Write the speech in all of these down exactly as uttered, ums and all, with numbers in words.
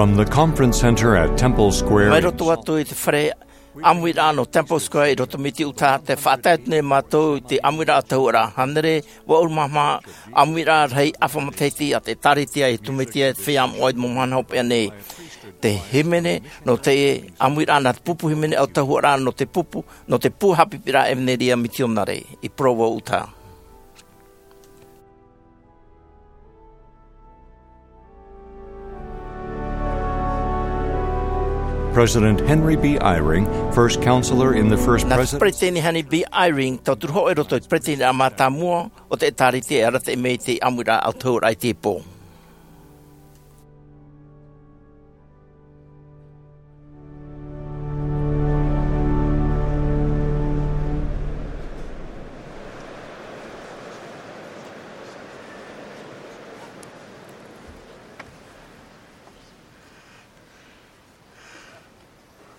From the conference center at Temple Square. Mai roto atu i te fare ʻāmuiraʻa nō Temple Square i roto mai i Utah, tē faʻatae atu nei mātou i te ʻāmuiraʻa ʻautahuʻaraʻa hānere, vaʻu maha ʻāmuiraʻa rahi ʻāfa matahiti a te ʻĒtārētia i Iesu Mesia, te feiā moʻa i te mau mahana hopeʻa nei. Te hīmene nō te ʻāmuiraʻa nā te pupu hīmene ʻautahuʻaraʻa nō te pupu, nō te pū haʻapiʻiraʻa ʻevanelia mitionare i Provo, Utah. President Henry B. Eyring, first counselor in the first Nā te president. Peresideni Henry B. Eyring, tauturu hōʻē i roto i te peresideni mātāmua o te ʻĒtārētia e arataʻi mai i te ʻāmuiraʻa ʻautahuʻaraʻa i teie pō.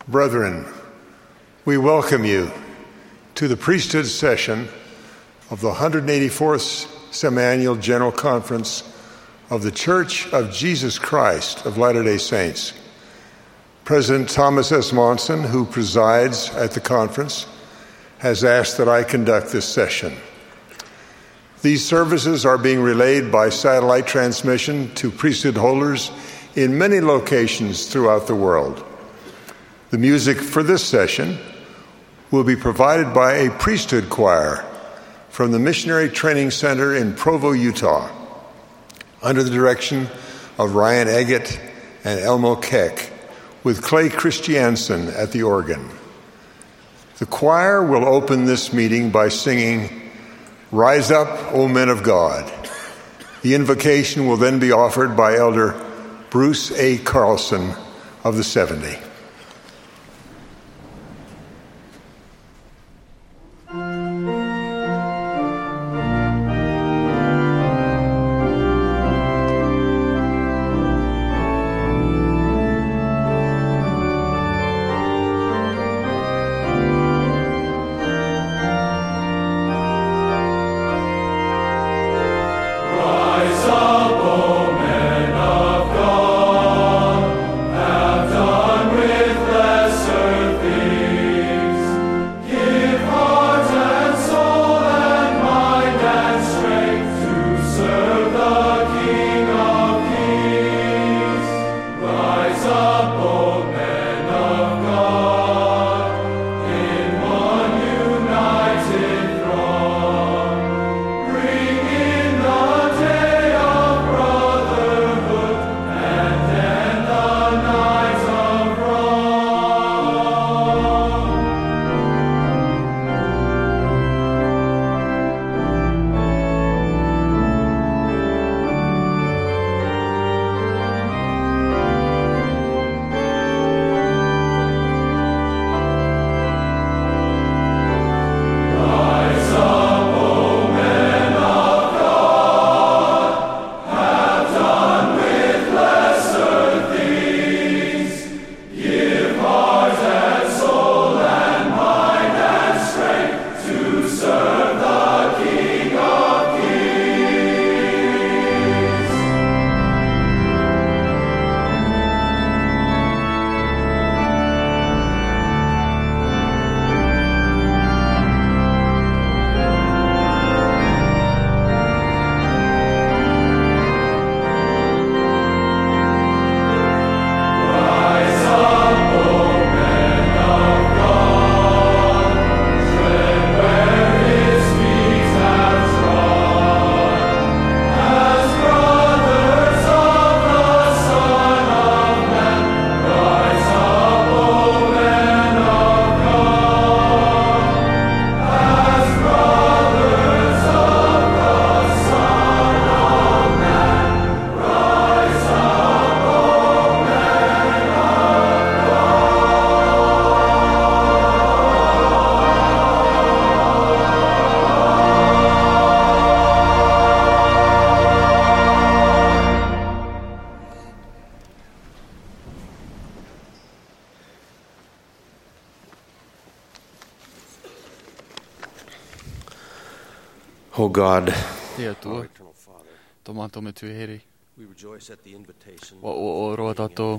Brethren, we welcome you to the priesthood session of the hundred eighty-fourth Semiannual General Conference of The Church of Jesus Christ of Latter-day Saints. President Thomas S. Monson, who presides at the conference, has asked that I conduct this session. These services are being relayed by satellite transmission to priesthood holders in many locations throughout the world. The music for this session will be provided by a priesthood choir from the Missionary Training Center in Provo, Utah, under the direction of Ryan Eggett and Elmo Keck, with Clay Christiansen at the organ. The choir will open this meeting by singing, "Rise Up, O Men of God." The invocation will then be offered by Elder Bruce A. Carlson of the seventy. Oh God. E Atua, tō mātou Metua here. Ua ʻoaʻoa roa tātou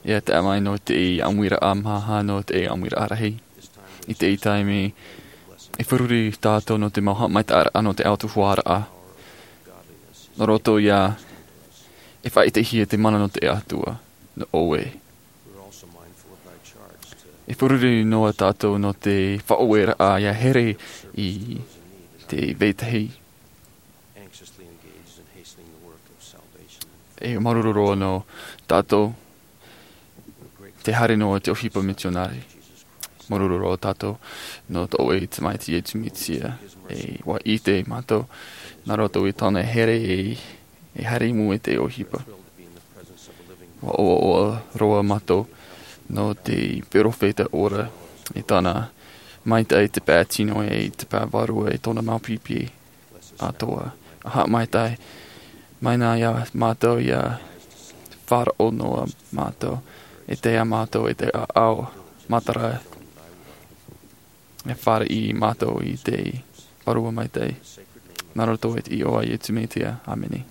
ia tae mai nō te ʻāmuiraʻa maha, nō te ʻāmuiraʻa rahi. I teie taime, e feruri tātou nō te mau haʻamaitaʻiraʻa nō te autahuʻaraʻa. Nō roto ia, e faʻaʻitehia te mana nō te Atua, nō ʻoe. E feruri noa tātou nō te faʻaueraʻa ia here i te vetahi. E māuruuru roa nō tātou, te haere noa te ʻohipa mitionare. Māuruuru roa tātou nō tō ʻoe Tamaiti Iesu Mesia, e ua ʻite mātou, nā roto i tōna here e, e haere i mua i te ʻohipa. Ua ʻoaʻoa roa mātou nō te perofeta ora, i tāna maitaʻi, te pae tino e te pae vārua, e tōna mau pipi atoʻa. Haʻamaitaʻi mai na ia mātou, ia faʻaroʻo noa mātou, e tae ia mātou i te ʻāʻau matara, e fāriʻi mātou i te Vārua Maitaʻi. Nā roto i te iʻoa o Iesu Mesia. ʻĀmene.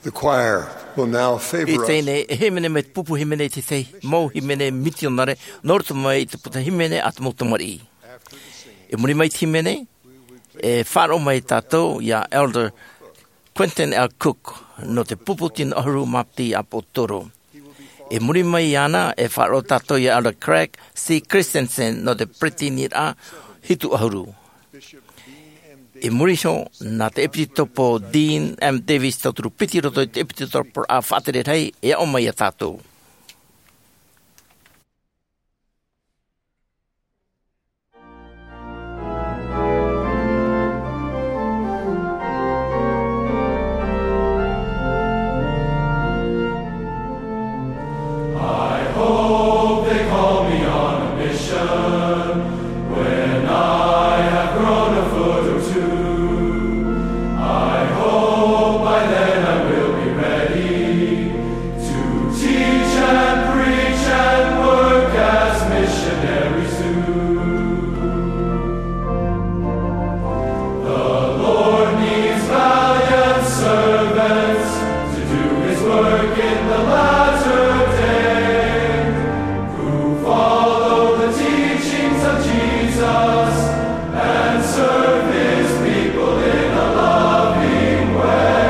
The choir will now favor us. I teie nei, e hīmene mai te pupu hīmene i te tahi mau hīmene mitionare, nō roto mai i te puta hīmene a te mau tamariʻi. I muri mai i te hīmene, e faʻaroʻo mai tātou ia Elder Quentin L. Cook, nō te pupu tino ʻahuru ma piti ʻāpōsetolo. I muri mai iāna, e faʻaroʻo tātou ia Elder Craig C. Christensen, nō te peresideniraʻa hitu ʻahuru. I muri iho, nā te ʻEpitetopo Dean M. Davis, tauturu piti roto i te ʻEpitetopo faʻatere rahi, e aʻo mai ia tātou. I hope they call me on a mission when I have grown a foot or two. I hope by then I will be ready to teach and preach and work as missionaries do. The Lord needs valiant servants to do his work in the latter day, who follow the teachings of Jesus and serve his people in a loving way.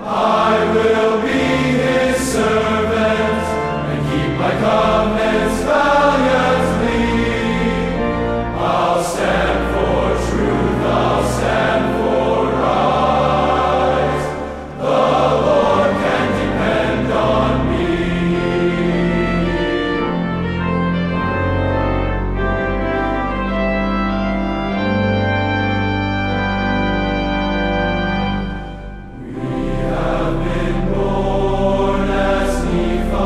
I will be his servant and keep my covenants valiantly. I'll stand for truth, I'll stand for right. The Lord can depend on me. We have been born as Nephi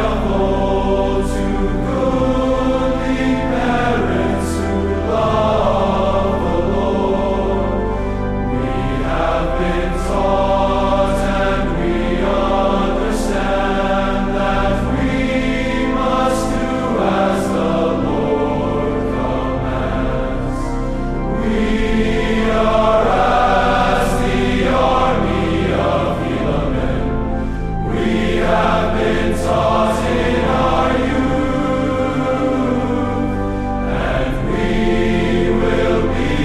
of old to goodly parents who love the Lord. We have been taught and we understand that we must do as the Lord commands. We are as the army of Helaman. We have been taught in our youth, and we will be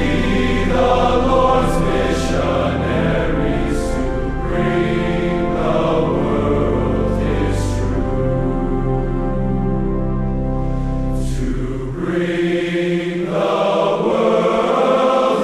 the Lord's missionaries to bring the world his truth. To bring the world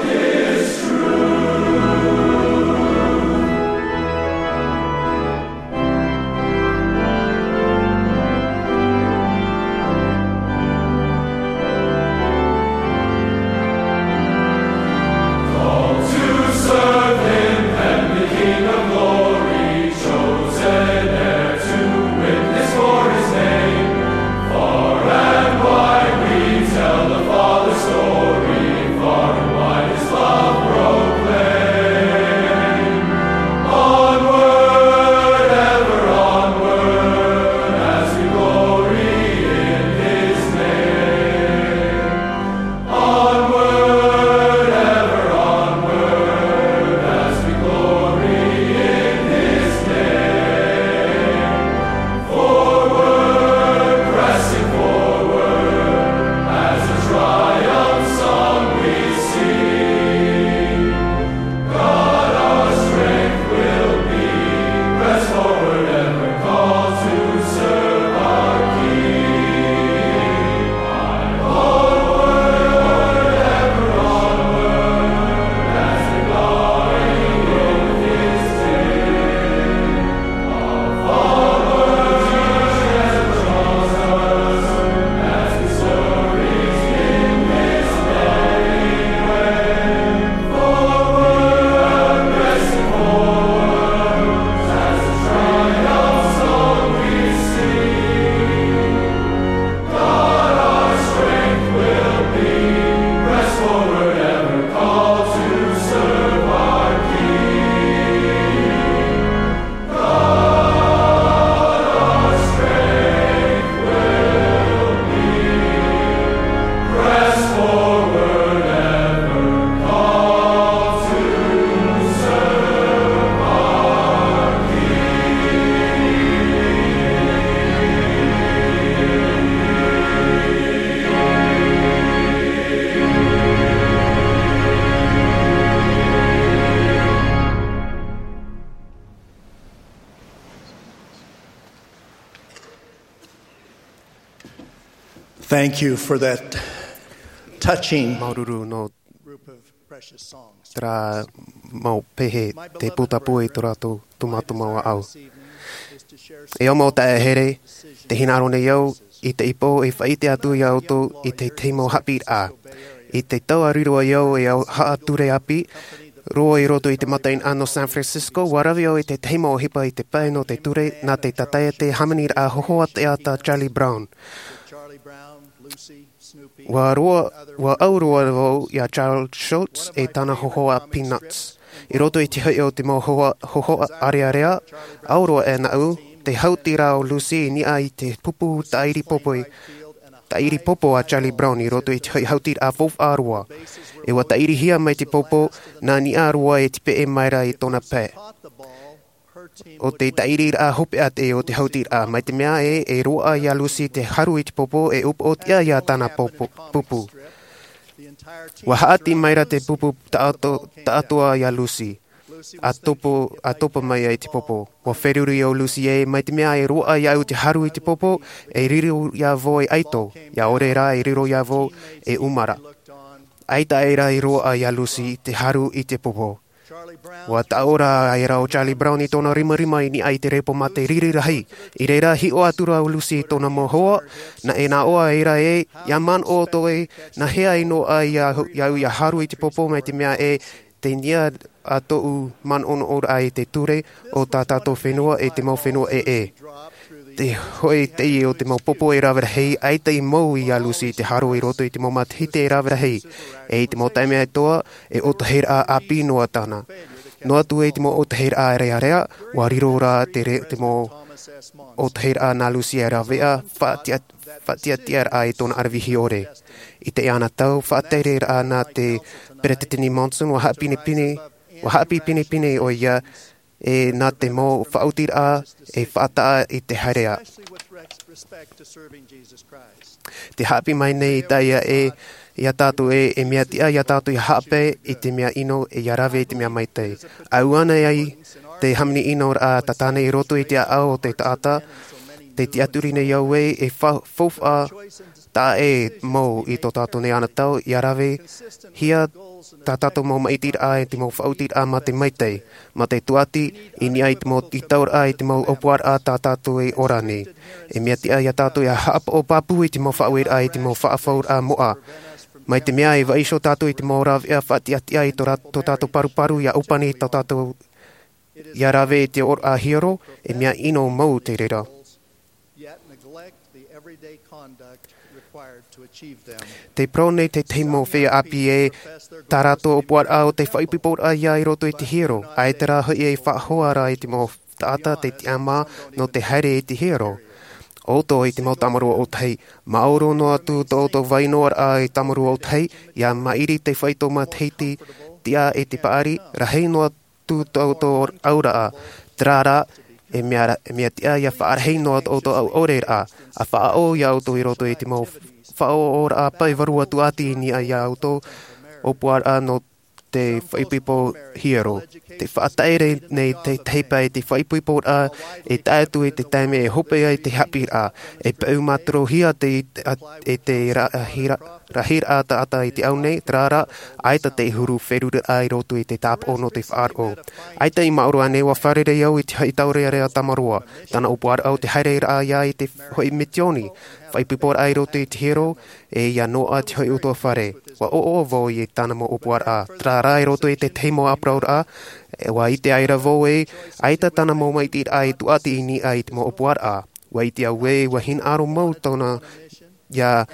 Thank you for that touching Māuruuru nō group of precious songs. Terā mau pehe te pūtapū i tō rātou tūmātūmā au. E au mau taeaʻe here, tē hinaʻaro nei au i te ipo e faʻaʻite atu iā ʻoutou i te tahi mau haʻapiʻiraʻa. I te tau a riro ai au e au haʻature ʻāpī, roa i roto i te mataʻeinaʻa nō San Francisco, ʻua rave au i te tahi mau ʻohipa i te pae nō te ture, nā te tātaʻi te hāmaniraʻa hōhoʻa teata Charlie Brown. ʻUa roa, ʻua au roa vau iā Charles Schulz e tāna hōhoʻa Peanuts. I roto i te hoʻi o te mau hōhoʻa, hōhoʻa ʻārearea, au roa e naʻu, te hautiraʻa o Lucy i niʻa i te pupu tāʻiri popo, tāʻiri popo a Charlie Brown i roto i te hoʻi hautiraʻa faufaʻa roa. E ʻua tāʻirihia mai te popo, nā niʻa roa e te peʻe mai ra i tōna pae. ʻO te tāʻiriraʻa hopeʻa te o te hautiraʻa, mai te mea ē, e roaʻa iā Lucy te haru i te popo, e upoʻotiʻa iā tāna popo, pupu. ʻUa haʻati mai ra te pupu taʻato-, taʻatoʻa iā Lucy, ʻa topa, ʻa topa mai ai te popo. ʻUa feruri ʻo Lucy ē, mai te mea e roaʻa iāʻu te haru i te popo, e riro iā vau e ʻaito, ʻia ʻore rā e riro iā vau e ʻumara. ʻAita aʻe ra i roaʻa iā Lucy te haru i te popo. ʻUa taʻo ra aʻe ra ʻo Charlie Brown i tōna rimarima i niʻa i te repo mā te riri rahi. I reira hiʻo atu ra ʻo Lucy i tōna mau hoa, nā, e naʻoa ē ra ē, ʻia manaʻo ʻoutou ē, nā hea i noaʻa iā, iāʻu ʻia haru i te popo mai te mea ē, tei niʻa ā tōʻu manaʻonaʻoraʻa i te ture o tā tātou fenua e te mau fenua ʻē. Te hoʻi teie o te mau popo e rave rahi, ʻaita i mau iā Lucy te haru i roto i te mau matahiti e rave rahi. E i te mau taime atoʻa, e ʻōtahiraʻa ʻāpī noa tāna. Noa atu e te mau ʻōtahiraʻa ʻārearea, ʻua riro ra te re-, te mau ʻōtahiraʻa nā Lucy e rāveʻa, faʻatia-, faʻatiʻatiʻaraʻa i tōna ʻaravihi ʻore. I teie ana tau, faʻatereraʻa nā te Peretiteni Monson, ʻua haʻapinepine, ʻua haʻapiʻi pinepine ʻoia, e nā te mau faʻaotiraʻa e faʻataʻa i te haereʻa. Te haʻapiʻi mai nei i teie ē, iā tātou ē, e mea tiʻa iā tātou ʻia haʻapae i te mea ʻino e ʻia rave i te mea maitaʻi. ʻAuana ai te hāmani ʻino ra tātane i roto i te ʻāʻau o te taʻata, tē tiʻaturi nei au ē, e fa-, faufaʻa taʻa ʻē mau i tō tātou nei ana tau, ʻia ravehia tā tātou mau maitiraʻa e te mau faʻaotiraʻa mā te maitaʻi, mā te tūʻati, i niʻa i te mau tītauraʻa i te mau ʻōpuaraʻa tā tātou e ora nei. E mea tiʻa iā tātou ʻia haʻapaʻo pāpū i te mau faʻaueraʻa i te mau faʻafauraʻa moʻa. Mai te mea e vaiiho tātou i te mau rāveʻa faʻatiʻatiʻa i tō rā-, tō tātou paruparu ʻia ʻōpani tō tātou ʻia rave i te ʻōraʻa hiero, e mea ʻino mau te reira. Yet neglect the everyday conduct required to achieve them. Tē parau nei te tahi mau feiā ʻāpī ē, tā rātou ʻōpuaraʻa ʻo te faʻaipoiporaʻa ïa i roto i te hiero, ʻaita rā hoʻi e faʻahoa ra i te mau taʻata te tiʻamā nō te haere i te hiero. ʻO tō i te mau tāmarū ʻōtahi, māoro noa atu tō ʻoutou vai noa ra i tāmarū ʻōtahi, ʻia maʻiri te faito matahiti tiʻa e te paʻari, rahi noa atu tō ʻoutou auraʻa, terā rā, e mea ra-, e mea tiʻa ʻia faʻarahi noa tō ʻoutou ʻaureraʻa, ʻa faʻaō iā ʻoutou i roto i te mau faʻaōraʻa pae vārua tūʻati i niʻa iā ʻoutou, ʻōpuaraʻa nō te faʻaipoipo hiero. Tē faʻatere nei te tahi pae te faʻaipoiporaʻa e tae atu i te taime e hope ai te haʻapiʻiraʻa, e peu mātorohia te, a, e te ra-, hira-, rahiraʻa taʻata i te ao nei, terā rā, ʻaita te huru feruriraʻa i roto i te tāpaʻo nō te faʻaroʻo. ʻAita i māʻoru ānei ʻua fārerei au i te haʻi taurearea tāmarua, tāna ʻōpuaraʻa ʻo te haereraʻa ïa i te hoʻi misioni, faʻaipoiporaʻa i roto i te hiero, e ʻia noaʻa te hoʻi ʻutuāfare. ʻUa ʻoaʻoa vau i tāna mau ʻōpuaraʻa, terā rā i roto i te tahi mau ʻāparauraʻa, e ʻua ʻite aʻera vau ē, ʻaita tāna mau maitiraʻa e tūʻati i niʻa i te mau ʻōpuaraʻa. ʻUa ʻite au ē, ʻua hinaʻaro mau tōna ʻia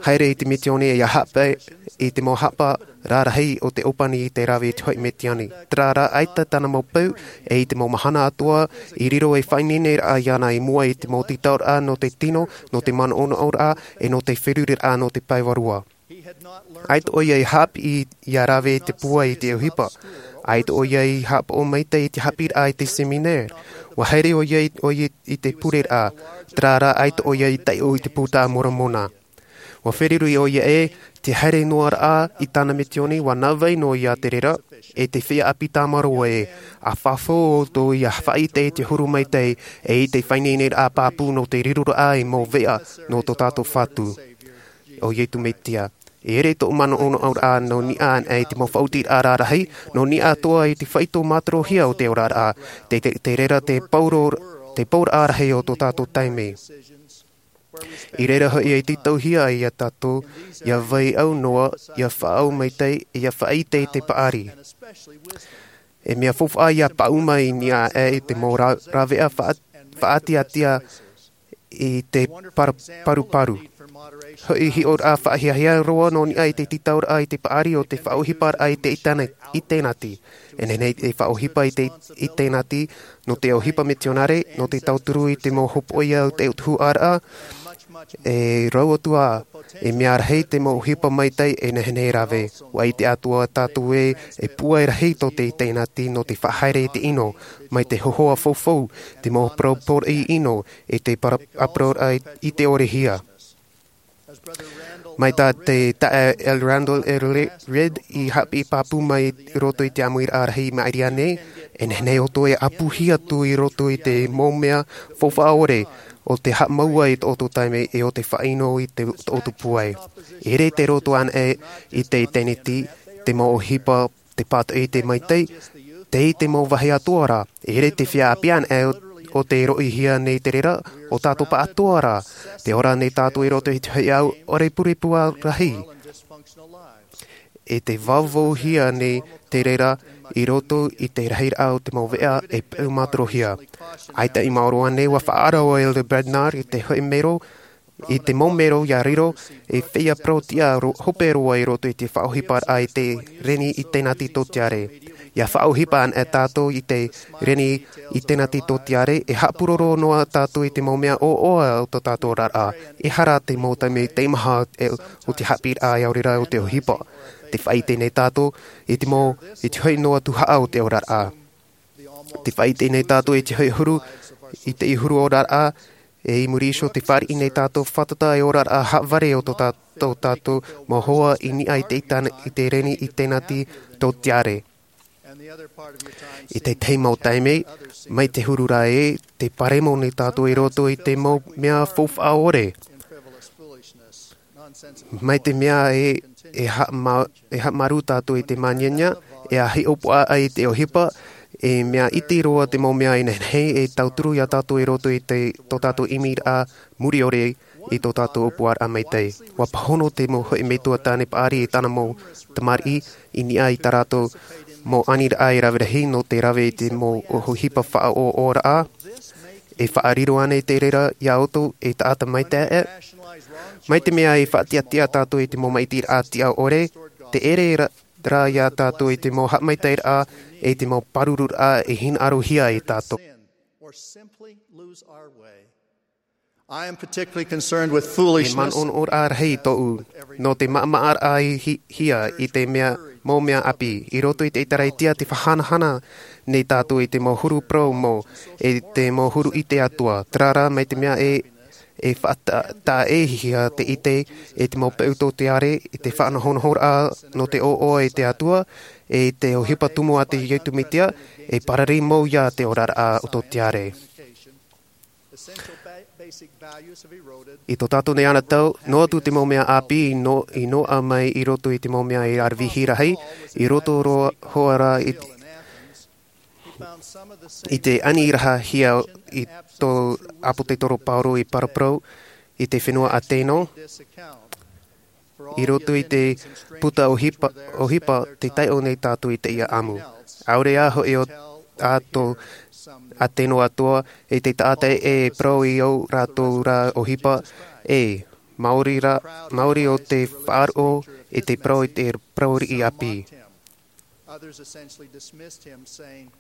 haere i te misioni ʻia haʻapae i te mau haʻapaʻo rarahi o te ʻōpani i te rave i te hoʻi misioni. Terā rā, ʻaita tāna mau peu, e i te mau mahana atoʻa, i riro ei faʻaineineraʻa iāna i mua i te mau tītauraʻa nō te tino, nō te manaʻonaʻoraʻa, e nō te feruriraʻa nō te pae vārua. ʻAita ʻoia i haʻapiʻi ʻia rave i te pūai i te ʻohipa. ʻAita ʻoia i haʻapaʻo maitaʻi i te haʻapiʻiraʻa i te seminare. ʻUa haere ʻoia i, ʻoia i te pureraʻa. Terā rā, ʻaita ʻoia i taiʻo i te Buka a Moromona. ʻUa feruri ʻoia ē, te haere noa ra i tāna misioni, ʻua nā vai noa ïa te reira, e te feiā ʻāpī tāmarua ē, ʻa fafau ʻoutou ʻia faʻaʻite i te huru maitaʻi, e i te faʻaineineraʻa pāpū nō te riroraʻa ei mau veʻa nō tō tātou Fatu. ʻo Iesu Mesia. E ʻere tōʻu manaʻonaʻoraʻa nō niʻa anaʻe i te mau faʻaotiraʻa rarahi, nō niʻa atoʻa i te faito mātarohia o te oraraʻa, te, te, te reira te pauro, te pauraʻa rahi o tō tātou taime. I reira hoʻi e tītauhia ai iā tātou, ʻia vai ʻau noa, ʻia faʻaau maitaʻi, ʻia faʻaʻite i te paʻari. E mea faufaʻa ʻia paʻuma i niʻa aʻe i te mau ra-, rāveʻa faʻa-, faʻatiʻatiʻa i te par-, paruparu. Hoʻi hiʻoraʻa faʻahiahia roa nō niʻa i te tītauraʻa i te paʻari o te faʻaʻohiparaʻa i te itena-, itenati. E nehenehe e faʻaʻohipa i te itenati, nō te ʻohipa mitionare, nō te tauturu i te mau hopoiʻa o te tuhaʻaraʻa, e rau atu ā, e mea rahi te mau ʻohipa maitaʻi e nehenehe e rave. ʻUa ʻite atoʻa tātou ē, e pūai rahi tō te itenati nō te faʻahaere i te ʻino, mai te hōhoʻa faufaʻa, te mau parau poroʻi ʻino, e te para-, parau i te ʻore hia. Mai tā te taeaʻe L. Randall L. Redd i haʻapiʻi pāpū mai i roto i te ʻāmuiraʻa rahi i maʻiri aʻe nei, e nehenehe ʻoutou e ʻapuhia atu i roto i te mau mea faufaʻa ʻore, o te haʻamau i tō ʻoutou taime e o te faʻaʻino i te, tō ʻoutou pūai. E ʻere te roto anaʻe i te itenati, te mau ʻohipa, te pātoʻi i te maitaʻi, tei te mau vāhi atoʻa ra, e ʻere te feiā ʻāpī anaʻe o, o te roʻihia nei te reira, ʻo tātou pāʻatoʻa ra, tē ora nei tātou i roto i te hoʻi ʻau ʻore purepua rahi. E tē vauvauhia nei te reira i roto i te rahiraʻa o te mau veʻa e peu mātarohia. ʻAita i maoro aʻe nei ʻua faʻaara ʻo Elder Bednar i te hoʻi mero, i te mau mero ʻia riro, e feiā parau tiʻa ro-, hope roa i roto i te faʻaʻohiparaʻa i te reni itenati tō te ʻare. ʻIa faʻaʻohipa anaʻe tātou i te reni itenati tō te ʻare, e haʻapuroro noa tātou i te mau mea ʻoaʻoa o tō tātou oraraʻa. Ehara te mau taime teimaha e, o te haʻapiʻiraʻa ʻaore rā o te ʻohipa. Tē faʻaʻite nei tātou i te mau, i te hoʻi noa tuhaʻa o te oraraʻa. Tē faʻaʻite nei tātou i te hoʻi huru, i te huru oraraʻa, e i muri iho tē fāriʻi nei tātou fātata e oraraʻa haʻavare o tō tā-, tō tātou mau hoa i niʻa i te itena-, i te reni itenati tō te ʻare. I te tahi mau taime, mai te huru ra ē, tē paremo nei tātou i roto i te mau mea faufaʻa ʻore. Mai te mea ē, e haʻama-, e haʻamāuruuru tātou i te māniania, e hiʻopoʻa ai te ʻohipa, e mea iti roa te mau mea e nehenehe e tauturu iā tātou i roto i te, tō tātou ʻimiraʻa mure ʻore i tō tātou ʻōpuaraʻa maitaʻi. ʻUa pāhono te mau hoʻi metua tāne paʻari i tāna mau tamariʻi i niʻa i tā rātou mau aniraʻa e rave rahi nō te rave i te mau ʻohipa faʻaʻoaʻoaraʻa. E faʻariro ānei te reira iā ʻoutou e taʻata maitaʻi? Mai te mea e faʻatiʻatiʻa tātou i te mau maʻitiraʻa tiʻa ʻore, tē ʻere ra, ra iā tātou i te mau haʻamaitaʻiraʻa, e te mau pārururaʻa e hinaʻarohia e tātou. E manaʻonaʻoraʻa rahi tōʻu, nō te maʻamaʻaraʻa i hi-, hia i te mea, mau mea ʻāpī, i roto i te ʻiteraʻa, te faʻahanahana nei tātou i te mau huru parau mau, e te mau huru ʻite atoʻa, terā rā mai te mea e, e faʻata-, taʻa-ʻē-hia te ʻite, e te mau peu tō te ʻare, i te faʻanahonahoraʻa nō te ʻoaʻoa i te Atua, e te ʻohipa tumu a te Iesu Mesia, e parari mau iā te oraraʻa o tō te ʻare. I tō tātou nei anotau, noa atu te mau mea ʻāpī i no-, i noaʻa mai i roto i te mau mea e aravihi rahi, i roto roa hoʻi rā i te, i te aniraʻahia i tō ʻāpōsetolo Paulo i paraparau i te fenua Ateno, i roto i te puta ʻohipa, ʻohipa tē taiʻo nei tātou i teie ʻāmui. ʻAore ā hoʻi ʻo, ā tō Ateno atoʻa, e te taʻata e parau i ō rātou rā ʻohipa, e, maori rā, maori ʻo te faʻaroʻo, e te parau i te parau riʻi ʻāpī. Others essentially dismissed him, saying,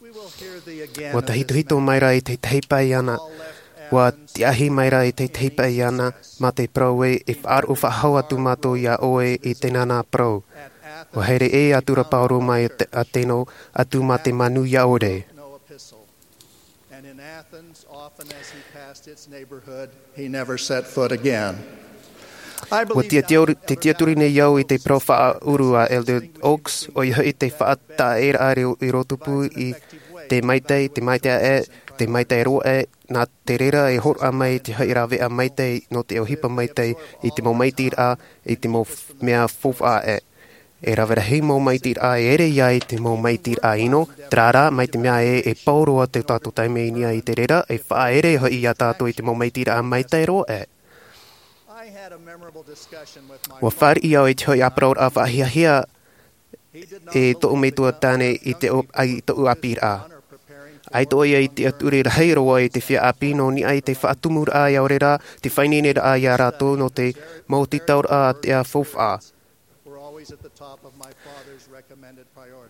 "We will hear thee again." ʻUa tahitohito mai rā i te tahi pae iāna, ʻua tiahi mai rā i te tahi pae iāna, mā te parau ē, e faʻaroʻo faʻahou atu mātou iā ʻoe i teie nei parau. ʻUa haere ʻē atu ra Paulo mai At-, Ateno, atu mā te manu iā ʻore. And in Athens, often as he passed its neighborhood, he never set foot again. I believe that ʻUa tiaturi, te tiaturi nei au i te parau faʻaʻuru a Elder Oaks, ʻoia hoʻi te faʻataʻeraʻa i roto pū i, Te maitaʻi, te maitaʻi aʻe, te maitaʻi roa aʻe, nā te reira e hōroʻa mai te hoʻi rāveʻa maitaʻi nō te ʻohipa maitaʻi i te mau maitaʻi raʻa, i te mau f-, mea faufaʻa aʻe. E rave rahi mau maitaʻi raʻa e ʻere ai te mau maitaʻi raʻa ʻino, terā rā, mai te mea ē, e pau roa tō tātou taime i niʻa i te reira, e faʻaʻere hoʻi ia tātou i te mau maitaʻi raʻa maitaʻi roa aʻe. ʻUa fāriʻi au i te hoʻi ʻāparauraʻa faʻahiahia e tōʻu metua tāne i te o-, ai tōʻu ʻāpīraʻa. ʻAita ʻoia i te tiʻaturi rahi roa i te feiā ʻāpī nō niʻa i te faʻatumuraʻa ʻaore rā, te faʻaineineraʻa ia rātou nō te mau tītauraʻa a te faufaʻa.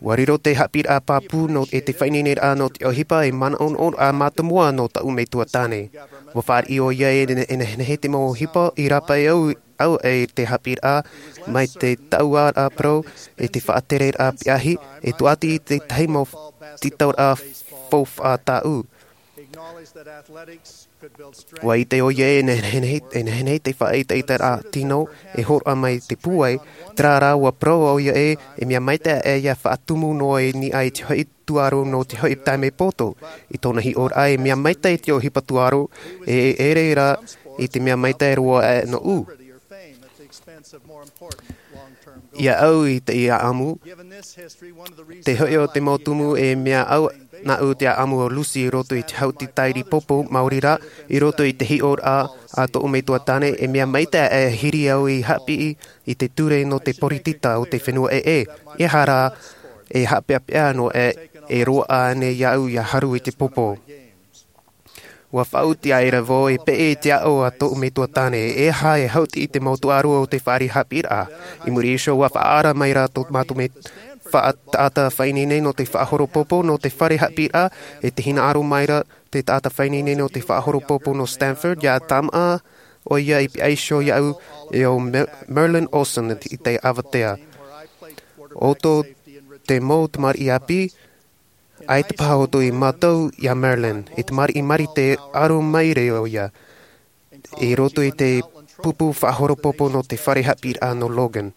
ʻUa riro te haʻapiʻiraʻa pāpū nō, e te faʻaineineraʻa nō te ʻohipa e manaʻonaʻoraʻa mātāmua nō tāʻu metua tāne. ʻUa fāriʻi ʻoia e ne-, e nehenehe te mau ʻohipa i rāpae au, au e te haʻapiʻiraʻa, mai te taʻuaraʻa parau, e te faʻatereraʻa peʻahi, e tūʻati i te tahi mau tītauraʻa faufaʻa tāʻu. ʻUa ʻite ʻoia e nehenehe, e nehenehe te faʻaʻetaʻetaraʻa tino e hōroʻa mai te pūai, terā rā ʻua parau ʻoia e, e mea maitaʻi ia faʻatumu noa i niʻa i te hoʻi tūʻaro nō te hoʻi taime poto. I tōna hiʻoraʻa e mea maitaʻi te ʻohipa tūʻaro, e, e ʻere rā i te mea maitaʻi roa aʻe nōʻu. Ia au i te ia ʻamu, te hoʻi o te mau tumu e mea au nāʻu te ʻaʻamu o Lucy i roto i te hau tītaʻiri pōpō maori rā, i roto i te hiʻoraʻa a tōʻu metua tāne, e mea maitaʻi e hiri au i haʻapiʻi i te ture nō te poritita o te fenua ʻē, ʻehara e haʻapeʻapeʻa noa e, e roaʻa nei iāʻu ia haru i te pōpō. ʻUa faʻaoti aʻera vau e peʻe i te aʻo a tōʻu metua tāne, e aha e hauti i te mau tūʻaro o te fare haʻapiʻiraʻa. I muri iho ʻua faʻaara mai rā tō mātou me-, faʻa-, taʻata faʻaineine nō te faʻahoropōpō nō te fare haʻapiʻiraʻa, e te hinaʻaro mai rā te taʻata faʻaineine nō te faʻahoropōpō nō Stanford, ia tāmā ʻoia i pihaʻi iho iāʻu e ʻo Mer-, Merlin Olsen i te avatea. ʻO tō te mau tamariʻi ʻāpī, ʻaita paha ʻoutou i mātau iā Merlin, e tamariʻi marite ʻaro maitaʻi ʻoia, i roto i te pupu faʻahoropōpō nō te fare haʻapiʻiraʻa nō Logan.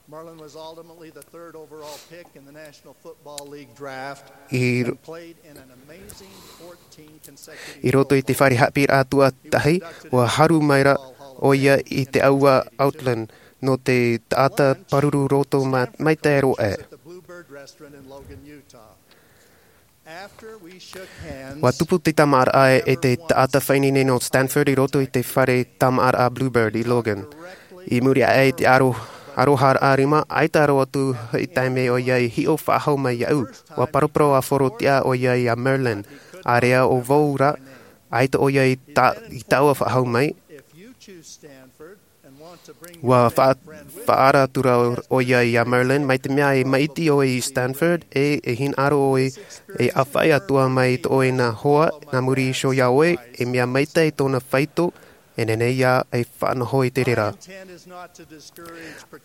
Merlin was ultimately the third overall pick in the National Football League draft I, and played in an amazing fourteen consecutive i roto i te fare haʻapiʻiraʻa tuatahi, ʻua haru mai rā ʻoia i te ʻāua Outland nō te taʻata pāruru roto ma-, maitaʻi roa aʻe. At the Bluebird Restaurant in Logan, Utah. ʻUa tupu te tāmāʻaraʻa e te taʻata faʻaineine nō Stanford i roto i te fare tāmāʻaraʻa Bluebird i Logan. I muri aʻe i te aro-, aroharaʻa rima, ʻaita roa atu hoʻi taime ʻoia i hiʻo faʻahou mai iāʻu. ʻUa paraparau a Forotia ʻoia iā Merlin. ʻĀreʻa ʻo vau rā, ʻaita ʻoia i ta-, i taua faʻahou mai. ʻUa fa-, faʻaara atu ra ʻoia iā Merlin, mai te mea e maʻiti ʻoe i Stanford, e, e hinaʻaro ʻoe, e ʻāfaʻi atoʻa mai i tō ʻoe nā hoa, nā muri iho iā ʻoe, e mea maitaʻi tōna faito, e nehenehe ā e faʻanaho i te reira.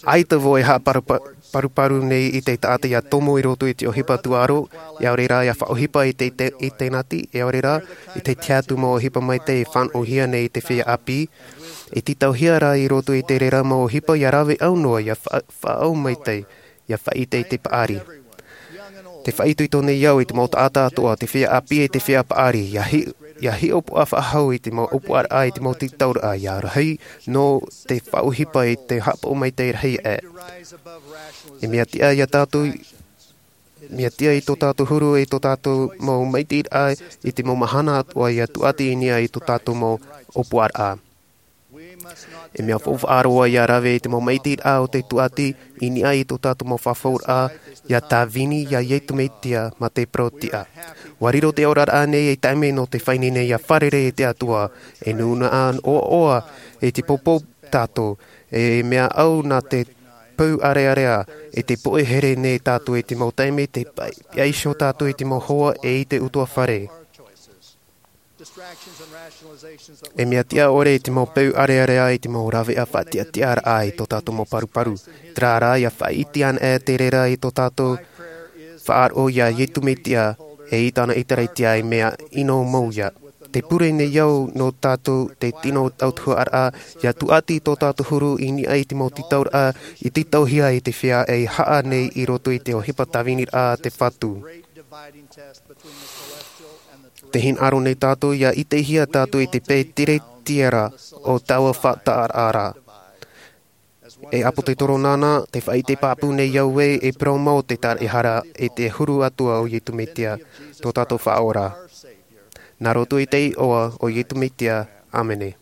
ʻAita vau e haʻaparupa-, paruparu nei i te taʻata ia tomo i roto i te ʻohipa tūʻaro, ʻaore rā ia faʻaʻohipa i te, te, i te nati, ʻaore rā, i te tahi atu mau ʻohipa maitaʻi e fānaʻohia nei i te feiā ʻāpī, e tītauhia rā i roto i te reira mau ʻohipa ia rave ʻau noa, ia fa-, faʻaʻau maitaʻi, ia faʻaʻite i te paʻari. Tē faʻaitoito nei au i te mau taʻata atoʻa, te feiā ʻāpī e te feiā paʻari, ia hi-, ia hiʻopoʻa faʻahou i te mau ʻōpuaraʻa, i te mau tītauraʻa, ia rahi nō te faʻaʻohipa i te haʻapaʻo maitaʻi rahi aʻe. E mea tiʻa ia tātou, mea tiʻa i tō tātou huru, i tō tātou mau maitaʻiraʻa, i te mau mahana atoʻa ia tūʻati i niʻa i tō tātou mau ʻōpuaraʻa. E mea faufaʻa roa ia rave i te mau maitaʻiraʻa o te tūʻati i niʻa i tō tātou mau fafauraʻa, ia Tāvini, ia Iesu Mesia, mā te parau tiʻa. ʻUa riro te oraraʻa nei ei taime nō te faʻaineine ia fārerei i te Atua, e nūnaʻa ʻoaʻoa, e te pōpō tātou, e mea ʻau nā te pou ʻārearea, e te poʻe here nei tātou i te mau taime, te pa-, pihaʻi iho tātou i te mau hoa, e i te ʻutuāfare. E mea tiʻa ʻore i te mau peu ʻārearea, i te mau rāveʻa faʻatiʻatiʻaraʻa i tō tātou mau paruparu. Terā rā, ia faʻaʻite ana e te reira i tō tātou faʻaroʻo iā Iesu Mesia, e i tāna ʻĒtārētia e mea ʻino mau ia. Tē pure nei au nō tātou te tino tautuharaʻa, ia tūʻati tō tātou huru i niʻa i te mau tītauraʻa, i tītauhia i te feiā e haʻa nei i roto i te ʻohipa tāviniraʻa a te Fatu. Te hinaʻaro nei tātou ia ʻitehia tātou i te pētere tiara o taua faʻataʻaraʻa. E ʻApotetoro nāna, te faʻaʻite pāpū nei au ē, e parau mau te taraehara, e te huru atoʻa o Iesu Mesia, tō tātou Faʻaora. Nā roto i te iʻoa o Iesu Mesia, ʻāmene.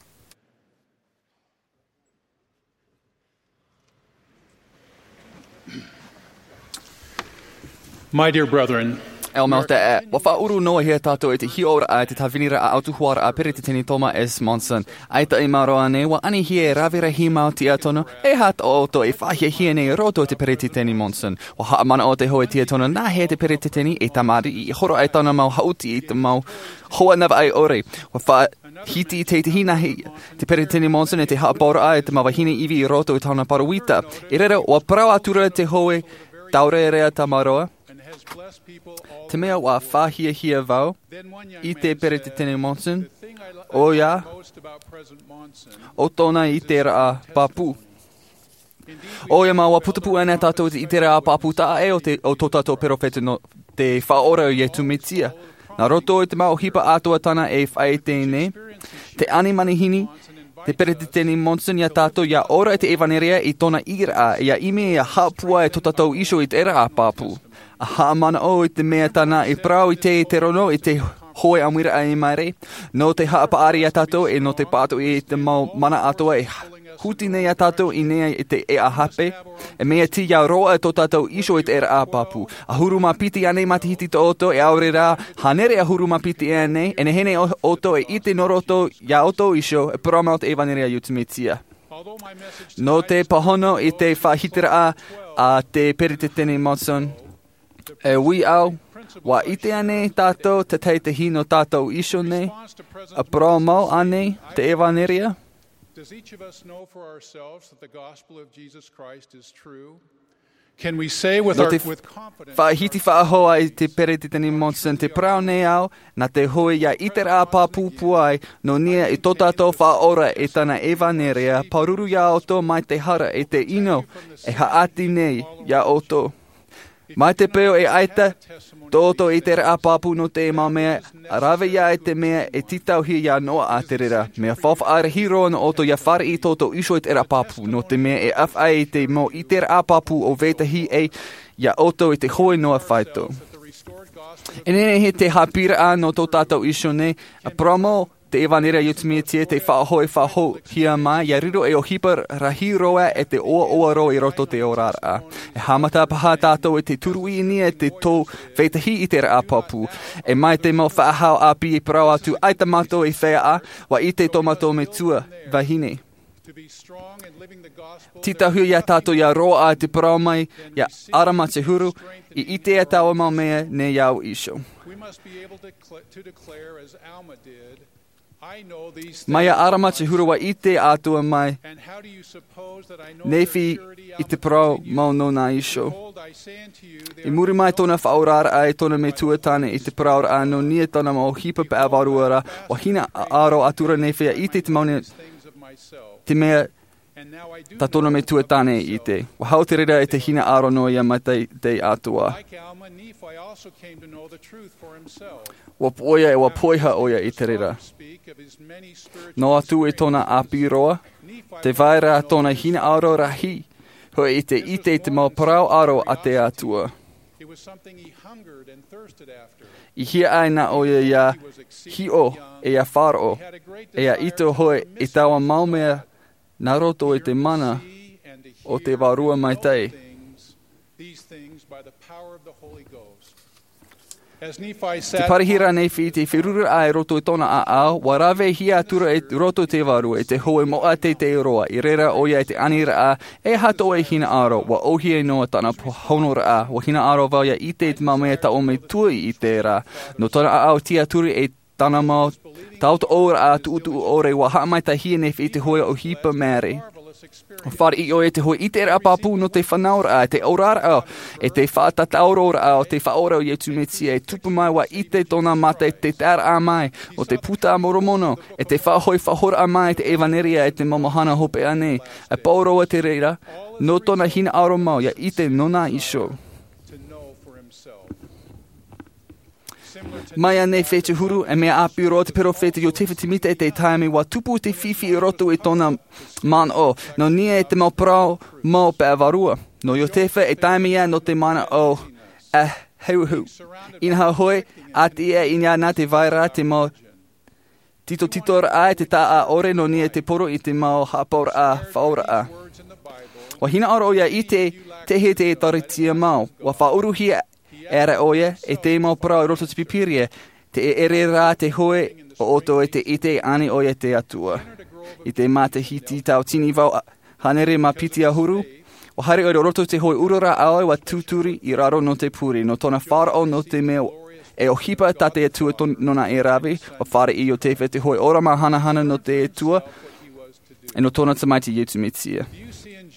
My dear brethren, e ʻo mau te ʻē, ua faʻaʻuru noa hia tātou i te hiʻoraʻa i te tāviniraʻa ʻautuhuaraʻa a Peretiteni Thomas S. Monson. ʻAita i maoro ānei, ua anihia e rave rahi mau tiʻaturi, e aha tō ʻoutou e faʻahiahia nei i roto i te Peretiteni Monson. Ua haʻamanaʻo te hōʻē tiʻaturi nā hea te Peretiteni e tamariʻi i horo ai tāna mau haʻuti i te mau hoa navaʻi ʻore. Ua faʻahiti i te hinahi te Peretiteni Monson e te haʻapaʻoraʻa i te mau vahine ivi i roto i tāna pāroita. I reira, ua parau atura te hōʻē taurearea tamaroa. Te mea ua faʻahiahia vau i te Peretiteni Monson, ʻoia, ʻo tōna ʻiteraʻa pāpū. ʻOia mau, ua putupū ana tātou i te ʻiteraʻa pāpū taʻa ʻē o te, o tō tātou perofeta nō te Faʻaora o Iesu Mesia. Nā roto i te mau ʻohipa atoʻa tāna e faʻaʻite nei, tē ani manihini te Peretiteni Monson ia tātou ia ora i te ʻevanelia i tōna ʻīraʻa, ia ʻimi ia haʻapūai tō tātou iho i te ʻiteraʻa pāpū. ʻA haʻamanaʻo i te mea tāna i parau i te, te rono i te hōʻē ʻāmuiraʻa i maere, nō te haʻapaʻari ia tātou e nō te pātoʻi i te mau mana atoʻa e huti nei ia tātou i ʻō nei i te ʻēʻa hape, e mea tī ia roaʻa tō tātou iho i te ʻiteraʻa pāpū. ʻAhuru mā piti ānei matahiti tō ʻoutou, e ʻaore rā, hānere ʻahuru mā piti ānei, e nehenehe ʻo-, ʻoutou e ʻite nō roto ia ʻoutou iho, e parau mau te ʻevanelia a Iesu Mesia. Nō te pāhono i te faʻahitiraʻa a te Peretiteni Monson, e ui au, ua ʻite ānei tātou te tahi tahi nō tātou iho nei, ʻa parau mau ānei te ʻevanelia? Does each of us know for ourselves that the gospel of Jesus Christ is true? Can we say with Nō our, te with confidence faʻahiti faʻahou ai te Peretiteni Monson, tē parau nei au, nā te hōʻē ia ʻiteraʻa pāpū pūai nō niʻa i tō tātou Faʻaora e tāna ʻevanelia, pāruru ia ʻoutou mai te hara e te ʻino e haʻati nei ia ʻoutou. Mai te peu e ʻaita tō ʻoutou ʻiteraʻa pāpū nō te mau mea, rave ia i te mea e tītauhia ia noaʻa te reira. Mea faufaʻa rahi roa nō ʻoutou ia fāriʻi tō ʻoutou iho i te ʻiteraʻa pāpū, nō te mea e ʻāfaʻi ai te mau ʻiteraʻa pāpū o vetahi ʻē ia ʻoutou i te hōʻē noa faito. E nehenehe te haʻapiʻiraʻa nō tō tātou iho nei, ʻa parau mau te ʻevanelia a Iesu Mesia tei faʻahoʻi faʻahouhia mai, ia riro ei ʻohipa rahi roa e te ʻoaʻoa roa i roto i te oraraʻa. E haʻamata paha tātou i te turuʻi i niʻa i te tō vetahi ʻiteraʻa pāpū. E mai te mau faʻahou ʻāpī e parau atu, ʻaita mātou e feiā, ua ʻite tō mātou metua vahine. Tītauhia ia tātou ia roaʻa te parau mai, ia ʻarama te huru, i ʻite ia taua mau mea nei iāʻu iho. We must be able to cl-, to declare as Alma did, "I know these things." Mai iā ʻArama te huru, ua ʻite atoʻa mai, and how do you suppose that I know their Nephi, purity i te parau mau nōna iho. Behold, I say unto you, there I muri mai tōna faʻaoraraʻa i tōna metua tāne i te parauraʻa nō niʻa i tāna mau ʻohipa paʻavārua ra, ua hinaʻaro atura Nephi ia ʻite i te mau mea, things of myself. Te mea And now I do tā tōna know metua tāne i ʻite. Ua hau te reira i te hinaʻaro nō ia mai te, te Atua. Like Alma, Nephi also came to know the truth for himself. Ua poʻia e ua poiha ʻoia i te reira. Speak of his many spiritual Noa atu i tōna ʻāpī roa, te vai ra tōna hinaʻaro rahi, hoʻi i te ʻite i te mau parau ʻaro a te Atua. It was something he hungered and thirsted after. I hiaʻai na ʻoia ia hiʻo, e ia faʻaroʻo, e ia ʻite hoʻi i taua mau mea nā roto i te mana o te Vārua Maitaʻi. Te parahiraʻa a Nephi i te feruriraʻa i roto i tōna ʻāʻau, ua ravehia atura i roto i te Vārua, i te hōʻē moʻa teitei roa, i reira ʻoia i te aniraʻa, e aha tō ʻoe hinaʻaro, ua ʻōhie noa tāna pāhonoraʻa, ua hinaʻaro vau ia ʻite i te mau mea tā ʻoe metua i ʻite ra. Nō tōna ʻāʻau tiʻaturi e tāna mau tautooraʻa tuʻutuʻu ʻore, ua haʻamaitaʻihia Nephi i te hōʻē ʻohipa māere. Ua fāriʻi ʻoia i te hōʻē ʻiteraʻa pāpū nō te fānauraʻa, te oraraʻa, e te faʻatātauroraʻa o te Faʻaora o Iesu Mesia, e tupu mai ua ʻite tōna mata i te taeraʻa mai o te Puta a Moromona, e te faʻahoʻi faʻahouraʻa mai i te ʻevanelia i te mau mahana hopeʻa nei, e pāʻō roa te reira, nō tōna hinaʻaro mau ia ʻite nōna iho. Mai iāna i te huru, e mea ʻāpī roa te peropheta Iotefa Semita i te taime ʻua tupu te fifi i roto i tōna manaʻo. Nō niʻa i te mau parau mau peʻavarua. Nō Iotefa e taime ia nō te manaʻo ʻa heuheu. Inaha hoʻi, ʻati ia i niʻa nā te vaira te mau titotitoraʻa e te taʻa ʻore nō niʻa i te poro i te mau haʻapaʻoraʻa faʻaora. ʻUa hinaʻaro ʻoia i te, te hē te ʻēkālesia mau. ʻUa faʻauruhia e ara ʻoia, e te mau parau i roto te Pīpīria, te ʻere rā te hoe o ʻoutou e te ʻite ani ʻoia te Atua. I te matahiti tau tini vau hānere mā piti ʻahuru, ʻua haere ʻoia i roto te hoe ʻura rāʻau ʻua tūturi i raro nō te pure, nō tōna faʻaroʻo nō te mea e ʻohipa tā te Atua tō-, nōna e rave, ʻua fāriʻi Iotefa te hoe ʻōrama hanahana nō te Atua, e nō tōna tamaiti Iesu Mesia.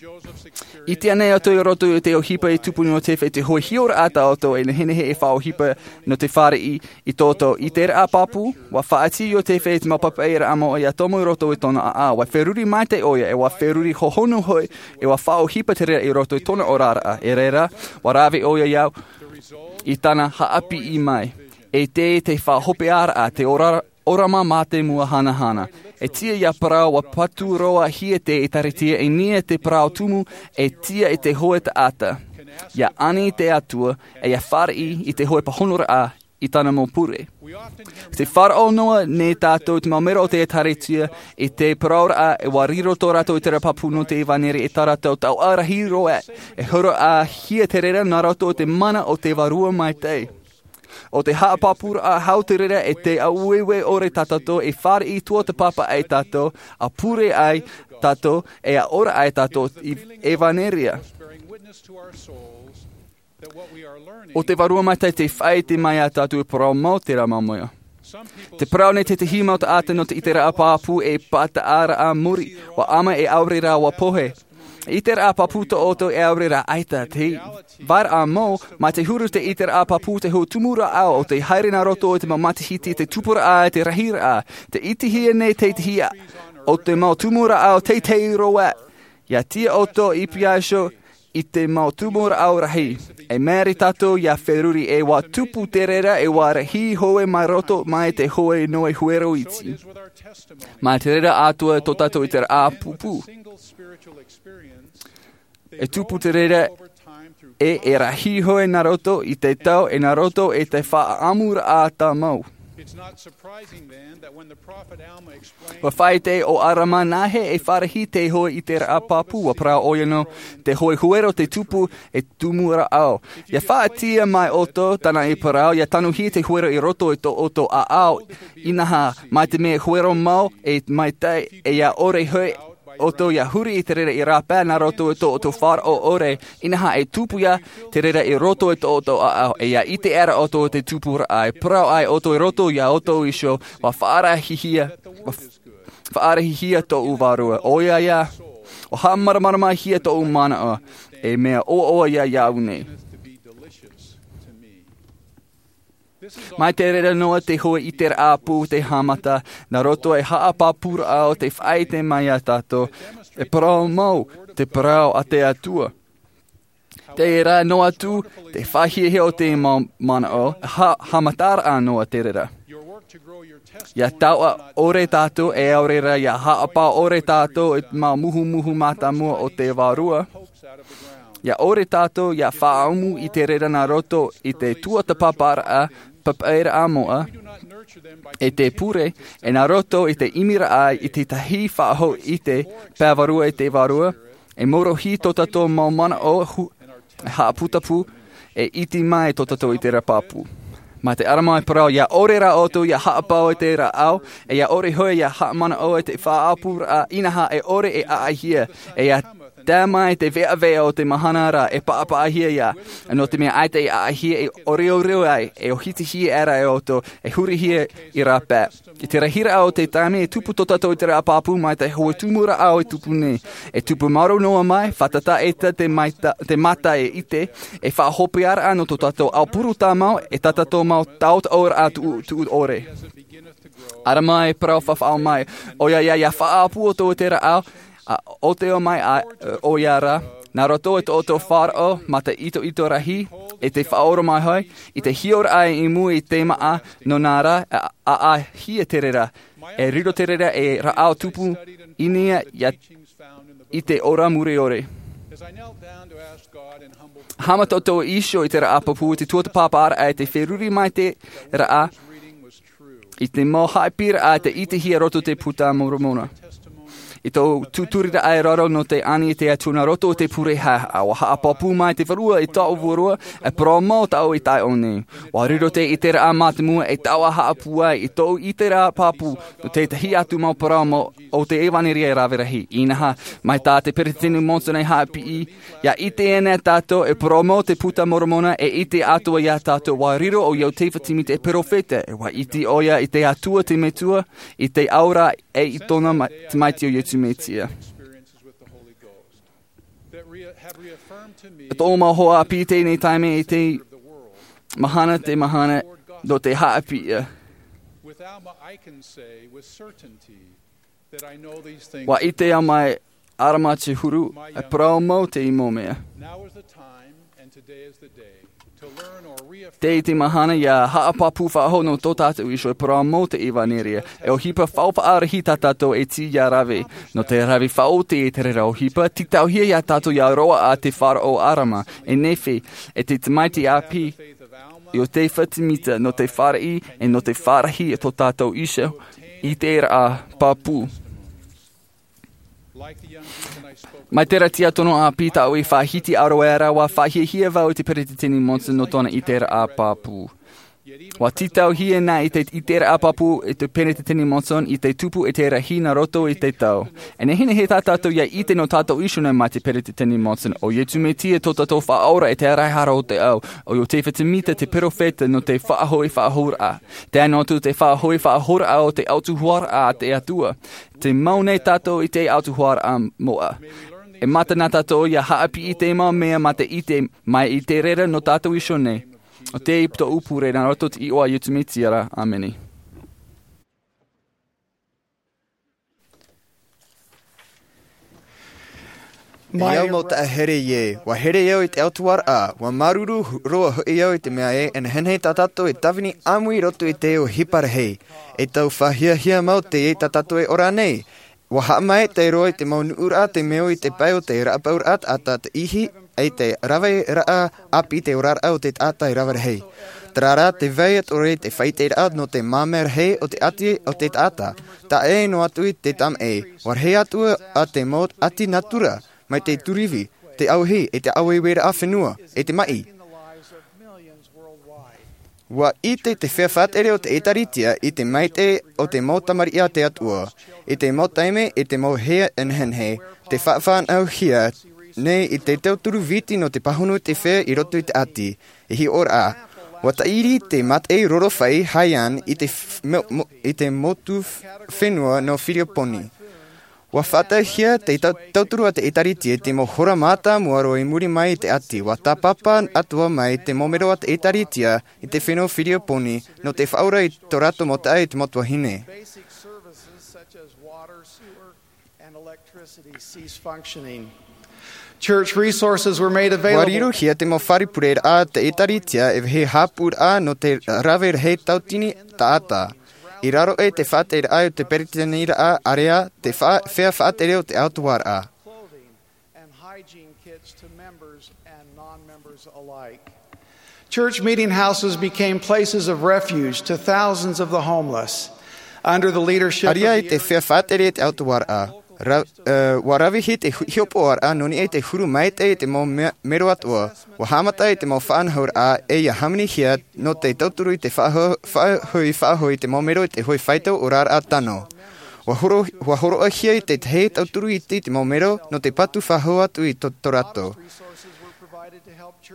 ʻIte ānei ʻoutou i roto i te ʻohipa e tupu nō Iotefa i te hoe hiʻoraʻa tā ʻoutou e nehenehe e faʻaʻohipa nō te fāriʻi i tō ʻoutou ʻiteraʻa pāpū? ʻUa faʻaʻite Iotefa i te mau papaʻiraʻa mau ʻia tomo i roto i tōna ʻāʻau. ʻUa feruri maitaʻi ʻoia, e ʻua feruri hohonu hoʻi, e ʻua faʻaʻohipa te reira i roto i tōna oraraʻa. E reira, ʻua rave ʻoia i au i tāna haʻapiʻi mai. E te, te faʻahopeʻaraʻa, te ora-, ʻōrama mā te mua hanahana. E tiʻa ia parau ʻua patu roa hia te ʻēkālesia i niʻa i te parau tumu e tiʻa i te hoe taʻata. ʻIa ani i te Atua, e ʻia fāriʻi i te hoe pāhonoraʻa i tāna mau pure. Te faʻaroʻo noa nei tātou te mau mero o te ʻēkālesia i te parauraʻa e ʻua riro tō rātou ʻiteraʻa pāpū nō te ʻevanelia e tā rātou tauʻa rahi roa e horoʻahia te reira nā roto i te mana o te Vārua Maitaʻi. ʻO te haʻapāpūraʻa hau te reira e te aueue ʻore tā tātou e fāriʻi tuatāpapa ai tātou, ʻa pure ai tātou, e ʻa ora ai tātou i ʻevanelia. ʻO te Vārua Maitaʻi te faʻaʻite mai iā tātou e parau mau terā mau mea. Te parau nei tētahi mau taʻata nō te ʻiteraʻa pāpū e pātaʻaraʻa muri, ʻua ʻama e ʻaore rā ʻua pohe. ʻIteraʻa pāpū tō ʻoutou e ʻaore rā ʻaita te vairaʻa mau, mā te huru te ʻiteraʻa pāpū te hoe tumu rāʻau o te haere nā roto i te mau matahiti te tupuraʻa e te rahiraʻa. Te ʻitehia nei tētahi o te mau tumu rāʻau teitei roa. ʻIa tiʻa ʻoutou i pīhaʻi iho i te mau tumu rāʻau rahi. E mea rā tātou ʻia feruri e ʻua tupu te reira e ʻua rahi hoe mai roto mai te hoe noa huero iti. Mā te reira atoʻa tō tātou ʻiteraʻa pāpū. E tupu te reira e, e rahi hoe nā roto i te tau e nā roto i te faʻaʻamuraʻa tāmau. It's not surprising then that when the prophet Alma explained ʻUa faʻaʻite ʻo ʻAlama nāhea e fāriʻi te hoe ʻiteraʻa pāpū, ʻua parau ʻoia nō te hoe huero te tupu e tumu rāʻau. ʻIa faʻatiʻa mai ʻoutou, tāna i parau, ʻia tanuhia te huero i roto i tō ʻoutou ʻāʻau, inaha, mai te mea huero mau e maitaʻi, e ʻia ʻore hoʻi ʻoutou ʻia huri i te reira i rāpae nā roto i tō ʻoutou faʻaroʻo ʻore, inaha e tupu ia te reira i roto i tō ʻoutou ʻāʻau, e ʻia ʻite aʻera ʻoutou i te tupuraʻa, e parau ai ʻoutou i roto iā ʻoutou iho, ʻua faʻarahihia, ʻua f-, faʻarahihia tōʻu vārua, ʻoia ia, ʻua haʻamāramaramahia tōʻu manaʻo, e mea ʻoaʻoa ia iāʻu nei. Mai te reira noa te hoe ʻiteraʻa pāpū te haʻamata, nā roto i te haʻapāpūraʻa o te faʻaʻite mai iā tātou, e parau mau te parau a te Atua. Terā noa atu te faʻahiahia o te mau manaʻo, ha-, haʻamataraʻa noa te reira. ʻIa tauʻa ʻore tātou e ʻaore rā ʻia haʻapaʻo ʻore tātou i te mau muhumuhu mātāmua o te Vārua. ʻIa ʻore tātou ʻia faʻaʻamu i te reira nā roto i te tuatāpaparaʻa, papaʻiraʻa moʻa, e te pure, e nā roto i te ʻimiraʻa i te tahi faʻahou ʻite, peʻavarua i te Vārua, e maorohi tō tātou mau manaʻo hu-, e haʻaputapū, e ʻite mai tō tātou ʻiteraʻa pāpū. Mā te ʻAlama e parau, ʻia ʻore rā ʻoutou ʻia haʻapaʻo i te rāʻau, e ʻia ʻore hoʻi ʻia haʻamanaʻo i te faʻaʻapuraʻa, inaha e ʻore e ʻaʻahia, e ʻia tae mai te veʻaveʻa o te mahana ra e paʻapaʻahia ia, nō te mea ʻaita e ʻaʻahia e ʻoreʻore ai, e ʻōhitihia aʻera e ʻoutou, e hurihia i rāpae. I te rahiraʻa o te taime e tupu tō tātou ʻiteraʻa pāpū mai te hoe tumu rāʻau e tupu nei. E tupu maoro noa mai, fātata ʻaita te maita, te mata e ʻite, e faʻahopeʻaraʻa nō tō tātou aupuru tāmau, e tā tātou mau taʻotaʻoraʻa tuʻu, tuʻu ʻore. ʻAlama e parau faʻaʻite mai, ʻoia ia, ʻia faʻaʻapu ʻoutou i te rāʻau, ʻa ʻōteo mai ā, ʻoia rā, Nā roto i tō ʻoutou faʻaroʻo mā te itoito rahi, e te faʻaoromaʻi hoʻi i te hiʻoraʻa i mua i te māʻa, nō nā rā, a, a, a hia te reira, e riro te reira e rāʻau tupu i niʻa ia i te ora mure ʻore. Haʻamata tō ʻoutou iho i te rāʻau pāpū, te tuatāpaparaʻa, e te feruri mai te rāʻau i te mau haʻapiʻiraʻa te ʻitehia roto te puta Moromona. I tō ʻoutou tūturiraʻa i raro nō te ani i te Atua nā roto i te pure haʻahaʻa, ʻua haʻapāpū mai te Vārua i tō ʻoutou vārua, e parau mau tāʻu i tae ʻō nei. ʻUa riro te ʻiteraʻa mātāmua e taua haʻapūai i tō ʻoutou ʻiteraʻa pāpū nō tētahi atu mau parau mau o te ʻevanelia e rave rahi. Inaha, mai tā te Peretiteni Monson e haʻapiʻi, ia ʻite ana tātou e parau mau te puta Moromona, e ʻite atoʻa ia tātou ʻua riro ʻo Iotefa Timita e perofeta, e ʻua ʻite ʻoia i te Atua te Metua, i te ora, e i tōna ma-, tamaiti ʻo Iesu Mesia. E tō mau hoa ʻāpī i teie nei taime, i te mahana te mahana nō te haʻapiʻi. ʻUa ʻite au mai ʻarama te huru, e parau mau te mau mea. Tē ʻite mahana ia haʻapāpū faʻahou nō tō tātou iho e parau mau te ʻevanelia, e ʻohipa faʻaʻohipa rahi tā tātou e tiʻa ia rave. Nō te rave faʻaoti i te reira ʻohipa, tītauhia ia tātou ia roaʻa te faʻaroʻo ʻarama, e nehenehe, e te tamaiti ʻāpī, Iotefa Timita, nō te fāriʻi, e nō te fāriʻi i tō tātou iho, i te rāʻau pāpū. Mai terā tiʻaturi ʻāpī tāʻu i faʻahiti ʻāroʻa ra, ʻua faʻahiahia vau i te Peretiteni Monson nō tōna ʻiteraʻa pāpū. ʻUa tītauhia na i te ʻiteraʻa pāpū i te Peretiteni Monson i te tupu e te rahi nā roto i te tau. E nehenehe tā tātou ia ʻite nō tātou iho nei mai te Peretiteni Monson, ʻo Iesu Mesia tō tātou Faʻaora e te Araʻarahara o te Ao, ʻo Iotefa Timita te perofeta nō te faʻahoʻi faʻahouraʻa. Tae noa atu te faʻahoʻi faʻahouraʻa o te ʻautuharaʻa a te Atua. Te mau nei tātou i te ʻautuharaʻa moʻa. E mata na tātou ia haʻapiʻi i te mau mea mā te ʻite mai i te reira nō tātou iho nei. ʻO te tōʻu pure nā roto i te iʻoa a Iesu Mesia ra. ʻĀmene. E au mau taʻahere ē, ʻua here au i te ʻautuharaʻa, ʻua māuruuru roa hoʻi au i te mea ē, e nehenehe tā tātou e tāvini ʻāmui i roto i te ʻohipa rahi. E tau faʻahiahia mau teie tā tātou e ora nei. ʻUa haʻamaitaʻi roa i te mau nuʻuraʻa te meo i te pae o te rāpauraʻa taʻata te ihi, e te raveraʻa ʻāpī te oraraʻa o te taʻata e rave rahi. Terā rā te vai atoʻa i te faʻaʻiteraʻa nō te māmā rahi o te ʻati o te taʻata. Tae noa atu i te tamaʻi, ʻua rahi atu ā te mau ʻati natura, mai te tūruvi, te ʻauhi, e te ʻāueueraʻa fenua, e te maʻi. ʻUa ʻite te feiā faʻatere o te ʻĒtārētia i te maitaʻi o te mau tamariʻi a te Atua, i te mau taime, i te mau hea e nehenehe, tē faʻafānauhia nei i te tauturu viti nō te pāhono i te feiā i roto i te ʻati, e hiʻoraʻa. ʻUa tāʻiri te mataʻi roro fai Haiyan i te f-, mo-, mo-, i te motu f-, fenua nō Firioponi. ʻUa faʻataʻahia te tau-, tauturu a te ʻĒtārētia i te mau hora mātāmua roa i muri mai i te ʻati. ʻUa tāpapa atoʻa mai te mau mero a te ʻĒtārētia i te fenua Firioponi nō te faʻaora i tō rātou mau taʻata i te mau tuahine. Basic services such as water, sewer, and electricity cease functioning. Church resources were made available. ʻUa rirohia te mau fare pureraʻa a te ʻĒtārētia e vāhi haʻapūraʻa nō te rave rahi tauatini taʻata. I raro aʻe i te faʻatereraʻa o te peresideniraʻa, ʻāreʻa te fa-, feiā faʻatere o te ʻautuharaʻa. Clothing and hygiene kits to members and non-members alike. Church meeting houses became places of refuge to thousands of the homeless. Under the leadership of the ʻĀreʻa i te feiā faʻatere i te ʻautuharaʻa. Ra-, ē, ʻua ravehia te hu-, hiʻopoʻaraʻa nō niʻa i te huru maitaʻi i te mau me-, mero atoʻa. ʻUa haʻamata i te mau faʻanahoraʻa e ia hāmanihia nō te tauturu i te faʻaho-, faʻahoʻi, faʻahoʻi i te mau mero i te hoʻi faito oraraʻa tano. ʻUa horo-, ʻua hōroʻahia i te tahi tauturu iti i te mau mero nō te patu faʻahou atu i tō, tō rātou.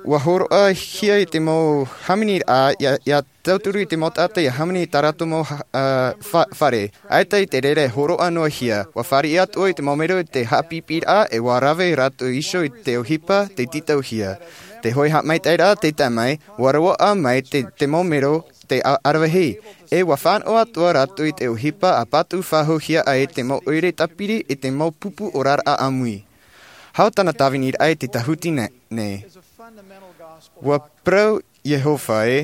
ʻUa hōroʻahia i te mau hāmaniraʻa ia, ia tauturu i te mau taʻata ia hāmani i tā rātou mau ha-, ā, fa-, fare. ʻAita i te reira e hōroʻa noa hia. ʻUa fāriʻi atoʻa i te mau mero i te haʻapiʻiraʻa e ʻua rave rātou iho i te ʻohipa tei tītauhia. Te hoʻi haʻamaitaʻiraʻa tei tae mai, ʻua roaʻa mai te, te mau mero te a-, aravihi. E ʻua fānaʻo atoʻa rātou i te ʻohipa a patu faʻahouhia ai te mau ʻoire tāpiri i te mau pupu oraraʻa ʻāmui. Hau tāna tāviniraʻa i te tāhuti nei. Ua parau Iehova ē,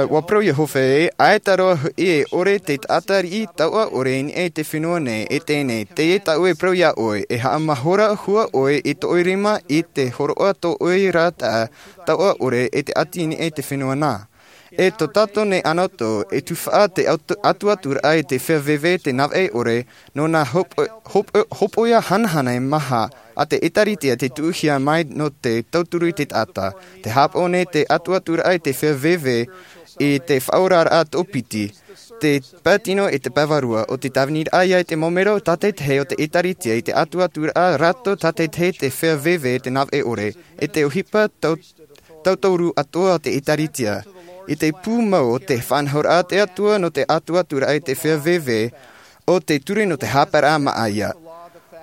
ua parau Iehova ē, ʻaita roa hoʻi e ʻore te taʻata riʻi tauʻa ʻore i niʻa i te fenua nei, e teie nei, teie tāʻu e parau iā ʻoe, e haʻamahora hua ʻoe i tō ʻoe rima i te hōroʻa tō ʻoe rātaʻa tauʻa ʻore e te ʻati i niʻa i te fenua nā. E tō tātou nei ʻanaʻanatae, e tufaʻa te atu-, atuaturaʻa i te feiā veve te navaʻi ʻore, nō nā hopo-, hopo-, hopoiʻa hanahana e maha a te ʻĒtārētia te tuʻuhia mai nō te tauturu i te taʻata. Te haʻapaʻo nei te atuaturaʻa i te feiā veve i te faʻaoraraʻa tōpiti, te pae tino e te pae vārua, ʻo te tāviniraʻa ia i te mau mero tātaitahi o te ʻĒtārētia i te atuaturaʻa rātou tātaitahi te feiā veve te navaʻi ʻore, e te ʻohipa tau-, tauturu atoʻa o te ʻĒtārētia. I te pū mau o te faʻanahoraʻa a te Atua nō te atuaturaʻa i te feiā veve ʻo te ture nō te haʻapaeraʻa māʻa ia.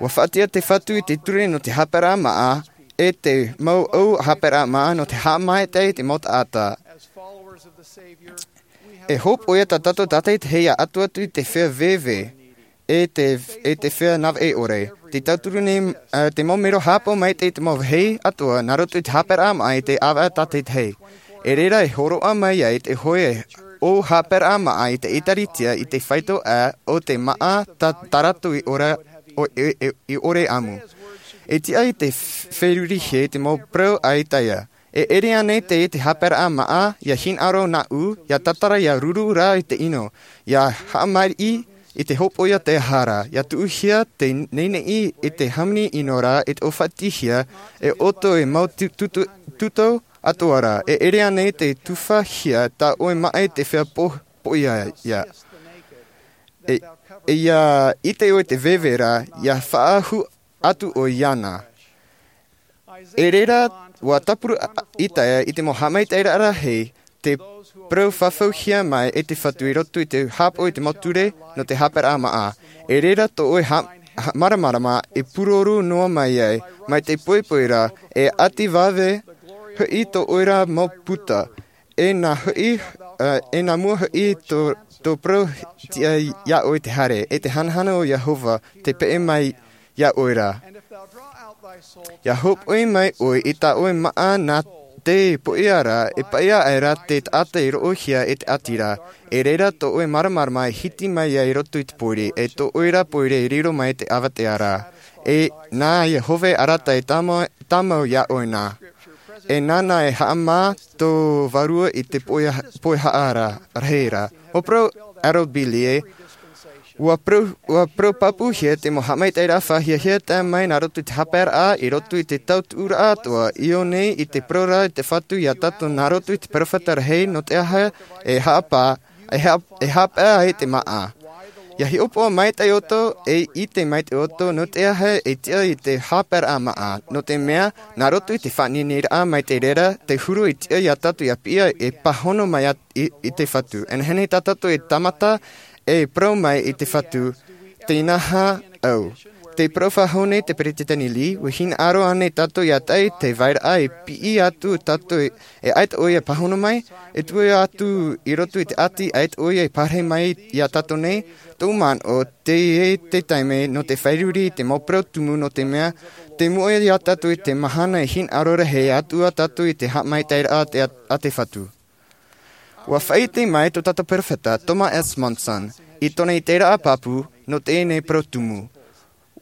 Ua faʻatiʻa te Fatu i te ture nō te haʻapaeraʻa māʻa, e te mau ʻau haʻapaeraʻa māʻa nō te haʻamaitaʻi i te mau taʻata. E hopoiʻa tā tātou tātaitahi ia atu atu i te feiā veve, e te, e te feiā navaʻi ʻore. Te tauturu nei, ā, te mau mero haʻapaʻo maitaʻi i te mau vāhi atoʻa, nā roto i te haʻapaeraʻa māʻa i te ʻāvaʻe tātaitahi. E reira e hōroʻa mai ai te hōʻē ʻau haʻapaeraʻa māʻa i te ʻĒtārētia i te faito ā ʻo te māʻa tā, tā rātou i ʻore, ʻo, i, i, i ʻore ʻāmui. E tiʻa i te f-, ferurihia i te mau parau a Isaia. E ʻere ānei te, te haʻapaeraʻa māʻa, ia hinaʻaro nāʻu, ia tātara ia ruru rā i te ʻino, ia haʻamaʻi i te hopoiʻa te aha ra, ia tuʻuhia te neʻineʻi i te hāmani ʻino ra, e te ʻōfaʻatihia, e ʻoto e mau tu-, tutu-, tutu atoʻa ra, e ʻere ānei te tufaʻahia tā ʻoe māʻa i te feiā po-, poʻia ia. E, e ia ʻite ʻoe te veve ra, ia faʻaʻahu atu ʻoe iāna. E reira, ua tāpura Isaia i te mau haʻamaitaʻiraʻa rahi, te parau fafauhia mai e te Fatu i roto i te haʻapaʻo i te mau ture nō te haʻapaeraʻa māʻa. E reira tō ʻoe ha-, ha-, māramarama e pūroro noa mai ai, mai te poipoi ra, e ʻati vave hoʻi tō ʻoe ra mau puta. E nā hoʻi, ā, e nā mua hoʻi tō, tō parau tiʻa iā ʻoe te haere, e te hanahana o Iehova, te peʻe mai iā ʻoe ra. Ia hōpoi mai ʻoe i tā ʻoe māʻa nā te poʻia ra, e paʻia aʻera te taʻata i roʻohia e te ʻati ra. E reira tō ʻoe māramarama e hiti mai ai i roto i te pōiri, e tō ʻoe ra pōiri e riro mai te avatea ra. E nā Iehova e arataʻi e tāmau, tāmau iā ʻoe nā. E nāna e haʻamā tō vārua i te poʻi-, poʻihaaʻa ra, rahi ra. Ua parau Harold B. Lee ē, ua parau, ua parau pāpūhia te mau haʻamaitaʻiraʻa fāhiahia tae mai nā roto i te haʻapaeraʻa, i roto i te tautuʻuraʻa atoʻa, i ʻō nei i te parau ra i te Fatu iā tātou nā roto i te perofeta rahi, nō te aha e haʻapa-, e haʻa-, e haʻapaʻo ai te māʻa. Ia hiʻopoʻa maitaʻi ʻoutou, e ʻite maitaʻi ʻoutou, nō te aha e tiʻa i te haʻapaeraʻa māʻa, nō te mea, nā roto i te faʻaineineraʻa mai te reira, te huru i tiʻa iā tātou ia piʻi e pāhono mai ā-, i, i te Fatu. E nehenehe tā tātou e tāmata, e parau mai i te Fatu, tē nā hea au. Tē parau faʻahou nei te Peresideni Lee, ʻua hinaʻaro ānei tātou ia tae i te vairaʻa e piʻi atu tātou e, e ʻaita ʻoia e pāhono mai, e tuʻu atu i roto i te ʻati ʻaita ʻoia e pārahi mai iā tātou nei, tōʻu manaʻo, teie te taime nō te fāriʻi i te mau parau tumu nō te mea, tē moʻe iā tātou i te mahana e hinaʻaro rahi atu ā tātou i te haʻamaitaʻiraʻa a te, a te Fatu. ʻUa faʻaʻite mai tō tātou perofeta, Thomas S. Monson, i tōna ʻiteraʻa pāpū nō teie nei parau tumu.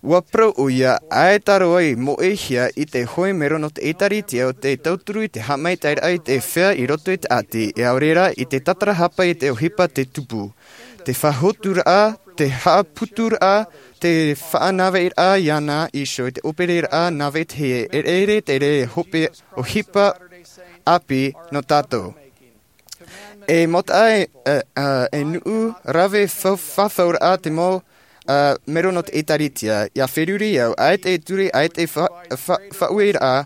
ʻUa parau ʻoia, ʻaita roa i moʻehia i te hōʻē mero nō te ʻĒtārētia ʻo tē tauturu i te haʻamaitaʻiraʻa i te feiā i roto i te ʻati, e ʻaore rā i te tātarahapa i te ʻohipa tē tupu. Te faʻahotuiraʻa, te haʻaputuraʻa, te faʻanaveiraʻa iāna iho i te ʻōperaraʻa nāvetahi e ʻere te reira e hope ʻohipa ʻāpī nō tātou. E mau taʻata, e, e, e nuʻu rave fa-, fafauraʻa te mau, e, mero nō te ʻĒtārētia, ʻia feruri au, ʻaita e ture, ʻaita e fa-, fa-, faʻaueraʻa,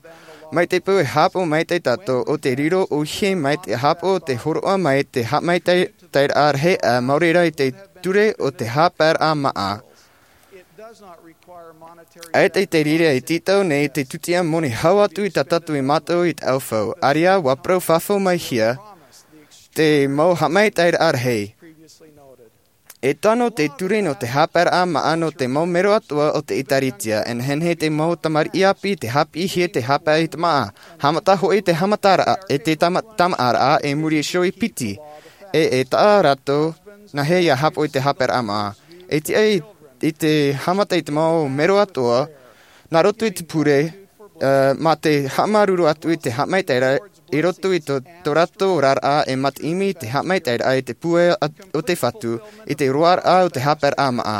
mai te peu e haʻapaʻo maitaʻi tātou, ʻo te riro ʻōhie mai te haʻapaʻo, te hōroʻa mai, te haʻamaitaʻi, taʻiraʻa rahi, ʻa, maori rā i te ture o te haʻapaeraʻa māʻa. ʻAita i te riri e tītau nei te tūtia moni hau atu i tā tātou e mātau i te ʻaufau. ʻĀreʻa, ʻua parau fafau mai hia te mau haʻamaitaʻiraʻa rahi. E tano te ture nō te haʻapaeraʻa māʻa nō te mau mero atoʻa o te ʻēkālesia, e nehenehe te mau tamariʻi ʻāpī te haʻapiʻihia te haʻapaeraʻa i te māʻa. Haʻamata hoʻi te haʻamataraʻa, e te tama-, tamaʻaraʻa, e muri iho i piti. E, e taʻa rātou, nāhea ia haʻapaʻo i te haʻapaeraʻa māʻa. E tiʻa i, i te haʻamata i te mau mero atoʻa, nā roto i te pure, ā, mā te haʻamāuruuru atu i te haʻamaitaʻiraʻa, i roto i tō, tō rātou oraraʻa e mā te ʻimi i te haʻamaitaʻiraʻa i te pūai a-, o te Fatu, i te roaraʻa o te haʻapaeraʻa māʻa.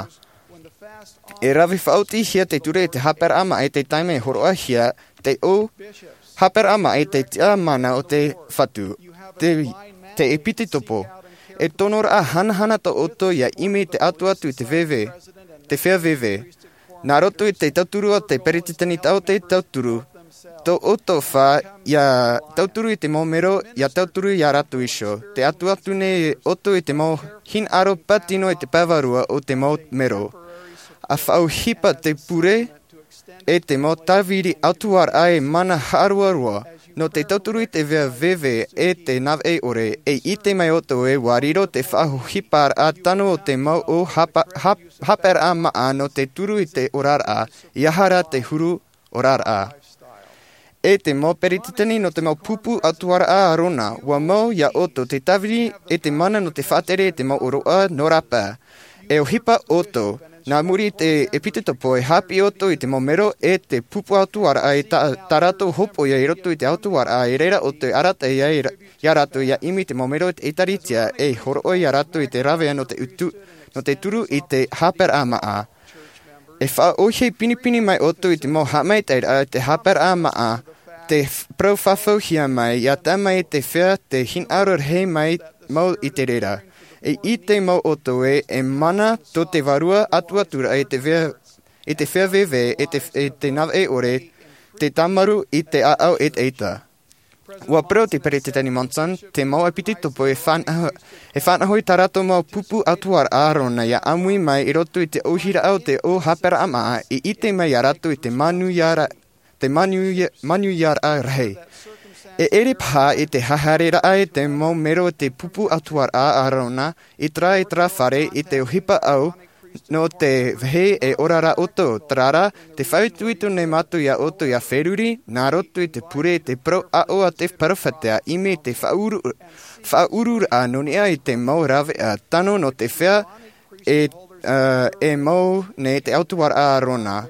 E rave faʻaotihia te ture i te haʻapaeraʻa māʻa i te taime e hōroʻahia, te ʻō haʻapaeraʻa māʻa i te tiʻamana o te Fatu, te, te ʻēpitopo. E tonoraʻa hanahana tō ʻoutou ia ʻimi te atu atu i te veve, te feiā veve. Nā roto i te tauturu o te peretiteni tau te tauturu, tō ʻoutou fā, ia tauturu i te mau mero, ia tauturu ia rātou iho. Te atu atu nei ʻoutou i te mau hinaʻaro pātino i te pae vārua o te mau mero. ʻA faʻaʻohipa te pure, e te mau tāviri ʻautuaraʻa e mana haʻaroaroa, nō te tauturu i te feiā veve e te nāvaʻe ʻore, e ʻite mai ʻoutou ē, ʻua riro te faʻaʻohiparaʻa tano o te mau ʻō haʻapa-, haʻap-, haʻapaeraʻa māʻa nō te turu i te oraraʻa, ʻeiaha rā te huru oraraʻa. E te mau peretiteni nō te mau pupu ʻautuaraʻa Arona, ʻua mau ia ʻoutou te tāviri e te mana nō te faʻatere i te mau ʻōroʻa nō rāpae. E ʻohipa ʻoutou, nā muri i te ʻēpitopo e haʻapiʻi ʻoutou i te mau mero e te pupu ʻautuaraʻa i tā, tā rātou hopoiʻa i roto i te ʻautuaraʻa, i reira ʻoutou e arataʻi ai ra-, ia rātou ia ʻimi i te mau mero i te ʻēkālesia, e hōroʻa ia rātou i te rāveʻa nō te utu, nō te turu i te haʻapaeraʻa māʻa. E faʻaʻohie pinepine mai ʻoutou i te mau haʻamaitaʻiraʻa i te haʻapaeraʻa māʻa, te f-, parau fafauhia mai, ia tae mai i te feiā te hinaʻaro rahi mai mau i te reira. E ʻite mau ʻoutou ē, e mana tō te Vārua Atuaturaʻa i te feiā, i te feiā veve, e te, e te nāvaʻe ʻore, te tāmarū i te ʻāʻau ʻetaʻeta. ʻUa parau te Peretiteni Monson, te mau ʻēpitopo e faʻanaho, e faʻanaho i tā rātou mau pupu ʻautuaraʻa Arona ia ʻāmui mai i roto i te ʻōhiraʻa o te ʻō haʻapaeraʻa māʻa, i ʻite mai ia rātou i te manuiara-, te manuia-, manuiaraʻa rahi. E ʻere paha i te haereraʻa i te mau mero o te pupu ʻautuaraʻa Arona, i terā, i terā fare, i te ʻohipa ʻau, nō te vāhi e ora ra ʻoutou, terā rā, tē faʻaitoito nei mātou ia ʻoutou ia feruri, nā roto i te pure i te parau aʻo a te perofeta, ʻimi i te faʻaʻuru-, faʻaʻururaʻa nō niʻa i te mau rāveʻa tano nō te feiā e, ā, e mau nei te ʻautuaraʻa Arona.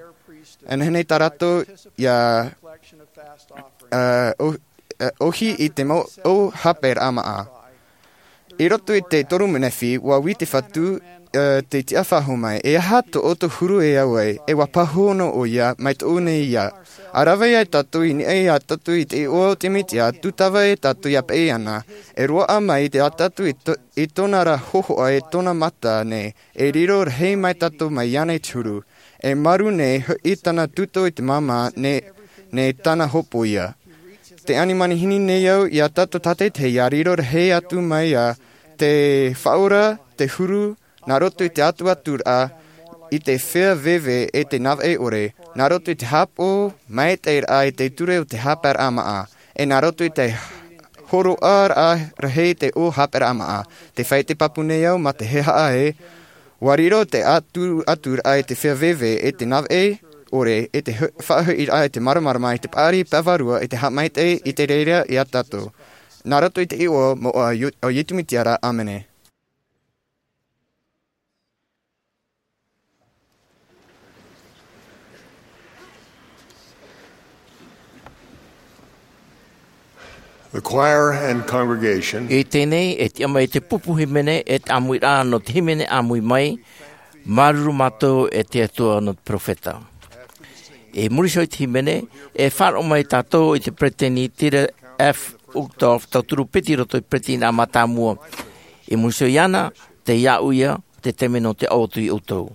E nehenehe tā rātou ia, ā, ʻo-, ā, ʻohi i te mau ʻō haʻapaeraʻa māʻa. I roto i te toru Nefi, ʻua ui te Fatu, ā, tei tiʻafaʻahou mai, e aha tō ʻoutou huru e au ai, e ʻua pāhono ʻoia, mai tōʻu nei ia. ʻA rave ai tātou i niʻa ia tātou i te iʻoa o te Mesia, tūtava e tātou ia paʻi iāna, e roaʻa mai i te, a tātou i tō-, i tōna ra hōhoʻa e tōna mata nei, e riro rahi mai tātou mai iāna i te huru. E maru nei hoʻi tāna tūtō i te māmā nei, nei tāna hopoiʻa. Tē ani manihini nei au ia tātou tātaʻitahi ia riro rahi atu mai ia te Faʻaora, te huru, nā roto i te atuaturaʻa, i te feiā veve e te nāvaʻe ʻore, nā roto i te haʻapaʻo maitaʻiraʻa i te ture o te haʻapaeraʻa māʻa, e nā roto i te hōroʻaraʻa rahi i te ʻō haʻapaeraʻa māʻa. Tē fāʻite pāpū nei au mā te hehea ē, ʻua riro te atu-, aturaʻa i te feiā veve e te nāvaʻe ʻore, e te hu-, faʻahoʻiraʻa i te māramarama, i te paʻari pae vārua, i te haʻamaitaʻi, i te reira ia tātou. Nā roto i te iʻoa moʻa o Iesu Mesia ra, ʻāmene. The choir and congregation. I teie nei, e tiʻa mai te pupu hīmene, e te ʻāmuiraʻa nō te hīmene ʻāmui mai, māuruuru mātou e te Atua nō te perofeta. I muri iho i te hīmene, e faʻaroʻo mai tātou i te peretiteni Dieter F. Uchtdorf, tauturu piti i roto i te peretiteni mātāmua. I muri iho iāna, tei iā ʻoia, te taime nō te ʻaʻau atu ia ʻoutou.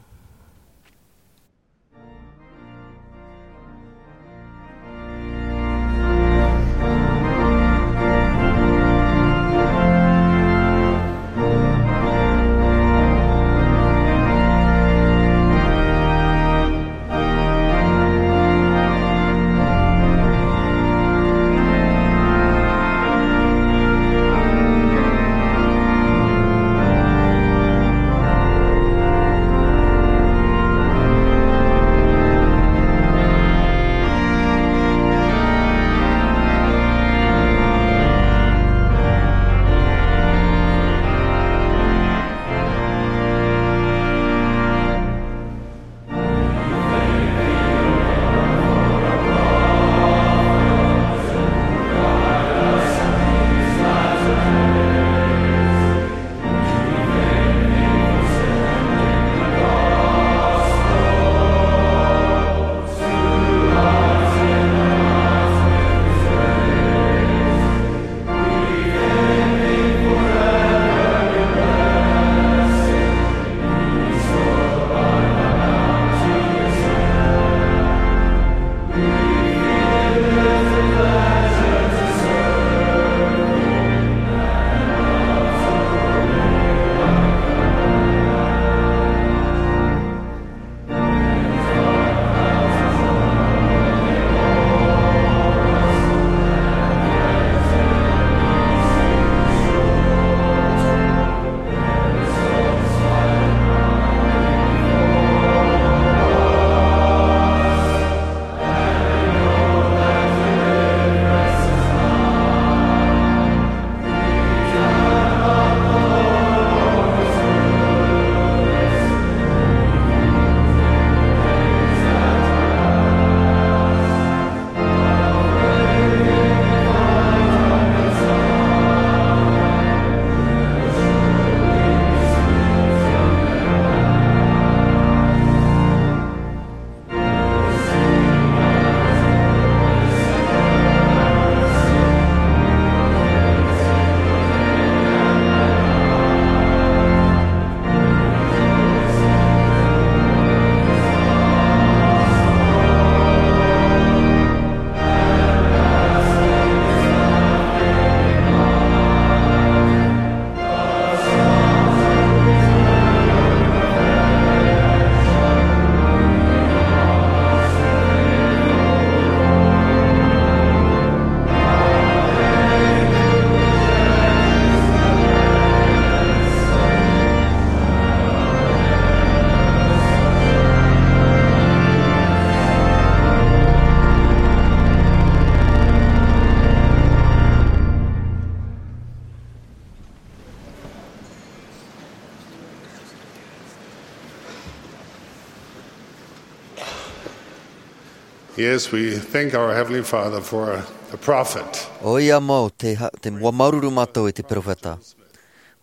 Yes, we thank our Heavenly Father for the prophet. ʻOia mau, te, ha- te, ʻua māuruuru mātou i te peropheta.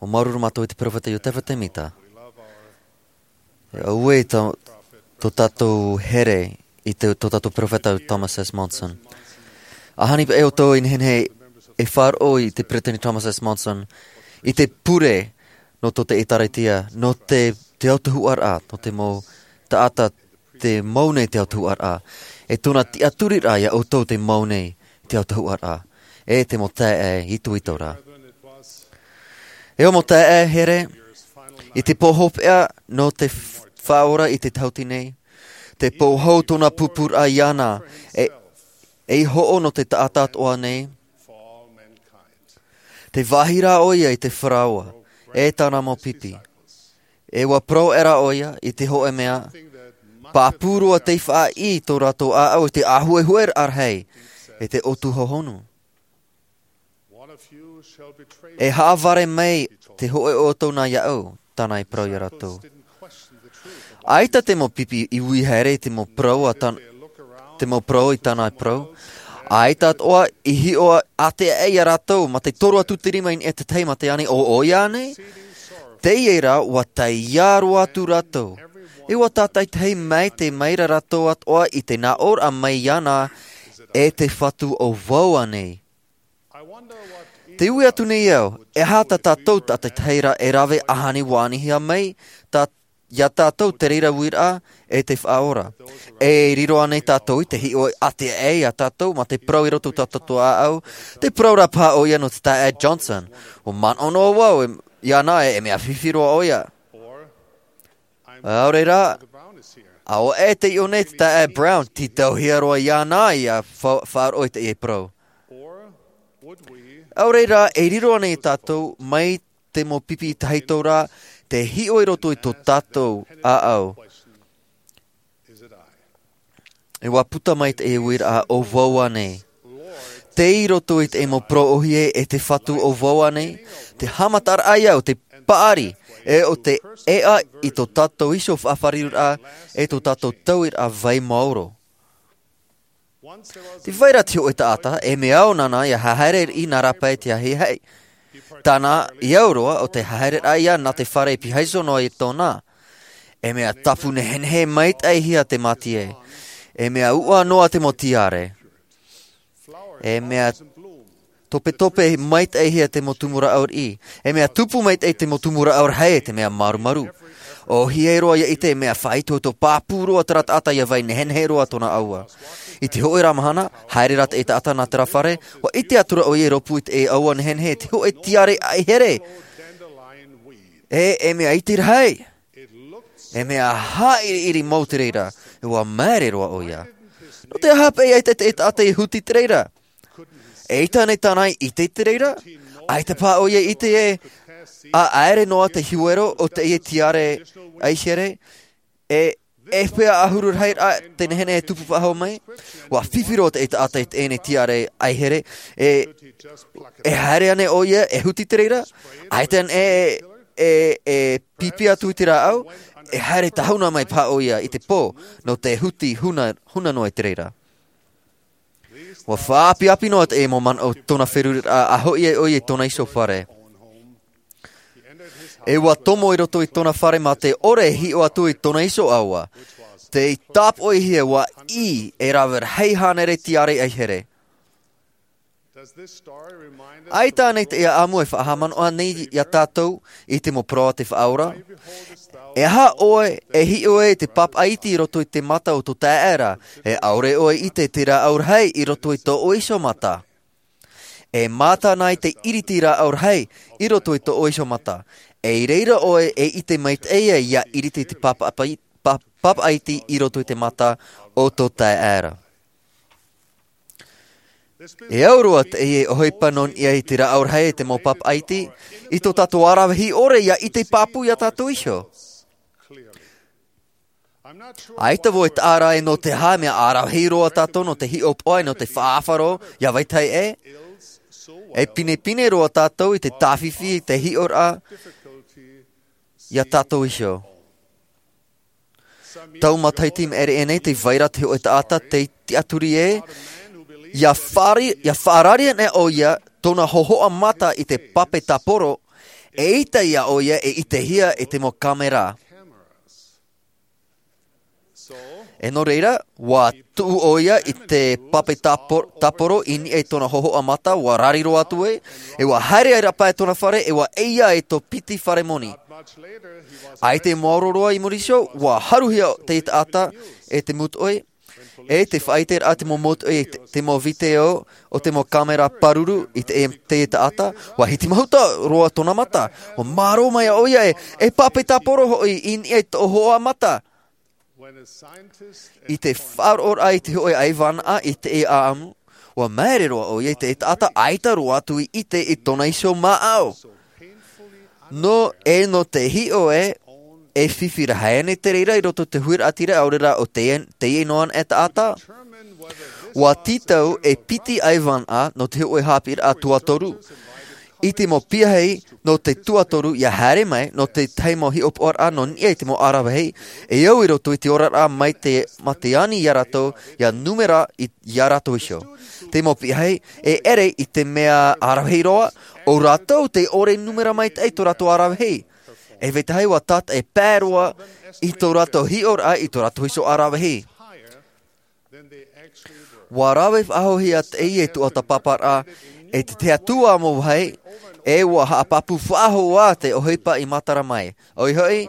ʻUa māuruuru mātou i te peropheta Iotefa Temita. E au e tō, tō tātou here i te, tō tātou peropheta Thomas S. Monson. ʻAhani paʻi ʻoutou i nehenehe e faʻaroʻo i te peresideni Thomas S. Monson, i te pure nō tō te ʻĒtārētia, nō te, te autahuʻaraʻa, nō te mau taʻata te mau nei te autahuʻaraʻa. E tōna tiʻaturiraʻa ia ʻoutou te mau nei te autahuʻaraʻa. E te mau taeaʻe itoito ra. E au mau taeaʻe here, i te pō hopeʻa nō te f- faʻaora i te tahuti nei. Te pō hou tōna pūpūraʻa iāna, e, e hoʻo nō te taʻata atoʻa nei. Te vāhi rā ʻoia i te faraoa, e tāna mau pipi. E ʻua parau ʻē rā ʻoia i te hōʻē mea, pāpū roa tei faʻaʻī tō rātou ʻāʻau i te ʻāhuehue rahi, e te ʻōtuhōhonu. E haʻavare mai te hōʻē o ʻoutou nā iāʻu, tāna i parau ia rātou. ʻAita te mau pipi i ui haere i te mau parau a tan- te mau parau i tāna i parau. ʻAita atoʻa i hiʻo ʻātea ia rātou, mā te toru atu te rima i niʻa i te tahi mā te ani, ʻo ʻoia nei? Teie rā, ʻua taiā roa atu rātou. E ʻua tātaʻitahi mai te maira rātou atoʻa i te nāʻōraʻa mai iāna, e te Fatu ʻo vau ānei? Te ui atu nei au, e aha tā tātou tātaʻitahi ra e rave ʻāhani ʻua anihia mai, tā- ia tātou te reira uiraʻa, e te faʻaora. E riro ānei tātou i te hiʻo ʻātea ia tātou, mā te parau i roto tā tātou ʻāʻau, te parau rā paha ʻoia nō te taeaʻe Johnson. ʻUa manaʻo noa vau, e, iāna e, e mea fifi roa ʻoia. ʻAore rā, ʻaore e te iʻo nei te taeaʻe Brown, tītauhia roa iāna ia fa- faʻaroʻo i teie parau. ʻAore rā, e riro ānei tātou mai te mau pipi tahito rā, te hiʻo i roto i tō tātou ʻāʻau. E ʻua puta mai te uiraʻa ʻo vau ānei. Tei roto i te mau parau ʻōhie e te Fatu ʻo vau ānei, te haʻamataraʻa ia o te paʻari, e o te ʻēʻa i tō tātou iho faʻafāriuraʻa, e tō tātou tauiraʻa vai maoro. Tē vai ra te hōʻē taʻata, e mea au nāna ia haere i nā rāpae i te ahiahi. Tāna i au roa ʻo te haereraʻa ia nā te fare i pīhaʻi iho noa i tōna. E mea tapu nehenehe maitaʻihia te mātie. E mea uʻa noa te mau tiare. E mea topetope maitaʻihia te mau tumu rāʻau riʻi. E mea tupu maitaʻi te mau tumu rāʻau rahi e te mea marumaru. ʻŌhie roa ia ʻite e mea faʻaitoito pāpū roa terā taʻata ia vai nehenehe roa tōna ʻaua. I te hōʻē rā mahana, haere rā te taʻata nā terā fare, ʻua ʻite atu ra ʻoia i rōpū i te ʻaua nehenehe, te hōʻē tiare ʻaihere. E, e mea iti rahi. E mea haʻiriʻiri mau te reira, e ʻua māere roa ʻoia. Nō te aha paʻi ʻaita te taʻata i huti te reira? ʻAita nei tāna i ʻite i te reira? ʻAita paha ʻoia i ʻite ē, ʻaʻaere noa te huero o teie tiare ʻaihere, e, e pea ʻahuru rahi rā te nehenehe e tupu faʻahou mai? ʻUa fifi roa te taʻata i teie tiare ʻaihere, e, e haere ānei ʻoia, e huti te reira? ʻAita ānei e, e, e pipi atu i te rāʻau, e haere tahuna mai paha ʻoia i te pō, nō te huti huna, huna noa i te reira. ʻUa faʻaʻapiʻapi noa te mau manaʻo tōna feruriraʻa, a hoʻi ai ʻoia i tōna iho fare. E ʻua tomo i roto i tōna fare mā te ʻore e hiʻo atu i tōna iho ʻaua. Tei tāpoʻihia ʻua ʻī e rave rahi hānere tiare ʻaihere. ʻAita ānei teie ʻāmu e faʻahaʻamanaʻo nei ia tātou i te mau parau a te Faʻaora? E aha ʻoe e hiʻo ai i te pāpaʻa iti i roto i te mata o tō taeaʻe ra, e ʻaore ʻoe e ʻite i te rāʻau rahi i roto i tō ʻoe iho mata? E mātā na i te ʻiriti rāʻau rahi i roto i tō ʻoe iho mata. E i reira ʻoe e ʻite maitaʻi ia ʻiriti i te pāpaʻa pai-, pā-, pāpaʻa iti i roto i te mata o tō taeaʻe ra. E au roa teie ʻohipa nō niʻa i te rāʻau rahi e te mau pāpaʻa iti, i tō tātou ʻaravihi ʻore ia ʻite pāpū ia tātou iho. ʻAita vau e taʻa ra e nō te aha mea ʻaravihi roa tātou nō te hiʻopoʻa e nō te faʻaʻāfaro ia vetahi ʻē. E pinepine roa tātou i te tāfifi i te hiʻoraʻa ia tātou iho. Tau matahiti i maʻiri aʻe nei, tē vai ra te hōʻē taʻata tei tiʻaturi ē, ia faʻari-, ia faʻarari ana ʻoia tōna hōhoʻa mata i te pape tāporo, eʻita ïa ʻoia e ʻitehia e te mau kāmera. E nō reira, ʻua tuʻu ʻoia i te pape tāpo-, tāporo i niʻa i tōna hōhoʻa mata, ʻua rari roa atu ē, e ʻua haere ai rāpae tōna fare, e ʻua ʻeiā e tō piti fare moni. ʻAita e maoro roa i muri iho, ʻua haruhia te taʻata e te mūtoʻi, e tē faʻaʻite ra te mau mūtoʻi, te, te mau vīteo o te mau kāmera pāruru i te, te taʻata, ʻua hiti mahuta roa tōna mata, ʻua mārō mai ʻoia ē, e pape tāporo hoʻi i niʻa i tō hōhoʻa mata. I te faʻaroʻoraʻa i te hōʻē ʻaivānaʻa i te ʻāʻamu, ʻua māere roa ʻoia i te taʻata ʻaita roa atu i ʻite i tōna iho māʻau. Nō, e nō te hiʻo ē, e fifi rahi ana te reira i roto i te huiraʻatira, ʻaore rā ʻo te, teie noa anaʻe taʻata. ʻUa tītau e piti ʻaivānaʻa nō te hōʻē haʻapiʻiraʻa tuatoru. I te mau piahi nō te tuatoru ʻia haere mai, nō te tahi mau hiʻopoʻaraʻa nō niʻa i te mau ʻaravihi, e au i roto i te oraraʻa mai te, mā te ani ia rātou, ʻia nūmera i, ia rātou iho. Te mau piahi, e ʻere i te mea ʻaravihi roa, ʻo rātou tē ʻore nūmera maitaʻi tō rātou ʻaravihi. E vetahi ʻua tātaʻi pae roa i tō rātou hiʻoraʻa i tō rātou iho ʻaravihi. ʻUa rave faʻahou atu ē i te tuatāpaparaʻa, e te tahi atu ā mau vāhi, e ʻua haʻapāpū faʻahou ā te ʻohipa i matara mai. ʻOia hoʻi,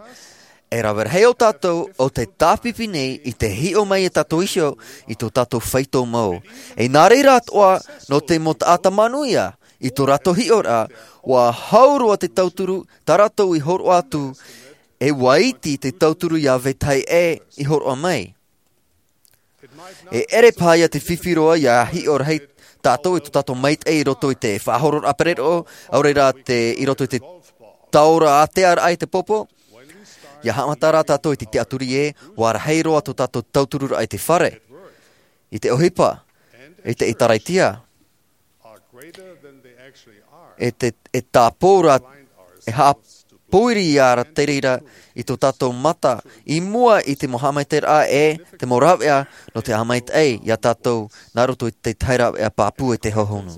e rave rahi ō tātou ʻo tē tāpipi nei i te hiʻo mai ia tātou iho i tō tātou faito mau. E nā reira atoʻa, nō te mau taʻata manuia, i tō rātou hiʻoraʻa, ʻua hau roa te tauturu, tā rātou i hōroʻa atu, e ʻua iti te tauturu ia vetahi ʻē i hōroʻa mai. E ʻere paha ïa te fifi roa ʻia hiʻo rahi tātou i tō tātou maitaʻi i roto i te faʻahororaʻa pereroʻo, ʻaore rā te, i roto i te taora ātea raʻa i te pōpō. ʻIa haʻamata rā tātou i te tiʻaturi ē, ʻua rahi roa tō tātou tautururaʻa i te fare, i te ʻohipa, i te ʻĒtārētia. E te, e tāpō rā, e haʻapōiri ïa rā te reira i tō tātou mata, i mua i te mau haʻamaitaʻiraʻa e te mau rāveʻa nō te haʻamaitaʻi ia tātou, nā roto i te tahi rāveʻa pāpū e te hōhonu.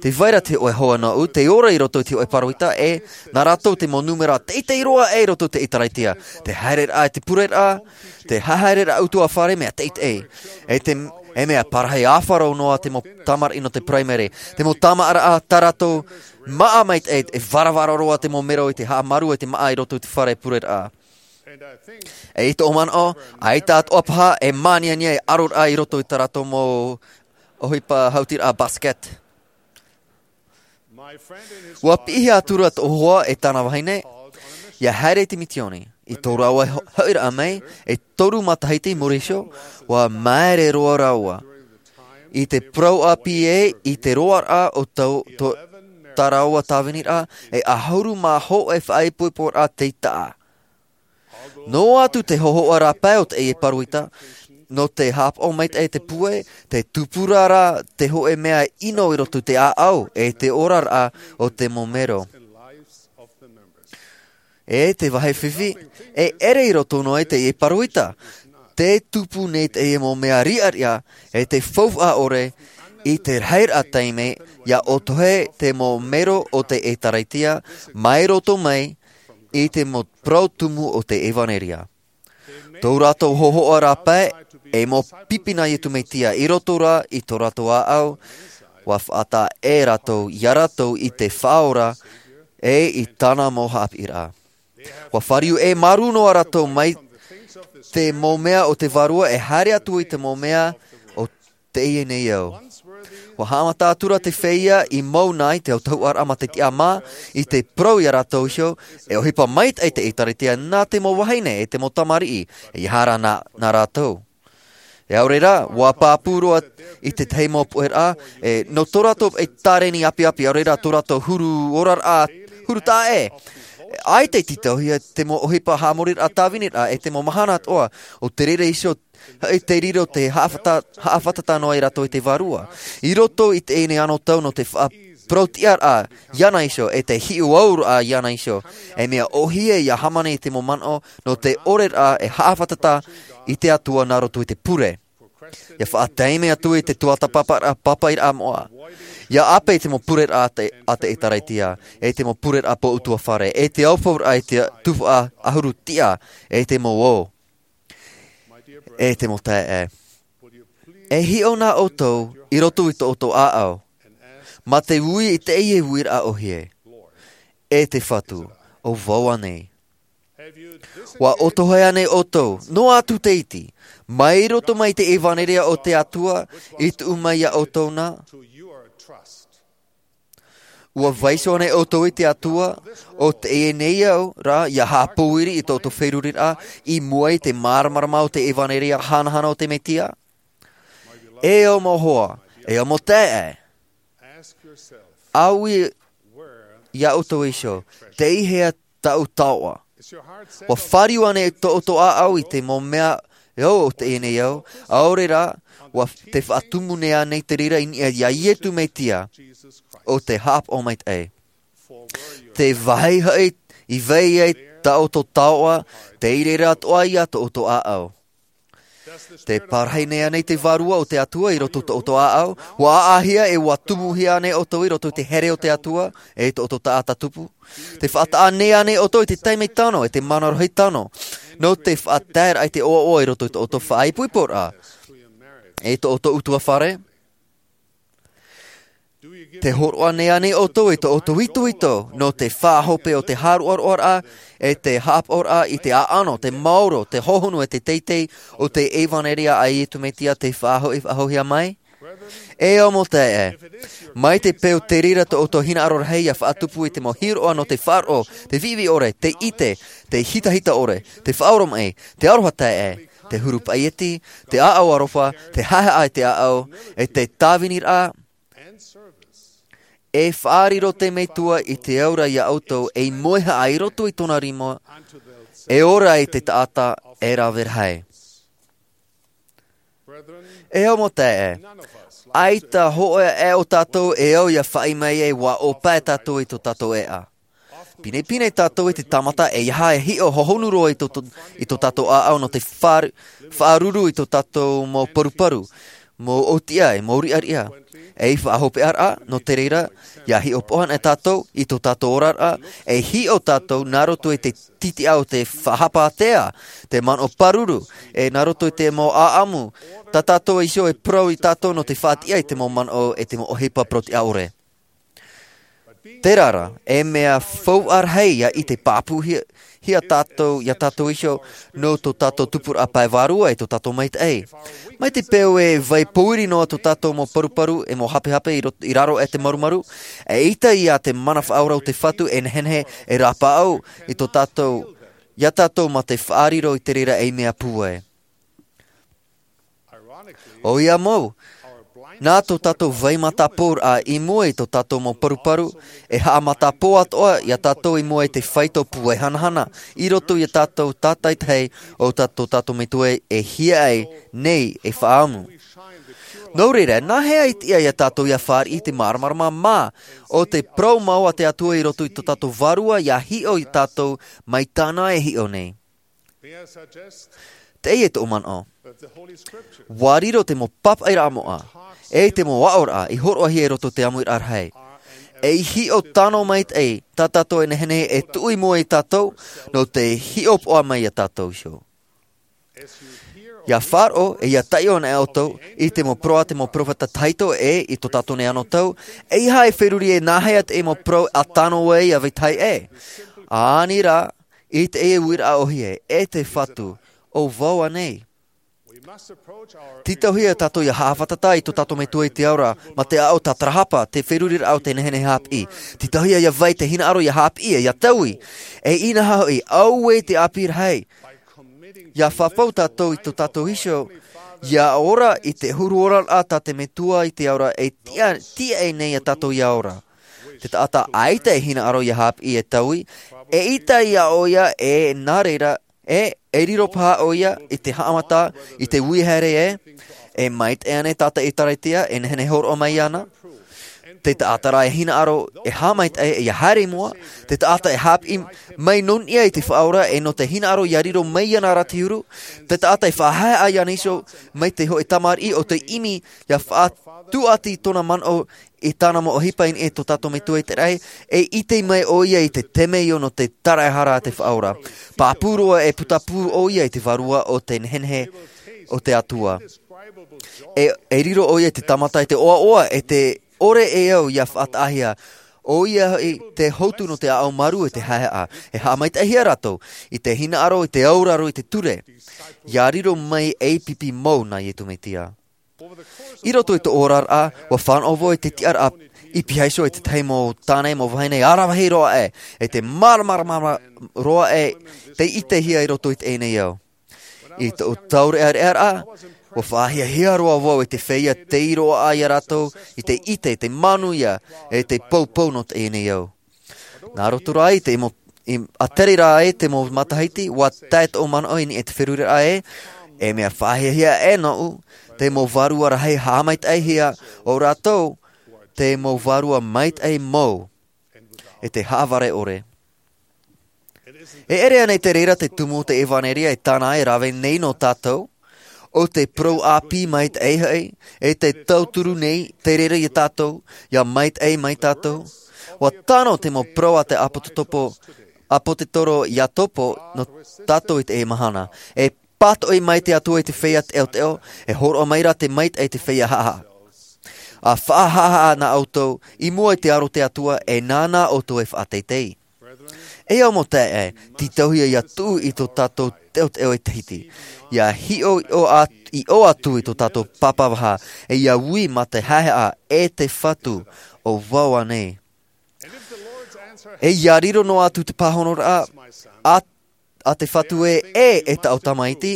Tē vai ra te hōʻē hoa nōʻu, tē ora i roto i te hōʻē pāroita e, nā rātou te mau nūmera teitei roa ē i roto i te ʻĒtārētia. Te haereraʻa i te pureraʻa, te haereraʻa ʻutuāfare mea teitei. E te, e mea parahi ʻāfaro noa te mau tamariʻi nō te paraimere. Te mau tamariʻi tā rātou māʻa maitaʻi, e varavara roa te mau mero i te haʻamaru e te māʻa i roto i te fare pureraʻa. E i tōʻu manaʻo, ʻaita atoʻa paha e māniania e ʻaroraʻa i roto i tā rātou mau ʻohipa hautiraʻa basket. ʻUa piʻihia atura tōʻu hoa e tāna vahine, ʻia haere i te mitioni. I tō rāua ho-, hoʻiraʻa mai, e toru matahiti i muri iho, ʻua māere roa rāua. I te parau ʻāpī ē, i te roaraʻa o tau, tō, tā rāua tāviniraʻa, e ʻahuru mā hōʻē faʻaipoiporaʻa tei taʻa. Noa atu te hōhoʻa rāpae o teie pāroita, nō te haʻapaʻo maitaʻi te pūai, tē tupu ra rā te hōʻē mea ʻino i roto i te ʻāʻau, e te oraraʻa o te mau mero. E te vāhi fifi, e ʻere i roto noa i teie pāroita. Tē tupu nei teie mau mea riʻariʻa, e te faufaʻa ʻore, i te rahiraʻa taime, ʻia ʻotohe te mau mero o te ʻĒtārētia, mai roto mai, i te mau parau tumu o te ʻevanelia. Tō rātou hōhoʻa rāpae, e mau pipi nā Iesu Mesia, i roto rā, i tō rātou ʻāʻau, ʻua faʻataʻa ē rātou, ia rātou i te Faʻaora, e i tāna mau haʻapiʻiraʻa. ʻUa fāriu ē māuruuru noa rātou mai te mau mea o te vārua e haere atu i te mau mea o teie nei ao. ʻUa haʻamata atura te feiā i mau nei te autahuʻaraʻa mā te tiʻamā, i te parau ia rātou iho, e ʻohipa maitaʻi te ʻĒtārētia nā te mau vahine e te mau tamariʻi, e ʻeiaha rā nā, nā rātou. E ʻaore rā, ʻua pāpū roa i te tahi mau puʻeraʻa, e, nō tō rātou e tāreni ʻāpiʻāpī, ʻaore rā tō rātou huru oraraʻa, huru taʻa ē. ʻAita i tītauhia te mau ʻohipa haʻamoriraʻa tāviniraʻa, e te mau mahana atoʻa, ʻo te reira iho, e te riro te haʻafata-, haʻafātata noa ia rātou i te vārua. I roto i teie nei anotau nō te faʻa-, parau-tiʻa-raʻa iāna iho, e te hiʻo-au-raʻa iāna iho. E mea ʻōhie ia Hāmani i te mau manaʻo nō te ʻore-raʻa e haʻafātata i te Atua nā roto i te pure. Ia faʻataime atu i te tuatāpaparaʻa pāpaʻiraʻa moʻa. Ia ʻāpe i te mau pureraʻa a te, a te ʻĒtārētia, e te mau pureraʻa pōʻutuāfare, e te aupuraʻa i te tuhaʻa ʻahuru tiʻa, e te mau ō. E te mau taeaʻe, e hiʻo nā ʻoutou i roto i tō ʻoutou ʻāʻau, mā te ui i teie uiraʻa ʻōhie, e te Fatu, ʻo vau ānei? ʻUa ʻotohia nei ʻoutou, noa atu te iti, mai roto mai i te ʻevanelia o te Atua i tuʻu mai iā ʻoutou na? ʻUa vaiiho ānei ʻoutou i te Atua, ʻo teie nei au ra ia haʻapōiri i tō ʻoutou feruriraʻa i mua i te māramarama o te ʻevanelia hanahana o te Mesia? E au mau hoa, e au mau taeaʻe, ʻaui iā ʻoutou iho, tei hea tāʻu taoʻa? ʻUa fāriu ānei tō ʻoutou ʻāʻau i te mau mea ʻo teie nei au, ʻaore rā, ʻua te faʻatumu nei ānei te reira i niʻa iā Iesu Mesia, ʻo te Haʻapaʻo maitaʻi? Te vāhi hoʻi i vai ai tā ʻoutou taoʻa, tei reira atoʻa ia tō ʻoutou ʻāʻau. Te parahi nei ānei te Vārua o te Atua i roto i tō ʻoutou ʻāʻau? ʻUa ʻāʻāhia e ʻua tumuhia ānei ʻoutou i roto i te here o te Atua, e tō ʻoutou taʻata tupu? Te faʻataʻa nei ānei ʻoutou i te taime tano, e te mana rohi tano, nō te faʻataeraʻa i te ʻoaʻoa i roto i tō ʻoutou faʻaipoiporaʻa, e tō ʻoutou ʻutuāfare? Te hōroʻa nei ānei ʻoutou i tō ʻoutou itoito, nō te faʻahope o te haʻaroʻaroʻaraʻa, e te haʻapaʻoraʻa i te ʻaʻano, te maoro, te hohonu, e te teitei o te ʻevanelia a Iesu Mesia tei faʻahoʻi, faʻahoʻihia mai? E au mau taeaʻe, mai te peu te reira tō ʻoutou hinaʻaro rahi ia faʻatupu i te mau hiroʻa nō te faʻaroʻo, te viʻiviʻi ʻore, te ʻite, te hitahita ʻore, te faʻaoromaʻi, te aroha taeaʻe, te huru paʻieti, te ʻāʻau aroha, te haʻehaʻa i te ʻāʻau, e te tāviniraʻa, e faʻariro te Metua i te aura iā ʻoutou ei moehaʻa i roto i tōna rima, e ora ai te taʻata e rave rahi. E au mau taeaʻe, ʻaita hōʻē aʻe o tātou e au ia faʻaʻī mai ai ʻua ʻōpae tātou i tō tātou ʻēʻa. Pinepine tātou i te tāmata e ʻeiaha e hiʻo hohonu roa i tō, tō, i tō tātou ʻāʻau nō te faʻa-, faʻaruru i tō tātou mau paruparu, mau ʻōtiʻa, e mau riʻariʻa. Ei faʻahopeʻaraʻa, nō te reira, ia hiʻopoʻa anaʻe tātou i tō tātou oraraʻa, e hiʻo tātou nā roto i te tītiʻa o te faʻahapa ātea, te manaʻo pāruru, e nā roto i te mau ʻāʻamu, tā tātou iho e parau iā tātou nō te faʻatiʻa i te mau manaʻo e te mau ʻohipa parau-tiʻa ʻore. Terā rā, e mea faufaʻa rahi ia ʻite pāpūhia, hia tātou, iā tātou iho, nō tō tātou tupuraʻa pae vārua e tō tātou maitaʻi. Mai te peu e vai pōiri noa tō tātou mau paruparu e mau hapehape i rot-, i raro aʻe i te marumaru, eʻita ia te mana faʻaora o te Fatu e nehenehe e rāpaʻau i tō tātou, iā tātou mā te faʻariro i te reira ei mea pūai. ʻOia mau, nā tō tātou vai mataporaʻa i mua i tō tātou mau paruparu, e haʻamatapoʻa atoʻa iā tātou i mua i te faito pūai hanahana, i roto iā tātou tātaitahi o tā tō tātou Metua e hiaʻai nei e faʻaʻamu. Nō reira, nā hea e tiʻa iā tātou ia fāriʻi i te māramarama mā, ʻo te parau mau a te Atua i roto i tō tātou vārua ia hiʻo iā tātou mai tāna e hiʻo nei? Teie tōʻu manaʻo. ʻUa riro te mau pāpaʻiraʻa moʻa, e te mau aʻoraʻa i hōroʻahia i roto i te ʻāmuiraʻa rahi, ei hiʻo tano maitaʻi tā tātou e nehenehe e tuʻu i mua iā tātou, nō te hiʻopoʻa mai iā tātou iho. Ia faʻaroʻo, e ia taiʻo anaʻe ʻoutou i te mau parau a te mau peropheta tahito ʻe i tō tātou nei anotau, ʻeiaha e feruri e nā hea te mau parau a tano ai ia vetahi ʻē. ʻĀnei rā, i teie uiraʻa ʻōhie, e te Fatu, ʻo vau ānei? Tītauhia tātou ia haʻafātata i tō tātou Metua i te ao ra, mā te aʻo tātarahapa, te feruriraʻa o te nehenehe haʻapiʻi. Tītauhia ia vai te hinaʻaro ia haʻapiʻi, ia taui. E inaha hoʻi, auē te ʻāpī rahi. Ia fafau tātou i tō tātou iho, ia ora i te huru oraraʻa tā te Metua i te ao ra e tiʻa, tiʻa nei iā tātou ia ora. Te taʻata ʻaita e hinaʻaro ia haʻapiʻi e taui, eʻita ia ʻoia e nā reira, e, e riro paha ʻoia i te haʻamata, i te ui haere ē, e maitaʻi ānei tā te ʻĒtārētia e nehenehe e hōroʻa mai iāna? Te taʻata rā e hinaʻaro e haʻamaitaʻi ia haere i mua, te taʻata e haʻapiʻi mai nō niʻa i te Faʻaora e nō te hinaʻaro ia riro mai iāna rā te huru, te taʻata e faʻahaehaʻa iāna iho mai te hōʻē tamariʻi ʻo tei ʻimi ia faʻatuati tōna manaʻo i tāna mau ʻohipa i niʻa i tō tātou Metua i te raʻi, e ʻite mai ʻoia i te temeio nō te taraehara a te Faʻaora. Pāpū roa e putapū ʻoia i te vārua o te nehenehe o te Atua. E, e riro ʻoia i te tāmata i te ʻoaʻoa e te ʻore e au ia faʻataʻahia. ʻOia hoʻi te hotu nō te ʻāʻau marū e te haehaʻa. E haʻamaitaʻihia rātou i te hinaʻaro, i te auraro, i te ture. Ia riro mai ei pipi mau nā Iesu Mesia. I roto i tō oraraʻa, ʻua fānaʻo vau i te tiʻaraʻa i pīhaʻi iho i te tahi mau tāne, mau vahine, ʻaravihi roa aʻe, e te māramarama roa aʻe, tei ʻitehia i roto i teie nei ao. I tōʻu taureʻareʻaraʻa, ʻua faʻahiahia roa vau i te feiā tei roaʻa ia rātou, i te ʻite, i te manuia, e te poupou nō teie nei ao. Nā roto rā i te mau, i, a tere rā e te mau matahiti, ʻua tae tōʻu manaʻo i niʻa i te feruriraʻa ē, e mea faʻahiahia aʻe nōʻu, te mau vārua rahi haʻamaitaʻihia ʻo rātou, te mau vārua maitaʻi mau, e te haʻavare ʻore. E ʻere ānei te reira te tumu o te ʻevanelia e tāna e rave nei nō tātou, ʻo te parau ʻāpī maitaʻi hoʻi, e te tauturu nei te reira ia tātou, ia maitaʻi mai tātou? ʻUa tano te mau parau a te ʻāpōsetolo, ʻāpōsetolo Iakobo nō tātou i teie mahana. E pātoʻi mai te Atua i te feiā teʻoteʻo, e hōroʻa mai rā te maitaʻi i te feiā haʻahaʻa. ʻA faʻahaʻahaʻa nā ʻoutou, i mua i te aro o te Atua, e nāna ʻoutou e faʻateitei. E au mau taeaʻe, tītauhia ia tuʻu i tō tātou teʻoteʻo e Tahiti. Ia hiʻo, hiʻo a-, hiʻo atu i tō tātou papa vaha, e ia ui mā te haehaʻa e te Fatu, ʻo vau ānei. E ia riro noa atu te pāhonoraʻa, a, a te Fatu ē, ʻē, e taʻu tamaiti,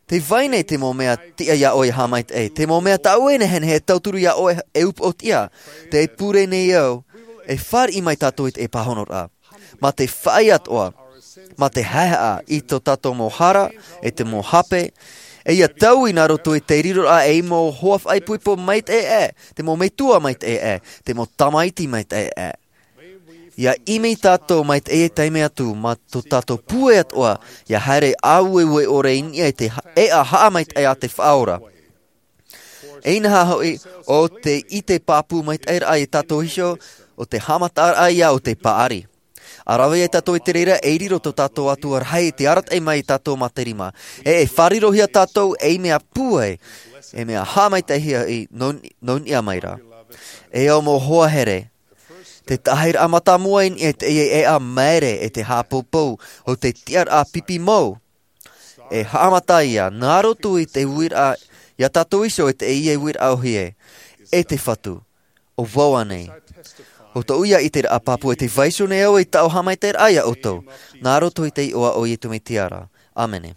tē vai nei te mau mea tiʻa ia ʻoe e haʻamaitaʻi, te mau mea tāʻu e nehenehe e tauturu ia ʻoe e upoʻotiʻa, tē pure nei au, e fāriʻi mai tātou i te pāhonoraʻa. Mā te faʻaea atoʻa, mā te haehaʻa i tō tātou mau hara, e te mau hape, e ia taui nā roto i te riroraʻa ei mau hoa faʻaipoipo maitaʻi aʻe, te mau metua maitaʻi aʻe, te mau tamaiti maitaʻi aʻe. Ia ʻimi tātou mai teie taime atu, mā tō tātou pūai atoʻa, ia haere ʻāueue ʻore i niʻa i te ha-, ʻēʻa haʻamaitaʻi a te Faʻaora. E inaha hoʻi, ʻo te ʻite pāpū maitaʻiraʻa ia tātou iho, ʻo te haʻamataraʻa ia o te paʻari. ʻA rave ai tātou i te reira, e riro tō tātou Atua rahi, tē arataʻi mai ia tātou mā te rima. E, e fārirohia tātou, ei mea pūai, ei mea haʻamaitaʻihia i nō, nō niʻa mai ra. E au mau hoa here, te taʻahiraʻa mātāmua i niʻa i teie ʻēʻa maere e te haʻapoupou, ʻo te tiʻaraʻa pipi mau. E haʻamata ia, nā roto i te uiraʻa, ia tātou iho e teie uiraʻa ʻōhie, e te Fatu, ʻo vau ānei. ʻO tōʻu ia ʻiteraʻa pāpū e tē vai iho nei au i tāʻu haʻamaitaʻiraʻa ia ʻoutou, nā roto i te iʻoa o Iesu Mesia ra. ʻĀmene.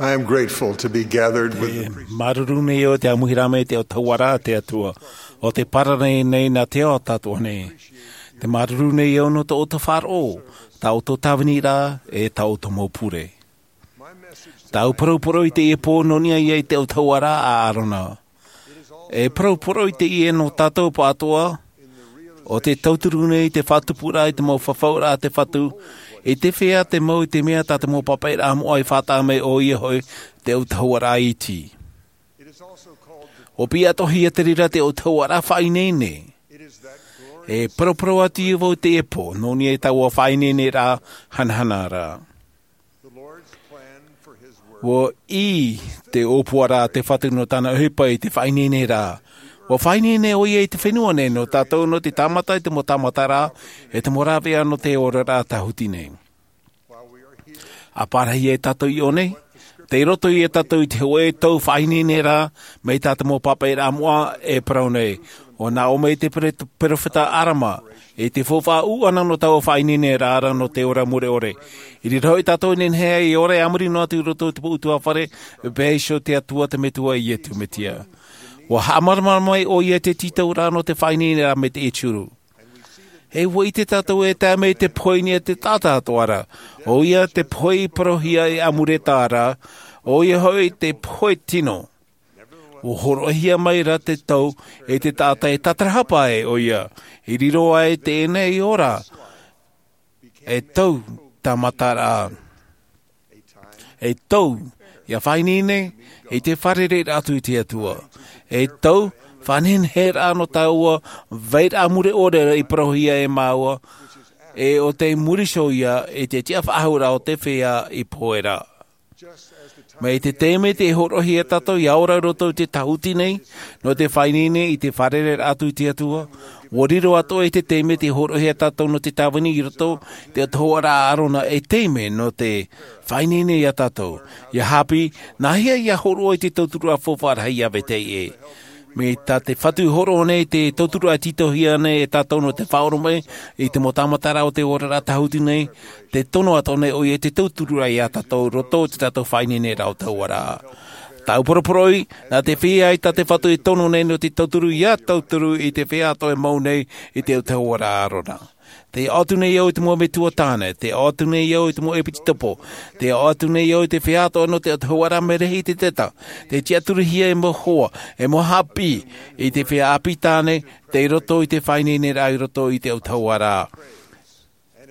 I am grateful to be gathered with the priest. Māuruuru nei au te ʻāmuiraʻa mai te autahuʻaraʻa a te Atua, ʻo tē parau nei nā te ao tātou nei. Te māuruuru nei au nō tō ʻoutou faʻaroʻo, tā ʻoutou tāviniraʻa, e tā ʻoutou mau pure. Tāʻu parauparau i teie pō nō niʻa ia i te autahuʻaraʻa a Arona. E parauparau i teie nō tātou pāʻatoʻa, ʻo te tauturu nei te faʻatupuraʻa i te mau fafauraʻa a te Fatu, i te feiā te mau i te mea tā te mau pāpaʻiraʻa moʻa i faʻataʻa mai ʻoia hoʻi te autahuʻaraʻa iti. ʻUa piʻi atoʻa hia te reira te autahuʻaraʻa faʻaineine. E parauparau atu ia vau i teie pō, nō niʻa i taua faʻaineineraʻa hanahana ra. ʻUa ʻī te ʻōpuaraʻa a te Fatu nō tāna ʻohipa i te faʻaineineraʻa. ʻUa faʻaineine ʻoia i te fenua nei nō tātou nō te tāmata i te mau tāmataraʻa, e te mau rāveʻa nō te oraraʻa tāhuti nei. ʻA pārahi ai tātou i ʻō nei, tei roto ia tātou i te hōʻē tau faʻaineineraʻa, mai tā te mau pāpaʻiraʻa moʻa e parau nei. ʻUa nā ʻō mai te pere-, perofeta Arama, i te faufaʻa ʻūʻana nō taua faʻaineineraʻa ra nō te ora mure ʻore. I reira hoʻi tātou e nehenehe e ora a muri noa atu i roto i te mau ʻutuāfare, paʻi iho te Atua te Metua Iesu Mesia. ʻUa haʻamāramarama mai ʻoia i te tītauraʻa nō te faʻaineineraʻa mai te ʻEtiuru. E ua ʻite tātou e tae mai te pohe i niʻa i te taʻata atoʻa ra, ʻoia te pohe i parauhia e ʻamureta ra, ʻoia hoʻi te pohe tino. Ua hōroʻahia mai ra te tau e te taʻata e tātarahapa ai ʻoia, i riro ai teie nei ora, e tau tāmataraʻa, e tau ia faʻaineine i te fārereiraʻa atu i te Atua, e tau faʻanehenehe ra nō taua vairaʻa mure ʻore i parauhia e māua, e ʻo te muri iho ia i te tiʻafaʻahouraʻa o te feiā i pohe ra. Mai te taime tē hōroʻahia tātou ia ora i roto i te tahuti nei nō te faʻaineine i te fārereiraʻa atu i te Atua, ua riro atoʻa i te taime tē hōroʻahia tātou nō te tāvini i roto i te autahuʻaraʻa a ʻĀrona, e taime nō te faʻaineine ia tātou. Ia haʻapiʻi, nāhea ia hōroʻa i te tauturu faufaʻa rahi ia vetahi ʻē. Mai tā te Fatu i hōroʻa nei te tauturu e tītauhia nei e tātou nō te faʻaʻoromaʻi i te mau tāmataraʻa o te oraraʻa tahuti nei, te tono atoʻa nei ʻoia i te tauturu ia tātou i roto i te tātou faʻaineineraʻa autahuʻaraʻa. Tāʻu poroporoʻi, nā te feiā i tā te Fatu e tono nei nō te tauturu ia tauturu i te feiā atoʻa e mau nei i te autahuʻaraʻa a ʻĀrona. Tē ʻoaʻoa atu nei au i te mau metua tāne, tē ʻoaʻoa atu nei au i te mau ʻepitetopo, tē ʻoaʻoa atu nei au i te feiā atoʻa nō te autahuʻaraʻa mea rahi i te teta, tē tiʻaturihia e mau hoa, e mau haʻapiʻi i te feiā ʻāpī tāne, tei roto i te faʻaineineraʻa i roto i te autahuʻaraʻa.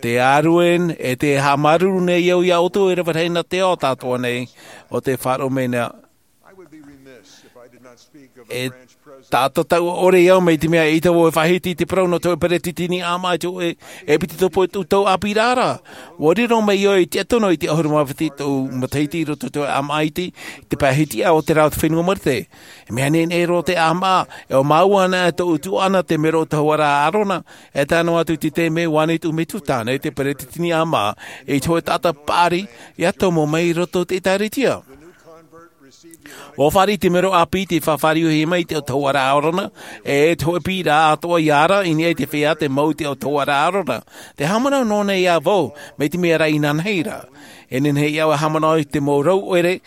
Te ʻārueni, e tē haʻamāuruuru nei au ia ʻoutou e rave rahi nā te ao tātou nei, ʻo te faʻaroʻo mai na. E taʻata tauʻa ʻore au mai te mea ʻaita vau e faʻahiti i te parau nō te hōʻē peretiteni ʻāmaʻa i te hōʻē ʻepitetopo i tōʻu tau ʻāpīraʻa ra. Ua riro mai au i te tiʻa tono i te ʻahuru mā piti tōʻu matahiti i roto i te hōʻē ʻāmaʻa iti, i te pae hitiʻa o te rā o te fenua Marite. E mea nehenehe roa te ʻāmaʻa, e ʻo māua anaʻe tōʻu tuaʻana te mero autahuʻaraʻa a ʻĀrona, e tae noa atu i te taime ua ani tōʻu metua tāne, te peretiteni ʻāmaʻa, i te hōʻē taʻata paʻari, ia tomo mai i roto i te ʻĒtārētia. Ua fāriʻi te mero ʻāpī i te faʻafāriuhia mai i te autahuʻaraʻa a ʻĀrona, e te hōʻē piʻiraʻa atoʻa ia ara i niʻa i te feiā tē mau i te autahuʻaraʻa a ʻĀrona. Tē haʻamanaʻo noa nei au vau, mai te mea rā inanahi ra. E nehenehe ia au e haʻamanaʻo i te mau rau ʻoire,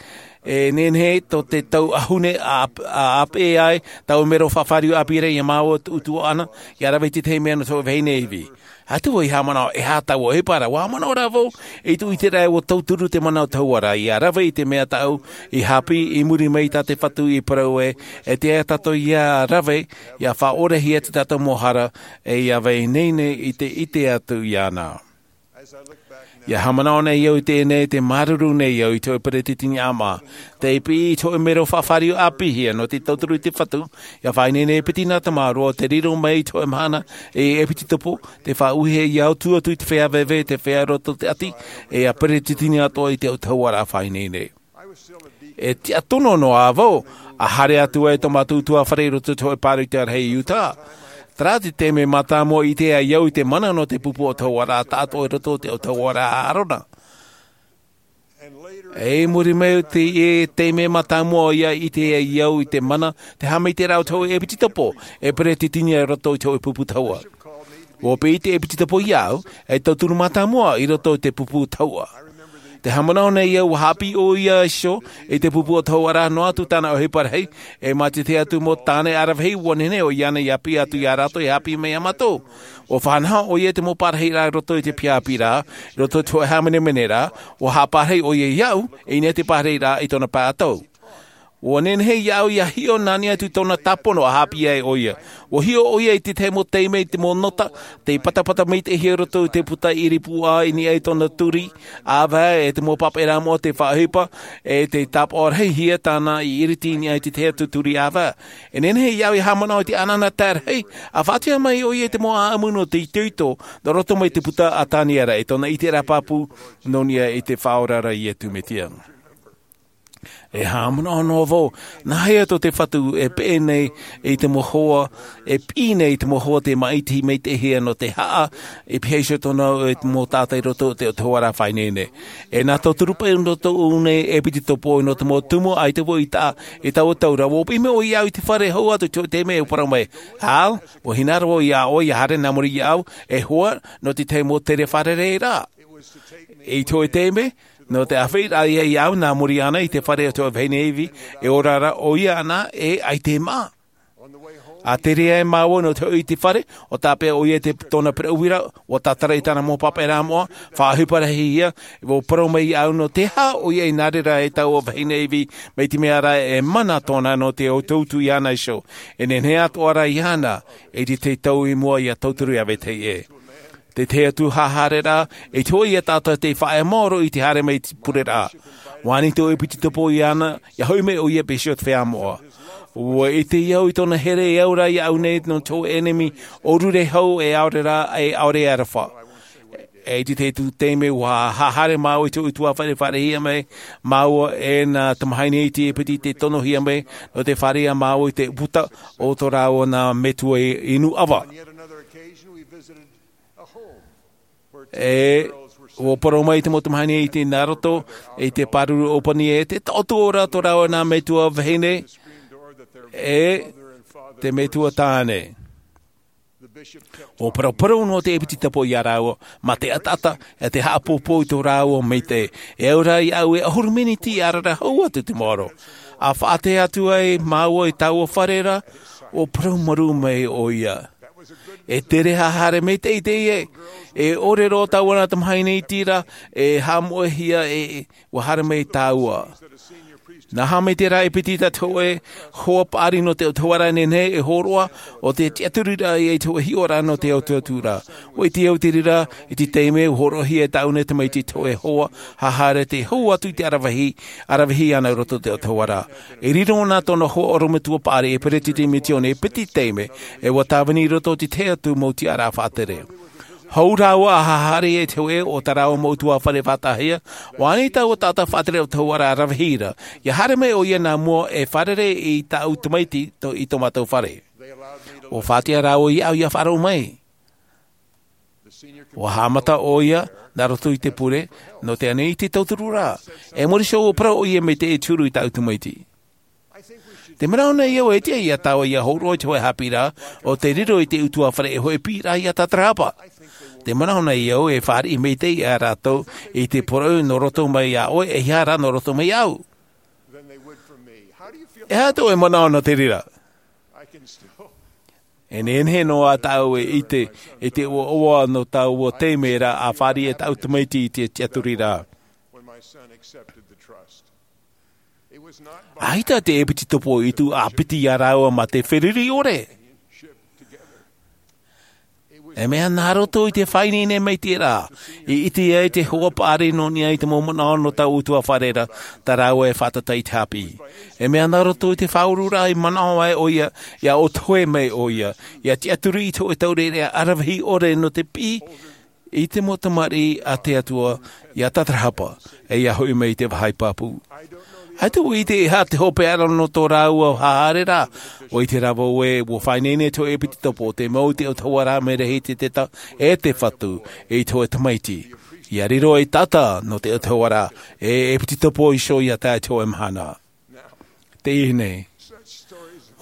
e nehenehe tō te tau ʻahune a, a, ʻāpeʻe ai, taua mero faʻafāriu ʻāpī ra ia māua tōʻu tuaʻana, ia rave i te tahi mea nō te hōʻē vahine ivi. ʻAita vau i haʻamanaʻo, e aha taua ʻohipa ra, ua haʻamanaʻo rā vau, i tōʻu ʻiteraʻa ua tauturu te mana autahuʻaraʻa, ia rave i te mea tāʻu i haʻapiʻi i muri mai tā te Fatu i parau ē, e tiʻa tātou ia rave, ia faʻaʻorehia te tātou mau hara, e ia faʻaineine i te ʻite atu iāna. Ia haʻamanaʻo nei au i teie nei, tē māuruuru nei au i te hōʻē peretiteni ʻāmaʻa, tei piʻi i te hōʻē mero faʻafāriu ʻāpīhia nō te tauturu i te Fatu, ia faʻaineine e piti nā tamāroa, tē riro mai i te hōʻē mahana, e ʻepitetopo, tē faʻaʻuhia ia au, tuʻu atu i te feiā veve, te feiā roto te ʻati, e ia peretiteni atoʻa i te autahuʻaraʻa faʻaineine. E tiʻa tono noa vau, ʻa haere atu ai tō mātou ʻutuāfare i roto i te hōʻē pāroita rahi i Utah. Terā te taime mātāmua i ʻite ai au i te mana nō te pupu autahuʻaraʻa tāʻatoʻa i roto i te autahuʻaraʻa a ʻĀrona. E i muri mai i teie taime mātāmua ia ʻite ai au i te mana, te haʻamaitaʻiraʻa o te hōʻē ʻepitetopo, e peretiteni i roto i te hōʻē pupu tahuʻa. Ua piʻi te ʻepitetopo ia au, e tauturu mātāmua i roto i te pupu tahuʻa. Tē haʻamanaʻo nei au, ua haʻapiʻi ʻoia iho i te pupu autahuʻaraʻa noa atu tāna ʻohipa rahi, e mā te tahi atu mau tāne ʻaravihi, ua nehenehe ʻoia ānei ia piʻi atu ia rātou e haʻapiʻi mai ia mātou. Ua faʻanaho ʻoia i te mau parahiraʻa i roto i te piha ʻāpī ra, i roto i te hōʻē hāmanemaneraʻa, ua haʻaparahi ʻoia ia au, i niʻa i te parahiraʻa i tōna pae ʻatau. Ua nehenehe ia au ia hiʻo nā niʻa atu i tōna tāpono ʻa haʻapiʻi ai ʻoia. Ua hiʻo ʻoia i te tahi mau taime i te mau nota, tei patapata maitaʻihia i roto i te puta ʻiripūʻā i niʻa i tōna turi ʻāvae, e te mau pāpaʻiraʻa moʻa tei faʻaʻohipa, e tei tāpaʻo rahihia tāna i ʻiriti i niʻa i te tahi atu turi ʻāvae. E nehenehe ia au ia haʻamanaʻo i te ʻanaʻanatae rahi, ʻa faʻatiʻa mai ʻoia i te mau ʻāʻamu nō te itoito, nō roto mai te puta a Taniera, i tōna ʻiteraʻa pāpū, nō niʻa i te Faʻaora ra Iesu Mesia. E haʻamanaʻo noa vau, nāhea tō te Fatu e peʻe nei i te mau hoa, e piʻi nei i te mau hoa tē māʻiti maitaʻihia nō te haʻa, e pihaʻi iho tōna i te mau taʻata i roto i te autahuʻaraʻa faʻaineine. E nā tauturu paʻi nō tōʻu nei ʻepitetopo nō te mau tumu ʻaita vau i taʻa, i taua tau ra, ua piʻi mai ʻoia ia au i te fare hau atu i te taime e parau mai, Hal, ua hinaʻaro vau ia ʻoe ia haere nā muri ia au, e hoa, nō te tahi mau tere fārereiraʻa. I te hōʻē taime, nō te ʻāfaʻiraʻa ia au nā muri iāna i te fare o te hōʻē vahine ivi, e ora ra ʻoia ānā, e ʻaita e maʻa. A tere ai māua nō te hoʻi i te fare, ʻo tāpeʻa ʻoia i tōna pereʻuira, ʻua tātara i tāna mau pāpaʻiraʻa moʻa, faʻaʻohipa rahi ia, ʻua parau mai iāʻu nō te aha ʻoia i nā reira e taua vahine ivi, mai te mea rā e mana tōna nō te utuutu iāna iho. E nehenehe atoʻa rā iāna, e ʻere tau i mua ʻia tauturu iā vetahi ʻē. Te tahi atu haʻahaereraʻa, e te hoʻi ia tātou te faʻaea maoro i te haere mai i te pureraʻa. ʻUa ani tō ʻepitetopo iāna, ʻia hoʻi mai ʻoia i te peresideni moʻa. ʻUa ʻite au i tōna here e au rā iāʻu nei nō te ʻenemi, ʻōrure hau e ʻaore rā, e ʻaore e aroha. E i te tahi atu taime ʻua haʻahaere māua i te ʻutuāfare e fāriʻi mai māua e nā tamahine iti e piti tei tonohia mai, nō te fāriʻi māua i te puta o tō rāua nā metua inu ʻava. E, ʻua parau mai te mau tamahine iti nā roto i te pāruru ʻōpani e te taʻoto ora tō rāua nā metua vahine, e te metua tāne. ʻUa paraparau noa te ʻepitetopo iā rāua, mā te ʻataʻata, e te haʻapōpō i tō rāua maitaʻi. E au rā iāʻu e ʻahuru miniti ʻia rara hau atu te maoro. ʻA faʻaʻite atu ai māua i taua fare ra, ʻua parau marū mai ʻoia. E tere haʻahaere maitaʻi teie, e ʻore roa taua nā tamahine iti ra, e haʻamoʻehia e, ʻua haere mai tāua. Nā hea mai te reira e piti tā te hōʻē hoa paʻari nō te ʻautahuʻaraʻa nehenehe e hōroʻa, ʻo te tiʻaturiraʻa i te hōʻē hiʻoraʻa nō te ʻautahuʻaraʻa. ʻUa ʻite au te reira, i te taime ʻua hōroʻahia e tāʻu nei tamaiti te hōʻē hoa, haʻahaere tei hau atu i te ʻaravihi, ʻaravihi ana i roto i te ʻautahuʻaraʻa. E riro na tōna hoa ʻorometua paʻari e peretiteni misiōni e piti taime, e ʻua tāvini i roto i te tahi atu mau tiʻaraʻa faʻatere. Hou rāua ʻa haʻahaere i te hōʻē o tā rāua mau ʻutuāfare faʻataʻahia, ʻua ani taua taʻata faʻatere ʻautahuʻaraʻa ʻaravihi ra, ʻia haere mai ʻoia nā mua e fārerei i tāʻu tamaiti tō, i tō mātou fare. ʻUa faʻatiʻa rāua iāʻu ʻia faʻaroʻo mai. ʻUa haʻamata ʻoia, nā roto i te pure, nō te ani i te tauturu ra. E muri iho ʻua parau ʻoia mai te ʻē te huru i tāʻu tamaiti. Te manaʻo nei au e tiʻa iā tāua ʻia hōroʻa i te hōʻē haʻapiʻiraʻa, ʻo tei riro i te ʻutuāfare e hōʻē piʻiraʻa ʻia tātarahapa. Te manaʻo nei au e fāriʻi maitaʻi ia rātou i te poroʻi nō roto mai iā ʻoe, e ʻeiaha rā nō roto mai iāʻu. E aha tō ʻoe manaʻo nō te reira? E nehenehe noa tāʻu e ʻite, i te ʻoaʻoa nō taua taime ra ʻa fāriʻi e tāʻu tamaiti i te tiʻaturiraʻa. ʻAita te ʻepitetopo i tuʻu ʻāpiti iā rāua mā te feruri ʻore. E mea nā roto i te faʻaineine maitaʻi ra, i ʻite ai te hoa paʻari nō niʻa i te mau manaʻo nō taua ʻutuāfare ra, tā rāua e faʻatata i te haʻapiʻi. E mea nā roto i te faʻaururaʻa i manaʻo ai ʻoia, ʻia ʻōtohe mai ʻoia, ʻia tiʻaturi i te hōʻē taureʻareʻa ʻaravihi ʻore nō te piʻi, i te mau tamariʻi a te Atua, ʻia tātarahapa, e ʻia hoʻi mai i te vāhi pāpū. ʻAita ʻua ʻite e aha te hopeʻa ra nō tō rāua haʻahaereraʻa, ʻua ʻite rā vau ē, ʻua faʻaineine te hōʻē ʻepitetopo, te mau te ʻautahuʻaraʻa mea rahi te teta, e te Fatu, i te hōʻē tamaiti. ʻIa riro ei taʻata nō te ʻautahuʻaraʻa, e ʻepitetopo iho ʻia tae i te hōʻē mahana. Teie nei.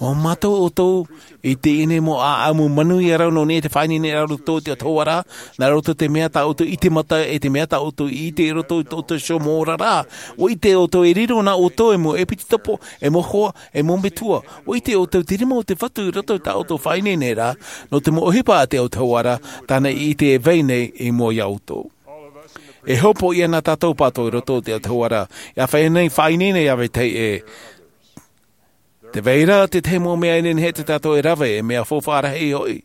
ʻUa mātau ʻoutou i teie nei mau ʻāʻamu manuia rau nō niʻa i te faʻaineineraʻa nā roto i te ʻautahuʻaraʻa, nā roto i te mea tā ʻoutou i ʻite mata, e te mea tā ʻoutou i ʻite i roto i tō ʻoutou iho mau oraraʻa. ʻUa ʻite ʻoutou e riro na ʻoutou ei mau ʻepitetopo, ei mau hoa, ei mau metua. ʻUa ʻite ʻoutou te rima o te Fatu i roto i tā ʻoutou faʻaineineraʻa, nō te mau ʻohipa a te ʻautahuʻaraʻa, tāna i ʻite e vai nei i mua iā ʻoutou. E hopoiʻa na tātou pātou i roto i te ʻautahuʻaraʻa, ʻia faʻaineine, faʻaineine iā vetahi ʻē. Tē vai ra te tahi mau mea e nehenehe ia tātou e rave, e mea faufaʻa rahi hoʻi.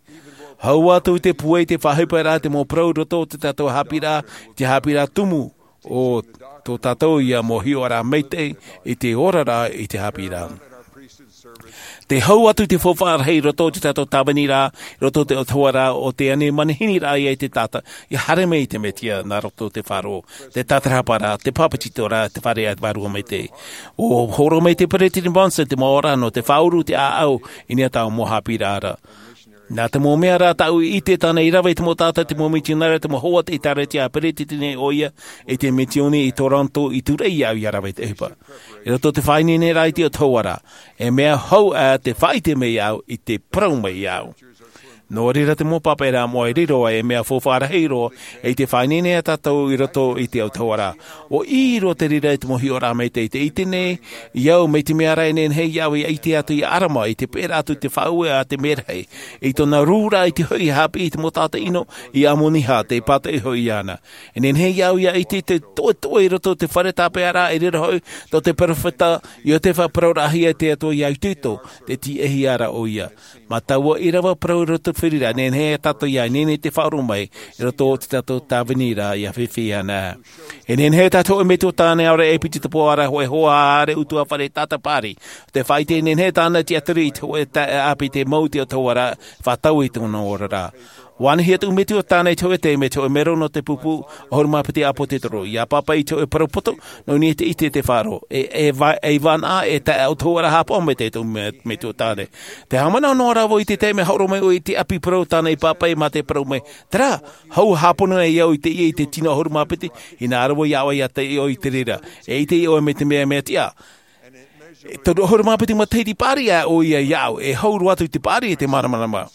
Hau atu i te pūai, te faʻaʻohiparaʻa, te mau parau i roto i tā tātou haʻapiʻiraʻa, te haʻapiʻiraʻa tumu, ʻo tō tātou ia mau hiʻoraʻa maitaʻi, i te oraraʻa, i te haʻapiʻiraʻa. Tē hau atu te faufaʻa rahi i roto i tā tātou tāviniraʻa, i roto i te ʻautahuʻaraʻa, ʻo tē ani manihiniraʻa ia i te taʻata, ʻia haere mai i te Mesia, nā roto i te faʻaroʻo, te tātarahaparaʻa, te bāpetizoraʻa, te fāriʻi vārua maitaʻi. ʻUa hōroʻa mai te Peresideni Monson te mau oraraʻa nō te faʻauru, te ʻāʻau, i niʻa i taua mau haʻapiʻiraʻa ra. Nā te mau mea rā tāʻu i ʻite tāna i rave i te mau taʻata, te mau mitionare, te mau hoa o te ʻĒtārētia, peretiteni ʻoia, i te misiōni i Toronto, i Tūraʻi iāʻu ʻia rave i te ʻohipa. I roto i te faʻaineineraʻa i te ʻautahuʻaraʻa, e mea hau ā te faʻaʻite mai iāʻu, i te parau mai iāʻu. Nō reira te mau pāpaʻiraʻa moʻa e riro ai e mea faufaʻa rahi roa i te faʻaineine a tātou i roto i te autahuʻaraʻa. ʻUa ʻī roa te reira i te mau hiʻoraʻa maitaʻi i te ʻite nei, i au mai te mea ra e nehenehe iāʻu ia ʻite atu ia ʻarama i te pēʻera atu te faʻaue a te merahi i tōna rūraʻa i te hoʻi haʻapiʻi i te mau taʻata ʻino i amoniha te pātoʻi hoʻi iāna. E nehenehe iāʻu ia ʻite te toʻetoʻe i roto i te fare tāpeʻaraʻa e riro hoʻi tō te peropheta iotefa parau rahi e te atua iā itoito te tiʻahi ara ʻoia. Mā taua ʻīrava parau i roto i te feriraʻa nehenehe e tātou ia nehenehe te faʻaroʻo mai i roto i te tātou tāviniraʻa ia fifi ana. E nehenehe tā te hoʻe metua tāne aore e piti tapu ara hoʻe hoa haere utuafare tātapari te faʻaite e nehenehe tāna tiʻaturi i te hoʻe taʻeʻāpī te mau i te autahuʻaraʻa faʻatau i tōna oraraʻa. Vānahi atu metua tāne i te hoʻe taime te hoʻe mero nō te pupu ʻahuru mā piti ʻāpōtetoro ia pāpaʻi i te hoʻe parau poto nō niʻa i te ʻite te faʻaroʻo e vānaʻa e taʻeautahuʻaraʻa hāpaʻo mai te tō metua tāne. Te haʻamanaʻo noa rā vau i te taime haʻaroʻo mai ʻoe i te ʻapi parau tāna i pāpaʻi mā te parau mai, terā, hau hāpono ai au i te ia i te tino ʻahuru mā piti. Hinaʻaro vau ia ʻoe ia te ʻoe i te reira e ʻite ʻoe mai te mea mea tiʻa. E toru ʻahuru mā piti matahiti paʻari ʻoia iāʻu e hau roa atu i te paʻari e te māramarama.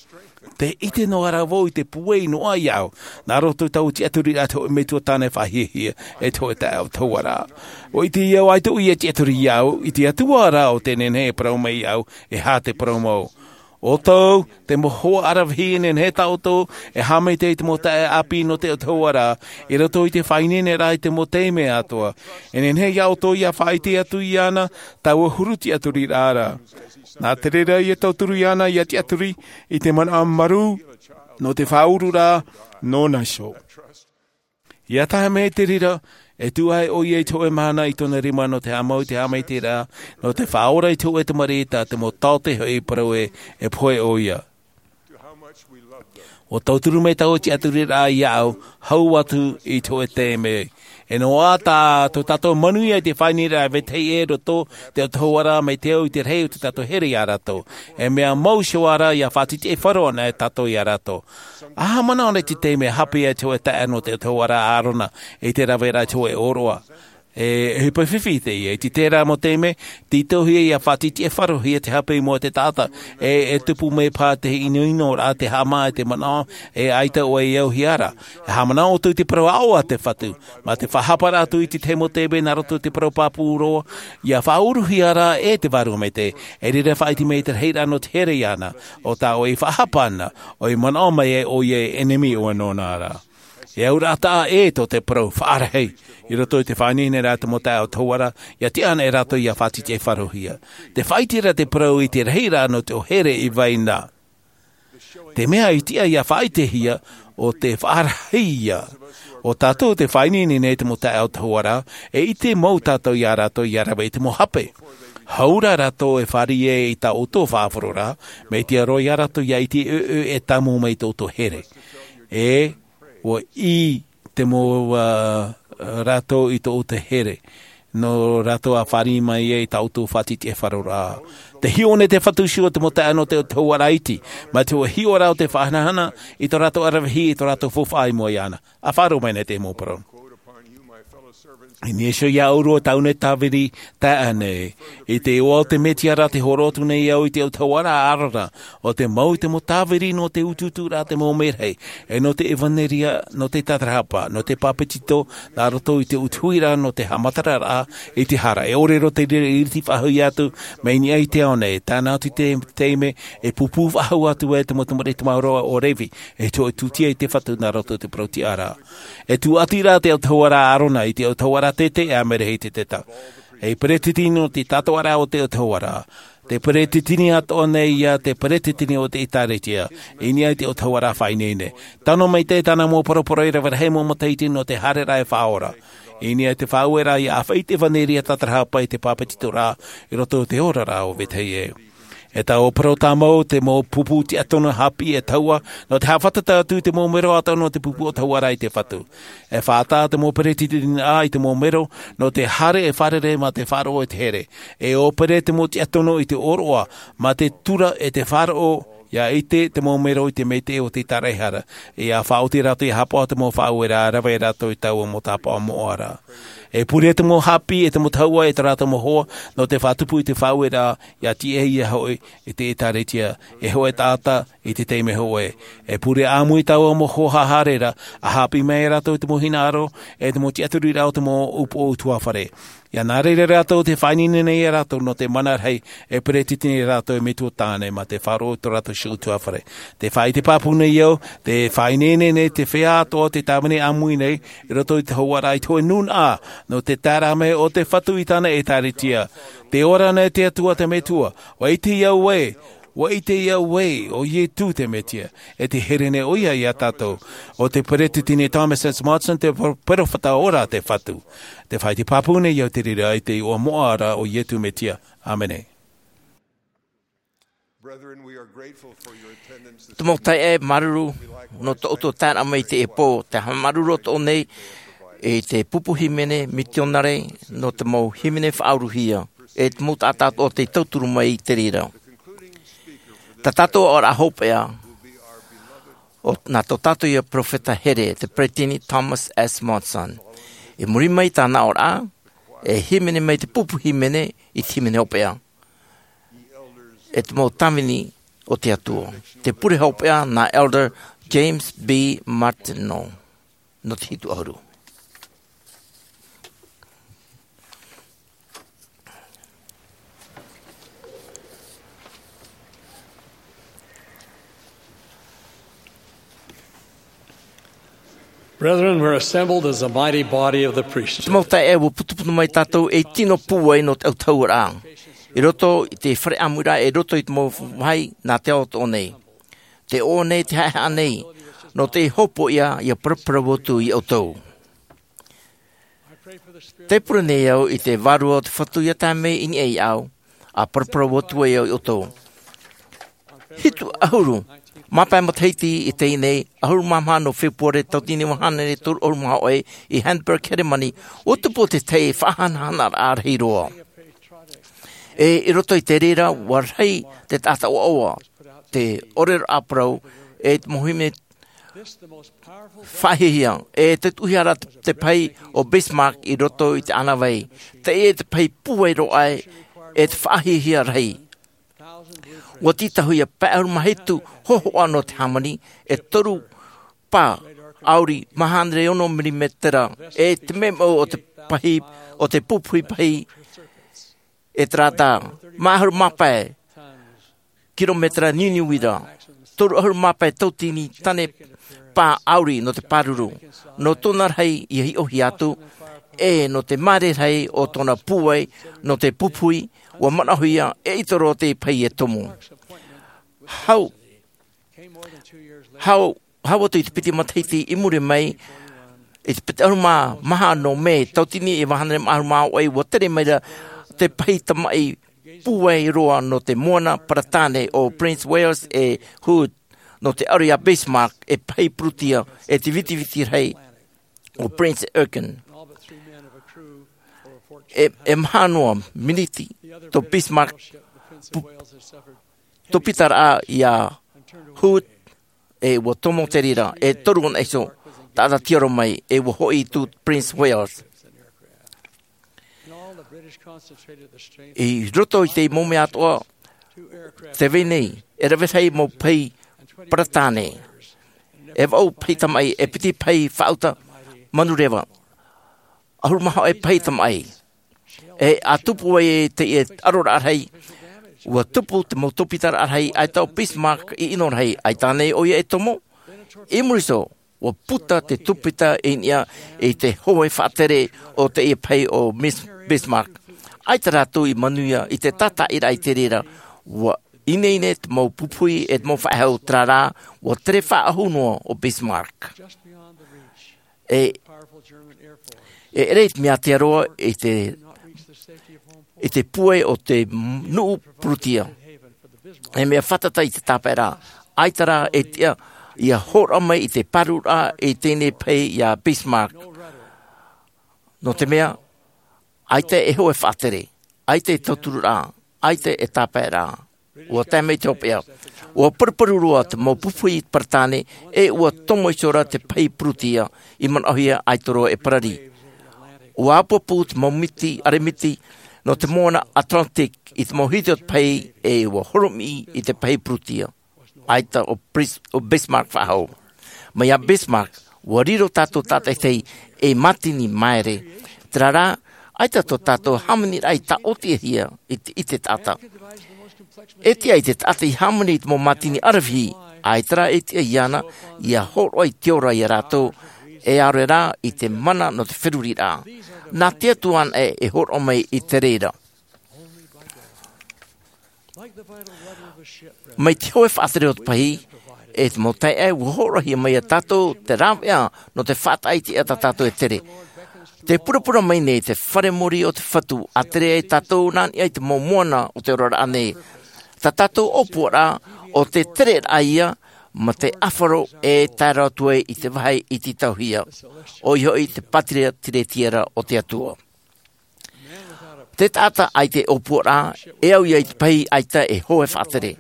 Te ʻite noa rā vau i te puai noa iāʻu nā roto i taua tiʻaturiraʻa te hoʻe metua tāne faʻahiahia e te hoʻe taʻeautahuʻaraʻa. ʻUa ʻite iāʻu ʻaita ʻoia e tiʻaturi iāʻu i te atua rā o te nehenehe e parau mai iāʻu e hā te parau mau. ʻO tau te mau hoa aravihi e nehenehe tā ʻoutou e haʻamaitaʻi i te mau taʻeʻāpī nō te autahuʻaraʻa i roto i te faʻaineineraʻa i te mau taime atoa. E nehenehe iā ʻoutou ia faʻaʻite atu iāna taua huru tiʻaturiraʻa ra. Nā te reira ia tauturu iāna ia tiʻaturi i te manaʻo marū nō te faʻaururaʻa nōna iho. Ia tae mai te reira e tuʻu ai ʻoia i te hoʻe mahana i tōna rima nō te haʻamau i te haʻamaitaʻiraʻa nō te faʻaora i te hoʻe tamariʻi tā te mau taote hoʻi parau e pohe ʻoia. ʻUa tauturu mai taua tiʻaturiraʻa iāʻu hau atu i te hoʻe taime. E noa ā tā tō tātou manuia i te faʻaineineraʻa vetahi ʻē roto te autahuʻaraʻa mai te au i te rahi o tō tātou here iā rātou. E mea mau iho ā rā ia faʻatitiʻaifaro ana e tātou iā rātou. Aha manaʻo nei te taime hape ai te hoʻe taʻa nō te autahuʻaraʻa a ʻārona i te raveraʻa i te hoʻe ʻōroʻa. E ʻohipa fifi teie i te terā mau taime tītauhia ia faʻatitiʻaifarohia te hape i mua i te taʻata e tupu mai paha te ʻinoʻinoraʻa te haʻamā e te manaʻo e ʻaita ʻoe e auhia ra. E haʻamanaʻo ʻoutou i te parau aʻo a te fatu mā te faʻahaparaʻa atu i te tahi mau taime nā roto i te parau pāpū roa ia faʻauruhia ra e te vārua maitaʻi. E reira faʻaʻite mai i te rahiraʻa nō te here iāna ʻo tā ʻoe i faʻahapa ana ʻoe i manaʻo mai ai ʻoia e ʻenemi ʻoe nōna ra. E auraʻa taʻa ʻē tō te parau faʻarahi i roto i te faʻaineineraʻa te mau taʻeautahuʻaraʻa ia tiʻa ana e rātou ia faʻatitiʻaifarohia. Te faʻaʻite ra te parau i te rahiraʻa nō te ʻō here i vai na. Te mea i tiʻa ia faʻaʻitehia ʻo te faʻarahi ia. ʻO tātou te faʻaineine nei te mau taʻeautahuʻaraʻa e ʻite mau tātou iā rātou ia rave i te mau hape. Hau rā rātou e fāriʻi ai i tā ʻoutou faʻaroʻoraʻa mai te aro iā rātou ia ʻite ʻoʻoʻo e tāmau mai i tō ʻoutou here. E ʻua ʻī te mau rātou i tō ʻoutou here nō rātou a fāriʻi mai ai i tā ʻoutou faʻatitiʻaifaroraʻa. Te hiʻo nei te fatu iho o te mau taʻa nō te autahuʻaraʻa iti mā te hiʻoraʻa o te faʻahanahana i tō rātou aravihi i tō rātou faufaʻa i mua iāna. A faʻaroʻo mai nei te mau parau. I niʻa iho iā ʻoe tāʻu nei tāviri taʻa nei i te iʻoa o te mesia ra te horo atu nei au i te autahuʻaraʻa a ʻārona ʻo te mau i te mau tāviri nō te utuuturaʻa te mau merahi e nō te evanelia nō te tatarahapa nō te pāpetito nā roto i te utuhiraʻa nō te haʻamataraʻa i te hara e ʻore roa te reira i riti faʻahou atu mai niʻa i te ao nei tāna atu i te taime e pūpū faʻahou atu ai te mau tamariʻi tamaroa o revi e tūtia i te fatu nā roto i te parau tiʻaraʻa. E tūʻati rā te autahuʻaraʻa a ʻārona i te autahuʻaraʻa teitei a merahi te teta. E peretiteni nō te tātoʻaraʻa o te autahuʻaraʻa te peretiteni atoʻa nei ia te peretiteni o te ʻēkālesia i niʻa i te autahuʻaraʻa faʻaineine. Tano maitaʻi tāna mau poroporo e rave rahi mau matahiti nō te haereraʻa e faʻaora i niʻa i te faʻaueraʻa ia ʻāfaʻi i te evanelia tatarahapa i te pāpetitoraʻa i roto i te oraraʻa o vetahi ʻē. E taua parau tāmau te mau pupu tiʻatono haʻapiʻi e taua nō te haʻafātata atu i te mau mero atoʻa nō te pupu autahuʻaraʻa i te fatu. E faʻataʻa te mau peretiteniraʻa i te mau mero nō te haere e fārerei mā te faʻaroʻo i te here. E ʻōpere te mau tiʻatono i te ʻōroʻa mā te tura e te faʻaroʻo ia ʻite te mau mero i te maitaʻi o te taraehara ia faʻaoti rātou ia haʻapaʻo te mau faʻaueraʻa rave rātou i taua mau tāpaʻo moʻa ra. E pure te mau hāpī e te mau tahua e tā rātou mau hoa nō te faʻatupu i te faʻaueraʻa, ia tiʻa ia hoʻi i te ʻēkālesia, e hoʻē taʻata i te taime hoʻē. E pure ʻāmui taua mau hoa haereraʻa, ʻa hāpī mai rātou i te mau hinaʻaro e te mau tiʻaturiraʻa o te mau upoʻo ʻutuāfare. Ia nā reira rātou te faʻaineine nei ia rātou nō te mana rahi e peretiteni rātou e metua tāne mā te faʻaroʻo i tō rātou ʻutuāfare. Te faʻaʻite pāpū nei au, te faʻaineine nei te feiā atoʻa o te tāvini ʻāmui nei i roto i te hōhoʻaraʻa i te hōʻē nūnaʻa nō te taeraʻa mai o te Fatu i tāna ʻēkālesia. Te ora nei te Atua te Metua, ʻua ʻite au ē, ʻua ʻite au ē, ʻo Ietu te Mesia, e te here nei ʻoia ia tātou, ʻo te peretiteni Thomas S. Monson te peropheta ora te Fatu. Te faʻaʻite pāpū nei au te reira i te iʻoa moʻa ra o Ietu Mesia. ʻĀmene. Te mau taeaʻe, māuruuru nō tō ʻoutou taeraʻa mai i teie pō, te haʻamāuruuru atoʻa nei i te pupu hīmene mitionare nō te mau hīmene faʻaūruhia, e te mau taʻata atoʻa tei tauturu mai i te reira. Tā tātou ʻaʻoraʻa hopeʻa, ʻo, nā tō tātou ia peropheta here, te peretiteni Thomas S. Monson. I muri mai tāna ʻaʻoraʻa, e hīmene mai te pupu hīmene i te hīmene hopeʻa. E te mau tāvini o te Atua. Te pure hopeʻa nā Elder James B. Martineau. Nō te hitu ʻahuru. Brethren, we're assembled as a mighty body of the priesthood. Te mau taeaʻe, ʻua putuputu mai tātou ei tino pūai nō te ʻautahuʻaraʻa. I roto i te fare ʻāmuiraʻa, i roto i te mau vāhi nā te ao atoʻa nei. Te ʻoaʻoa nei, te haʻehaʻa nei, nō te hopoiʻa, ia paraparau atu ia ʻoutou. Tē pure nei au i te Vārua o te Fatu ia tae mai i niʻa iāʻu, ʻa paraparau atu ai au ia ʻoutou. Hitu ʻahuru, māpae matahiti i teie nei, ʻahuru mā maha nō Fepuare, tauatini e iva hānere toru ʻahuru mā hōʻē, i Hamburg, Heremani, ʻua tupu te tahi faʻahanahanaraʻa rahi roa. E i roto i te reira, ʻua rahi te taʻata ʻoaʻoa, te ʻōrero ʻāparau, e te mau hīmene faʻahiahia, e te tuʻuhia ra te, te pahi o Bismarck i roto i te ʻānāvai. Teie te pahi pūai roa aʻe, e te faʻahiahia rahi. ʻUa tītauhia pae ʻahuru mā hitu hōhoʻa nō te hāmani, e toru pā ʻauri mā hānere ono mirimetera, e te mea mau o te pahi, o te pupuhi pahi, e terā tā, mā ʻahuru mā pae kirometera niuniu ra, toru ʻahuru mā pae tauatini tane pā ʻauri nō te pāruru, nō tōna rahi ia hiʻohia atu, e nō te māere rahi o tōna pūai, nō te pupuhi, ʻua manaʻohia, eʻita roa te pahi e tomo. Hau, hau, hau atu i te piti matahiti i muri mai, i te piti ʻahuru mā maha nō Mē, tauatini e iva hānere mā ʻahuru mā hōʻē, ʻua tere mai ra te pahi tamaʻi pūai roa nō te moana Paratāne ʻo Prince Wales e Hood, nō te ʻaore ia Bismarck e pahi purutia, e te vitiviti rahi ʻo Prince Eugen. E, e maha noa miniti tō Bismarck pu-, tōpitaraʻa ia Hood, e ʻua tomo te reira, e toru anaʻe iho, taʻata tiaro mai, e ʻua hoʻi i tū Prince Wales. I roto i te mau mea atoʻa, tē vai nei, e rave rahi mau pahi Paratāne. E vaʻu pahi tamaʻi, e piti pahi faʻauta manureva. ʻAhuru mā hōʻē pahi tamaʻi. E ʻa tupu ai te, e aroraʻa rahi, ʻua tupu te mau tōpitaraʻa rahi, ʻaita ʻo Bismarck i ʻino rahi, ʻaita ānei ʻoia e tomo. I muri iho, ʻua puta te tōpita i niʻa i te hōʻē faʻatere o teie pahi o Miss Bismarck. ʻAita rātou i manuia i te tātaʻiraʻa i te reira, ʻua ineine te mau pupuhi e te mau faʻehau, terā rā, ʻua tere faʻahou noa ʻo Bismarck. E, e ʻere i te mea ātea roa i te, i te pūai o te nuʻu Purutia. E mea fātata i te tāpaeraʻa, ʻaita rā e tiʻa ia hōroʻa mai i te pārururaʻa i teie pahi ia Bismarck. Nō te mea, ʻaita e hōʻē faʻatere, ʻaita e tautururaʻa, ʻaita e tāpaeraʻa. ʻUa tae mai te hopeʻa. ʻUa paruparu roa te mau pupuhi Paratāne, e ʻua tomo iho ra te pahi Purutia, i manaʻohia ʻaita roa e parari. Ua apuapu te mau miti aremiti nō te moana Atlantic i te mau hiti o te pahi, e ua horomiʻi i te pahi Prutia. ʻAita ʻo Bris- ʻo Bismarck faʻahou. Mai iā Bismarck, ua riro tātou tātaʻitahi ei mātini māere. Terā rā, ʻaita tō tātou hāmaniraʻa i taʻotiʻahia i te, i te taʻata. E tiʻa i te taʻata i hāmani i te mau mātini ʻaravihi, ʻaita rā e tiʻa iāna ia hōroʻa i te ora iā rātou, e ʻaore rā i te mana nō te feruriraʻa. Nā te Atua anaʻe e hōroʻa mai i te reira. Mai te hoe faʻatere o te pahi, e te mau taeaʻe, ua hōroʻahia mai iā tātou te rāveʻa nō te faʻataʻa i te ʻēʻa tā tātou e tere. Tē purapura mai nei te fare mōrī o te Fatu, ʻa tere ai tātou nā niʻa i te mau moana o te oraraʻa nei. Tā tātou ʻōpuaraʻa, ʻo te tereraʻa ia, mā te ʻāfaro e tae roa atu ai i te vāhi iti tauhia. ʻOia hoʻi te pātireia tiretiera o te Atua. Te taʻata ʻaita e ʻōpuaraʻa, e au ia i te pahi ʻaita e hoe faʻatere.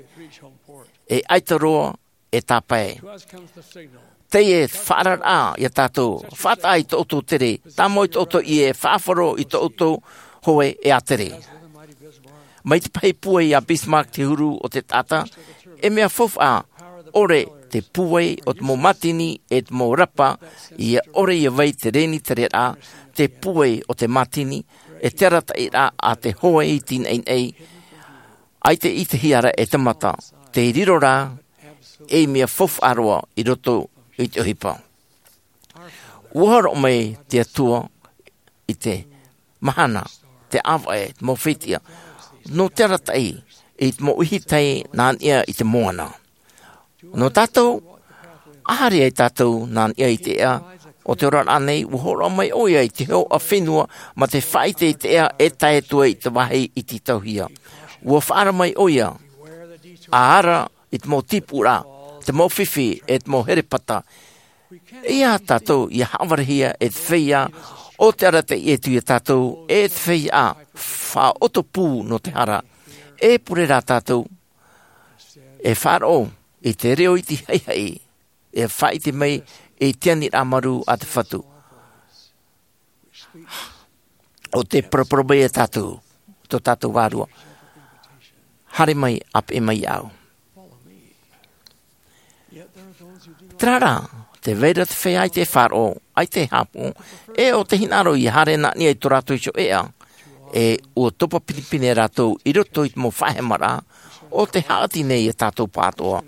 E ʻaita roa e tāpae. Teie te faʻaararaʻa iā tātou, faʻataʻa i tō ʻoutou tere, tāmau i tō ʻoutou ʻie, faʻaʻāfaro i tō ʻoutou hoe e ʻa tere. Mai te pahi pūai iā Bismarck te huru o te taʻata, e mea faufaʻa ʻore te pūai o te mau mātini e te mau rapa, ia ʻore ia vai te reni tereraʻa, te pūai o te mātini, e te arataʻiraʻa a te hoe i te naʻinaʻi, ʻaita i te hiʻoraʻa e te mata, te riro rā, ei mea faufaʻa roa i roto i te ʻohipa. Ua hōroʻa mai te Atua i te mahana, te ʻāvaʻe, te mau fetiʻa, nō te arataʻi i te mau ʻihitai nā niʻa i te moana. Nō tātou, ʻa haere ai tātou nā niʻa i te ʻēʻa o te oraraʻa nei, ua hōroʻa mai ʻoia i te hoʻa fenua mā te faʻaʻite i te ʻēʻa e tae atu ai i te vāhi iti tauhia. Ua faʻaara mai ʻoia, ʻa ara i te mau tīpūraʻa, te mau fifi, e te mau herepata. ʻEiaha tātou ia haʻavarehia e te feiā o te arataʻi atu iā tātou, e te feiā faʻaʻoto pū nō te hara. E pure rā tātou e faʻaroʻo i te reo iti haʻihaʻi, e faʻaʻite mai i te aniraʻa marū a te Fatu. ʻO te parapara mai iā tātou, tō tātou vārua. Haere mai, ʻāpeʻe mai iāʻu. Terā rā, tē vai ra te feiā ʻaita e faʻaroʻo, ʻaita e haʻapaʻo, e ʻo tē hinaʻaro ia haere nā niʻa i tō rātou iho ʻēʻa, e ʻua topa pinepine rātou i roto i te mau faʻahemaraʻa, ʻo tē haʻati nei iā tātou pāʻatoʻa.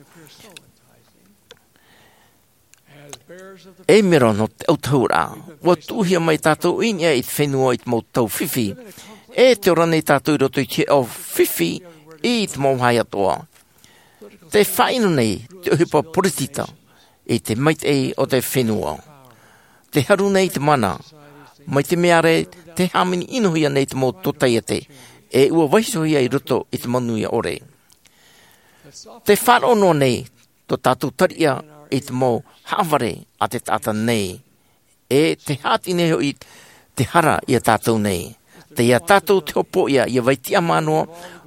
E mero nō te ʻautahuʻaraʻa, ua tuʻuhia mai tātou i niʻa i te fenua i te mau tau fifi, e tē ora nei tātou i roto i te hiʻo fifi i te mau vāhi atoʻa. Tē faʻaʻino nei te ʻohipa poritita i te maitaʻi o te fenua. Tē haru nei te mana, mai te mea ra tē hāmani ʻinohia nei te mau tōtaiete, e ʻua vaihohia i roto i te manuia ʻore. Tē faʻaroʻo noa nei tō tātou tariʻa i te mau haʻavare a te taʻata nei, e tē haʻati nei hoʻi te hara iā tātou nei. Tei iā tātou te hopoiʻa ia vai tiʻamā noa,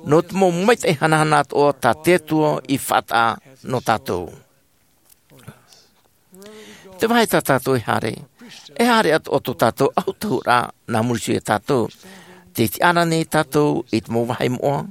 nō te mau maitaʻi hanahana atoʻa tā te Atua i faʻataʻa nō tātou. Te vāhi tā tātou e haere, e haere atoʻa tō tātou ʻautahuʻaraʻa nā muri iho iā tātou. Tē tiʻa ra nei tātou i te mau vāhi moʻa,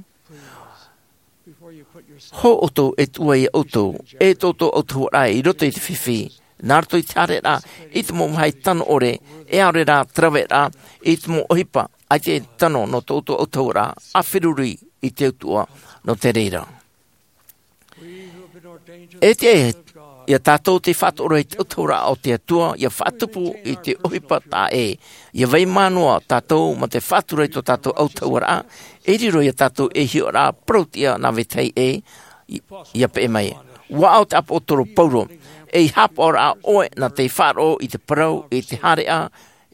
hou ʻoutou e tuʻu ai ʻoutou, e tō ʻoutou ʻautahuʻaraʻa i roto i te fifi, nā roto i te haereraʻa i te mau vāhi tano ʻore, e ʻaore rā te raveraʻa i te mau ʻohipa, ʻaita e tano nō tō ʻoutou ʻautahuʻaraʻa, ʻa feruri i te Atua nō te reira. E tiʻa iā tātou tei faʻaroʻo i te ʻautahuʻaraʻa o te Atua, ia faʻatupu i te ʻohipa taʻa ʻē. Ia vai mā noa tātou mā te faʻatura i tō tātou ʻautahuʻaraʻa, e riro iā tātou ei hiʻoraʻa parau-tiʻa nā vetahi ē, ia peʻe mai. ʻUa ʻo te ʻāpōsetolo Paulo, ei haʻapaʻoraʻa ʻoe nā tei faʻaroʻo i te parau, i te haereʻa,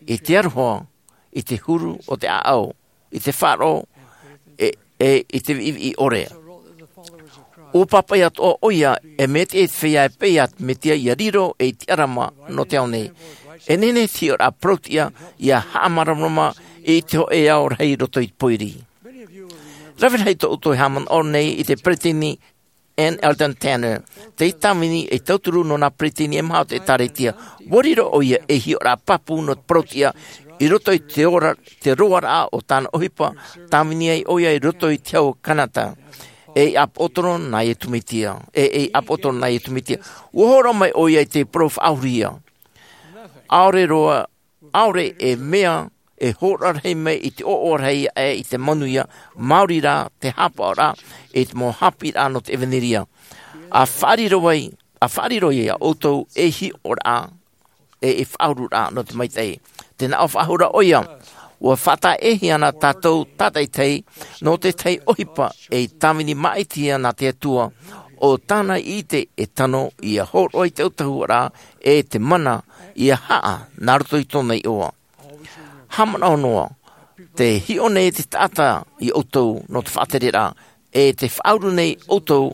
i te aroha, i te huru o te ʻāʻau, i te faʻaroʻo, e, e i te viʻiviʻi ʻore. ʻUa pāpaʻi atoʻa ʻoia, e mea tiʻa i te feiā e peʻe iā te Mesia ia riro ei tiʻarama nō te ao nei. E nehenehe te hiʻoraʻa parau-tiʻa ia haʻamāramarama i te hōʻē ao rahi i roto i te pōiri. Rave rahi tō ʻoutou e haʻamanaʻo nei i te peretiteni N Eldon Tanner, te tāvini e tauturu nō nā peresideni e maha o te ʻĒtārētia. ʻUa riro ʻoia ei hiʻoraʻa pāpū nō te parauʻtiʻa i roto i te ora, te roaraʻa o tāna ʻohipa, tāvini ai ʻoia i roto i te hau o Kanata. E ʻāpōsetolo nā Iesu Mesia, e, e ʻāpōsetolo nā Iesu Mesia. ʻUa hōroʻa mai ʻoia i te parau faʻaauhia. ʻAore roa, ʻaore e mea e hōroʻa rahi mai i te ʻoaʻoa rahi aʻe i te manuia, maori rā te haʻapaʻoraʻa i te mau haʻapiʻiraʻa nō te ʻevanelia. ʻA faʻariro ai, ʻa faʻariro ia ʻoutou ei hiʻoraʻa, e, e faʻauruʻraʻa nō te maitaʻi. Tē nā ʻō faʻahou ra ʻoia, ʻua faʻataʻehia na tātou tātaʻitahi nō te tahi ʻohipa e tāvini maʻitihia nā te Atua, ʻo tāna ʻite e tano ʻia hōroʻa i te autahuʻaraʻa e te mana ʻia haʻa nā roto i tōna iʻoa. Haʻamanaʻo noa, tē hiʻo nei te taʻata ia ʻoutou nō te faʻatereraʻa, e tē faʻauru nei ʻoutou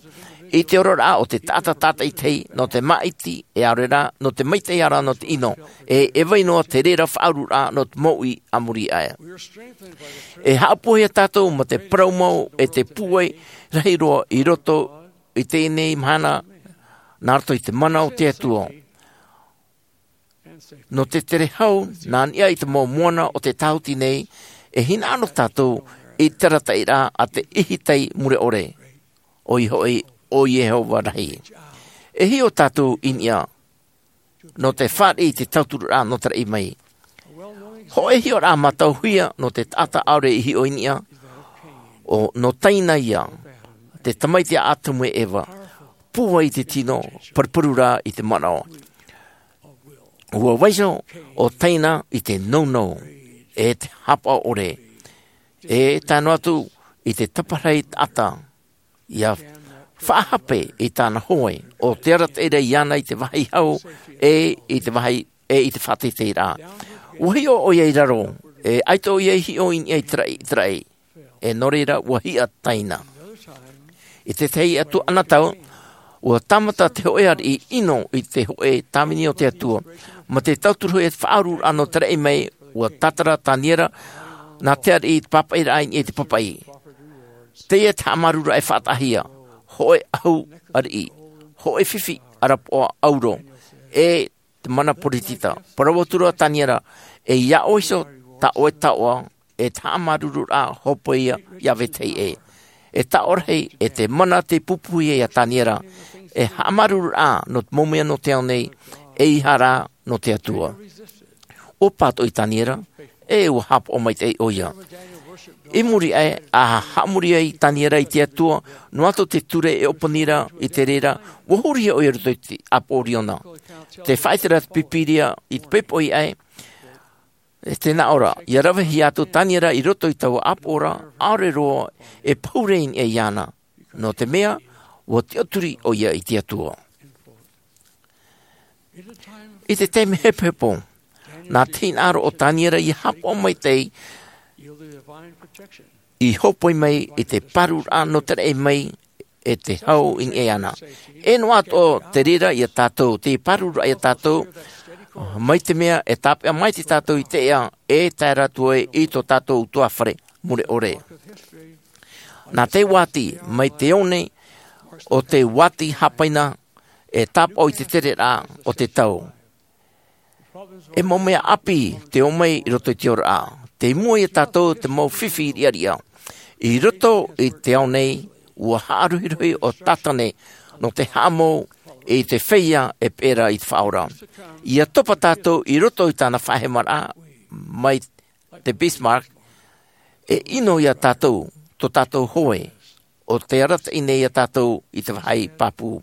i te oraraʻa o te taʻata tātaʻitahi nō te maʻiti, e ʻaore rā, nō te maitaʻi ā rā nō te ʻino, e, e vai noa te reira faʻaururaʻa nō te mouʻi a muri aʻe. E haʻapūaihia tātou mā te parau mau e te pūai rahi roa i roto i teie nei mahana, nā roto i te mana o te Atua. Nō te tere hau, nā niʻa i te mau moana o te tāhuti nei, e hinaʻaro tātou i te arataʻiraʻa a te ʻihitai mure ʻore. ʻOia hoʻi, ʻo Iehova rahi. E hiʻo tātou i niʻa, nō te fāriʻi i te tauturuʻraʻa nō te raʻi mai. Hōʻē hiʻoraʻa mātauhia nō te taʻata ʻaore i hiʻo i niʻa, ʻo, nō Taina ia, te tamaiti a Atamu e Eva, pūai i te tino, paruparu rā i te manaʻo. ʻUa vaiiho ʻo Taina i te nounou, e te haʻapaʻo ʻore, e tae noa atu i te taparahi taʻata, ʻia faʻahape i tāna hoe, ʻo te arataʻi ra iāna i te vāhi hau, e i te vāhi, e i te faʻateiteiraʻa. ʻUa hiʻo ʻoia i raro, e ʻaita ʻoia i hiʻo i niʻa i te raʻi, i te raʻi. E nō reira ʻua hiʻa Taina. I te tahi atu anotau, ʻua tāmata te hōʻē ariʻi ʻino i te hōʻē tāvini o te Atua. Mā te tauturu e te faʻaururaʻa nō te raʻi mai, ʻua tātara Taniera, nā te ariʻi i te pāpaʻiraʻa i niʻa i te pāpaʻi. Teie te haʻamāuruururaʻa e faʻataʻahia, hōʻē ʻahu ariʻi, hōʻē fifi ʻarapoʻa ʻauro, e te mana peresideni. Parau atu ra Taniera, e ʻia ʻoe iho tā ʻoe taoʻa, e te haʻamāuruururaʻa hōpoiʻa iā vetahi ʻē. E taoʻa rahi, e te mana tei pupuhia iā Taniera, e haʻamāuruururaʻa nō te mau mea nō te ao nei, ʻeiaha rā nō te Atua. ʻUa pātoʻi Taniera, e ʻua haʻapaʻo maitaʻi ʻoia. I muri aʻe, ʻa haʻamori ai Taniera i te Atua, noa atu te ture e ʻōpani ra i te reira, ʻua hurihia ʻoia i roto i te ʻāpoʻo Riona. Tē faʻaʻite ra te Pīpīria i te poʻipoʻi aʻe, e tē nā ʻō ra, ʻia ravehia atu Taniera i roto i taua ʻāpoʻoraʻa, ʻaore roa e pahure i niʻa iāna. Nō te mea, ʻua tiʻaturi ʻoia i te Atua. I te taime hepohepo, nā te hinaʻaro o Taniera ʻia haʻapaʻo maitaʻi, i hōpoi mai i te pārururaʻa nō te raʻi mai e te hau i niʻa iāna. E noa atoʻa te reira iā tātou, te pārururaʻa iā tātou, mai te mea e tāpeʻa maitaʻi tātou i te ea, e tae ra atu ai i tō tātou ʻutuāfare mure ʻore. Nā te uāti, mai te one, ʻo te uāti hāpaina, e tāpaʻo i te tereraʻa o te tau. E mau mea ʻāpī, tē ō mai i roto i te oraraʻa. Tei mua iā tātou te mau fifi riʻariʻa. I roto i te ao nei, ʻua haʻarohirohi ʻo Sātane, nō te haʻamou i te feiā e peʻe ra i te Faʻaora. ʻIa topa tātou i roto i tāna faʻahemaraʻa, mai te Bismarck, e ʻino iā tātou, tō tātou hoe, ʻo tē arataʻi nei iā tātou i te vāhi pāpū.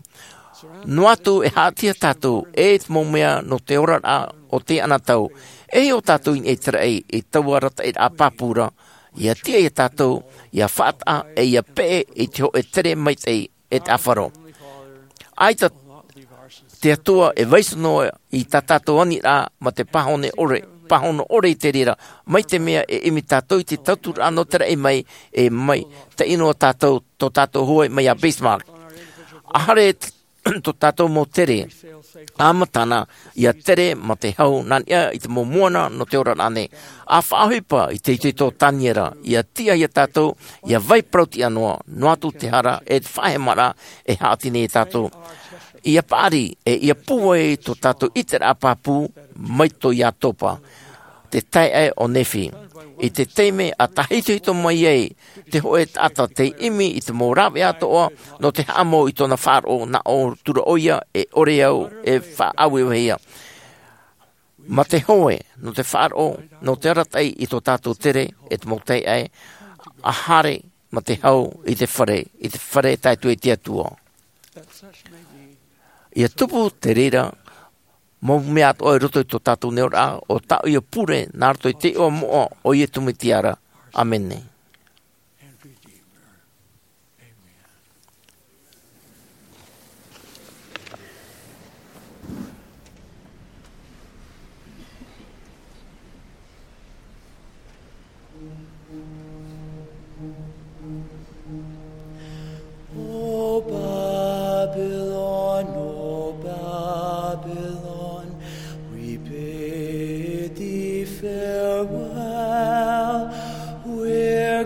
Noa atu e haʻatiʻa tātou, e te mau mea nō te oraraʻa o te anotau, e hiʻo tātou i niʻa i te raʻi, i taua arataʻiraʻa pāpū ra, ʻia tiʻa iā tātou, ʻia faʻataʻa, e ʻia peʻe i te hōʻē tere maitaʻi, e te ʻāfaro. ʻAita te Atua e vaiiho noa i tā tātou aniraʻa mā te pāhono ʻore, pāhono ʻore i te reira, mai te mea e ʻimi tātou i te tauturu nō te raʻi mai, e mai, tei ʻino tātou, tō tātou hoe mai iā Bismarck. ʻAhare t-, tō tātou mau tere. ʻA matana, ia tere mā te hau, nā niʻa i te mau moana nō te ora rānei. ʻA faʻaʻohipa i te itoito o Taniera, ia tiʻa ia tātou, ia vai parau tiʻa noa, noa atu te hara, e te faʻahemaraʻa, e haʻati nei ia tātou. Ia paʻari, e ia pūai tō tātou ʻiteraʻa pāpū, mai tō Iatopa. Te taeaʻe o Nephi. I te taime ʻa tāhitohito mai ai, te hōʻē taʻata tei ʻimi i te mau rāveʻa atoʻa, nō te haʻamau i tōna faʻaroʻo nā ʻō atu ra ʻoia, e ʻore au, e faʻaʻaueue ia. Mā te hoe, nō te faʻaroʻo, nō te arataʻi i tō tātou tere, e te mau taeaʻe, ʻa haere, mā te hau, i te fare, i te fare tae atu i te Atua. Ia tupu te reira, mau mea atoʻa i roto i tō tātou nei ora, ʻo tāʻu ia pure, nā roto i te iʻoa moʻa, o Iesu Mesia ra. ʻĀmene. O Babylon, O Babylon, we bid thee farewell. We're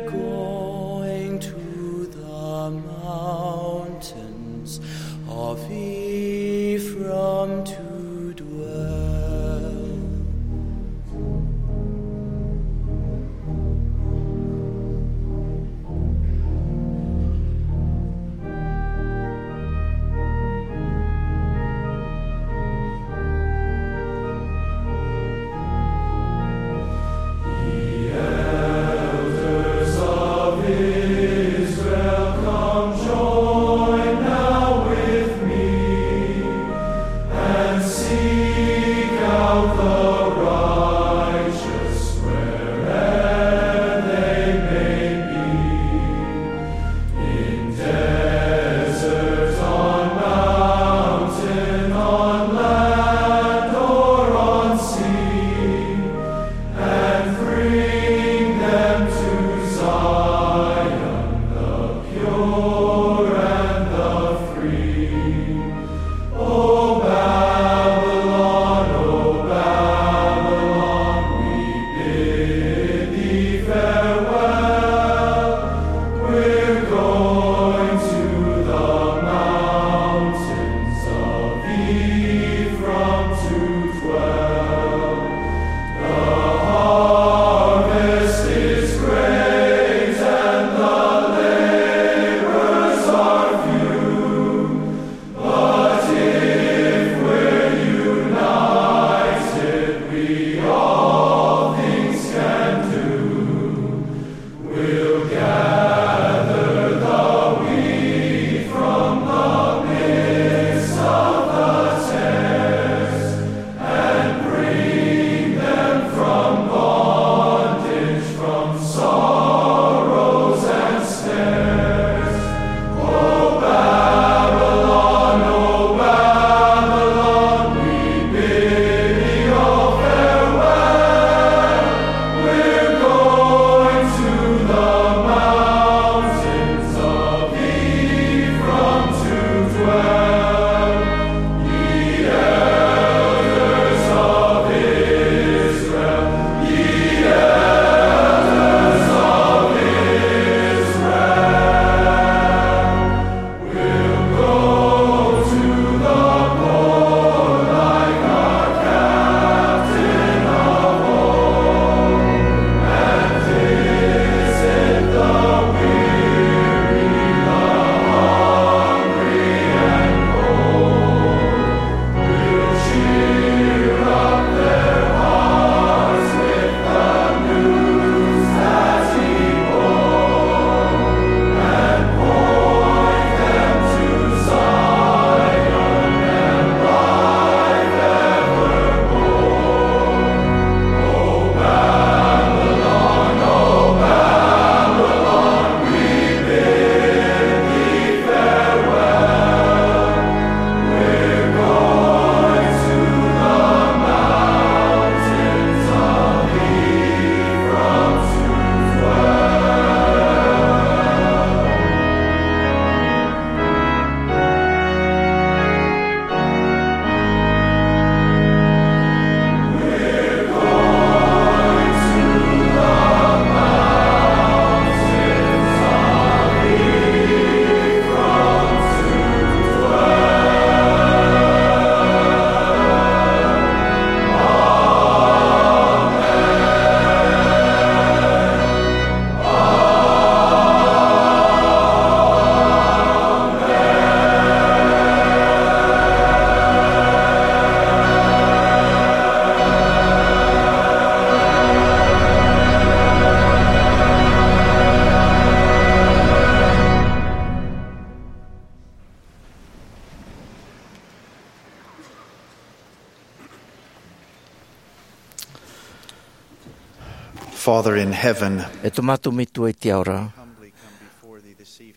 Father in heaven, e tō mātou Metua i te ao ra,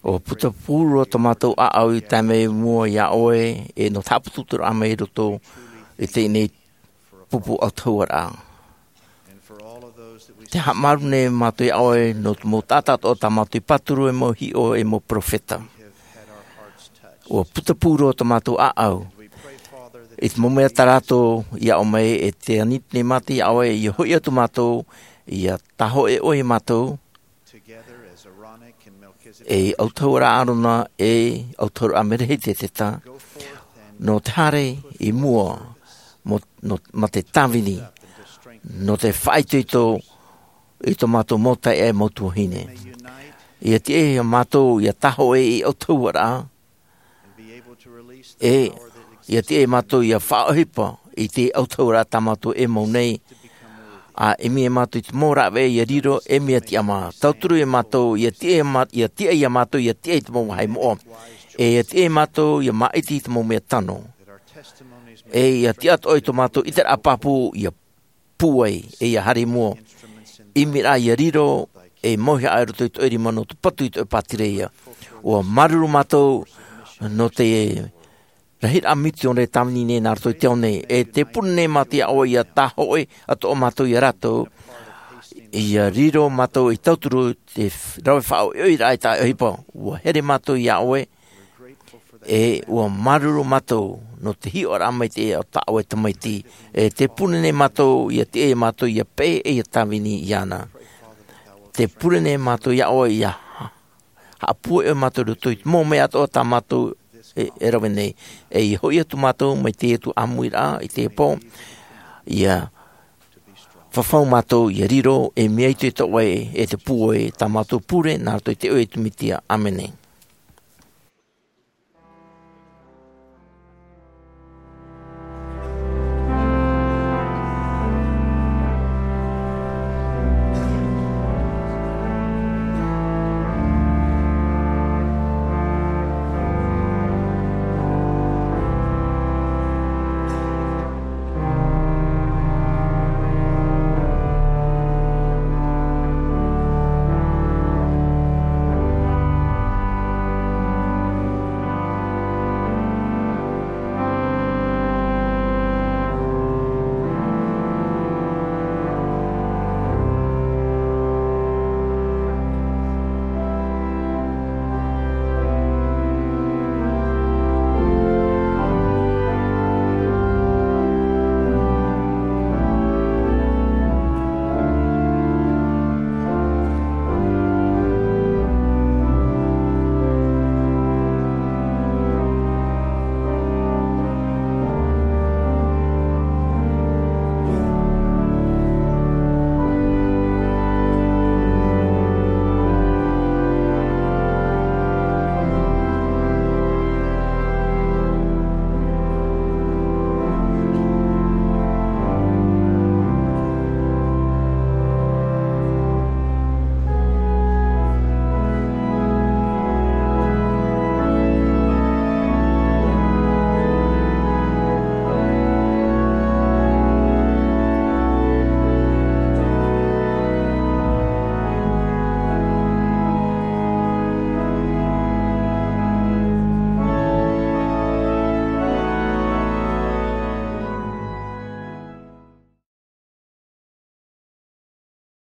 ʻua putapū roa tō mātou ʻāʻau i tae mai i mua iā ʻoe, e nō te haʻaputuputuraʻa mai i roto i teie nei pupu ʻautahuʻaraʻa. Te haʻamāuruuru nei mātou iā ʻoe nō te mau taʻata atoʻa tā mātou i pāturu, e mau hiʻo, e mau peropheta. ʻUa putapū roa tō mātou ʻāʻau i te mau mea tā rātou i aʻo mai, e te ani nei mātou iā ʻoe, ʻia hoʻi atu mātou, ʻia tāhōʻē ʻoe iā mātou, e ʻautahuʻaraʻa Ārona, e ʻautahuʻaraʻa Merehiteseta, nō te haere i mua, mō, nō, mā te tāvini, nō te faʻaitoito i tō mātou mau taeaʻe, mau tuahine. ʻIa tiʻa iā mātou ʻia tāhōʻē i te ʻautahuʻaraʻa, e ʻia tiʻa iā mātou ʻia faʻaʻohipa i te ʻautahuʻaraʻa tā mātou e mau nei, ʻa ʻimi iā mātou i te mau rāveʻa ʻia riro ei mea tiʻamā. Tauturu iā mātou, ʻia tiʻa iā mā-, ʻia tiʻa iā mātou ʻia tiʻa i te mau vāhi moʻa. E ʻia tiʻa iā mātou ʻia māʻiti i te mau mea tano. E ʻia tiʻa atoʻa i tō mātou ʻiteraʻa pāpū ʻia pūai, e ʻia haere i mua. ʻImiraʻa ʻia riro ei mauhaʻa i roto i tō ʻoe rima nō te patu i tō ʻoe pātireia. ʻUa māuruuru mātou nō te rahiraʻa misiōnare tāvini nei nā roto i te ao nei. E tē pure nei mātou iā ʻoe ʻia tāhōʻē atoʻa mātou iā rātou, ʻia riro mātou ei tauturu i te f-, rave faʻaʻohipa i te taʻata ʻohipa. ʻUa here mātou iā ʻoe, e ʻua māuruuru mātou nō te hiʻoraʻa maitaʻi o tā ʻoe Tamaiti. E tē pure nei mātou ʻia tiʻa iā mātou ʻia peʻe ei tāvini iāna. Tē pure nei mātou iā ʻoe ʻia ha-, haʻapūai ʻoe iā mātou i roto i te mau mea atoʻa tā mātou e, e rave nei. E ʻia hoʻi atu mātou mai teie atu ʻāmuiraʻa i teie pō, ʻia fafau mātou ʻia riro ei mea itoito ʻoe, e te pūai, tā mātou pure nā roto i te iʻoa o Iesu Mesia. ʻĀmene.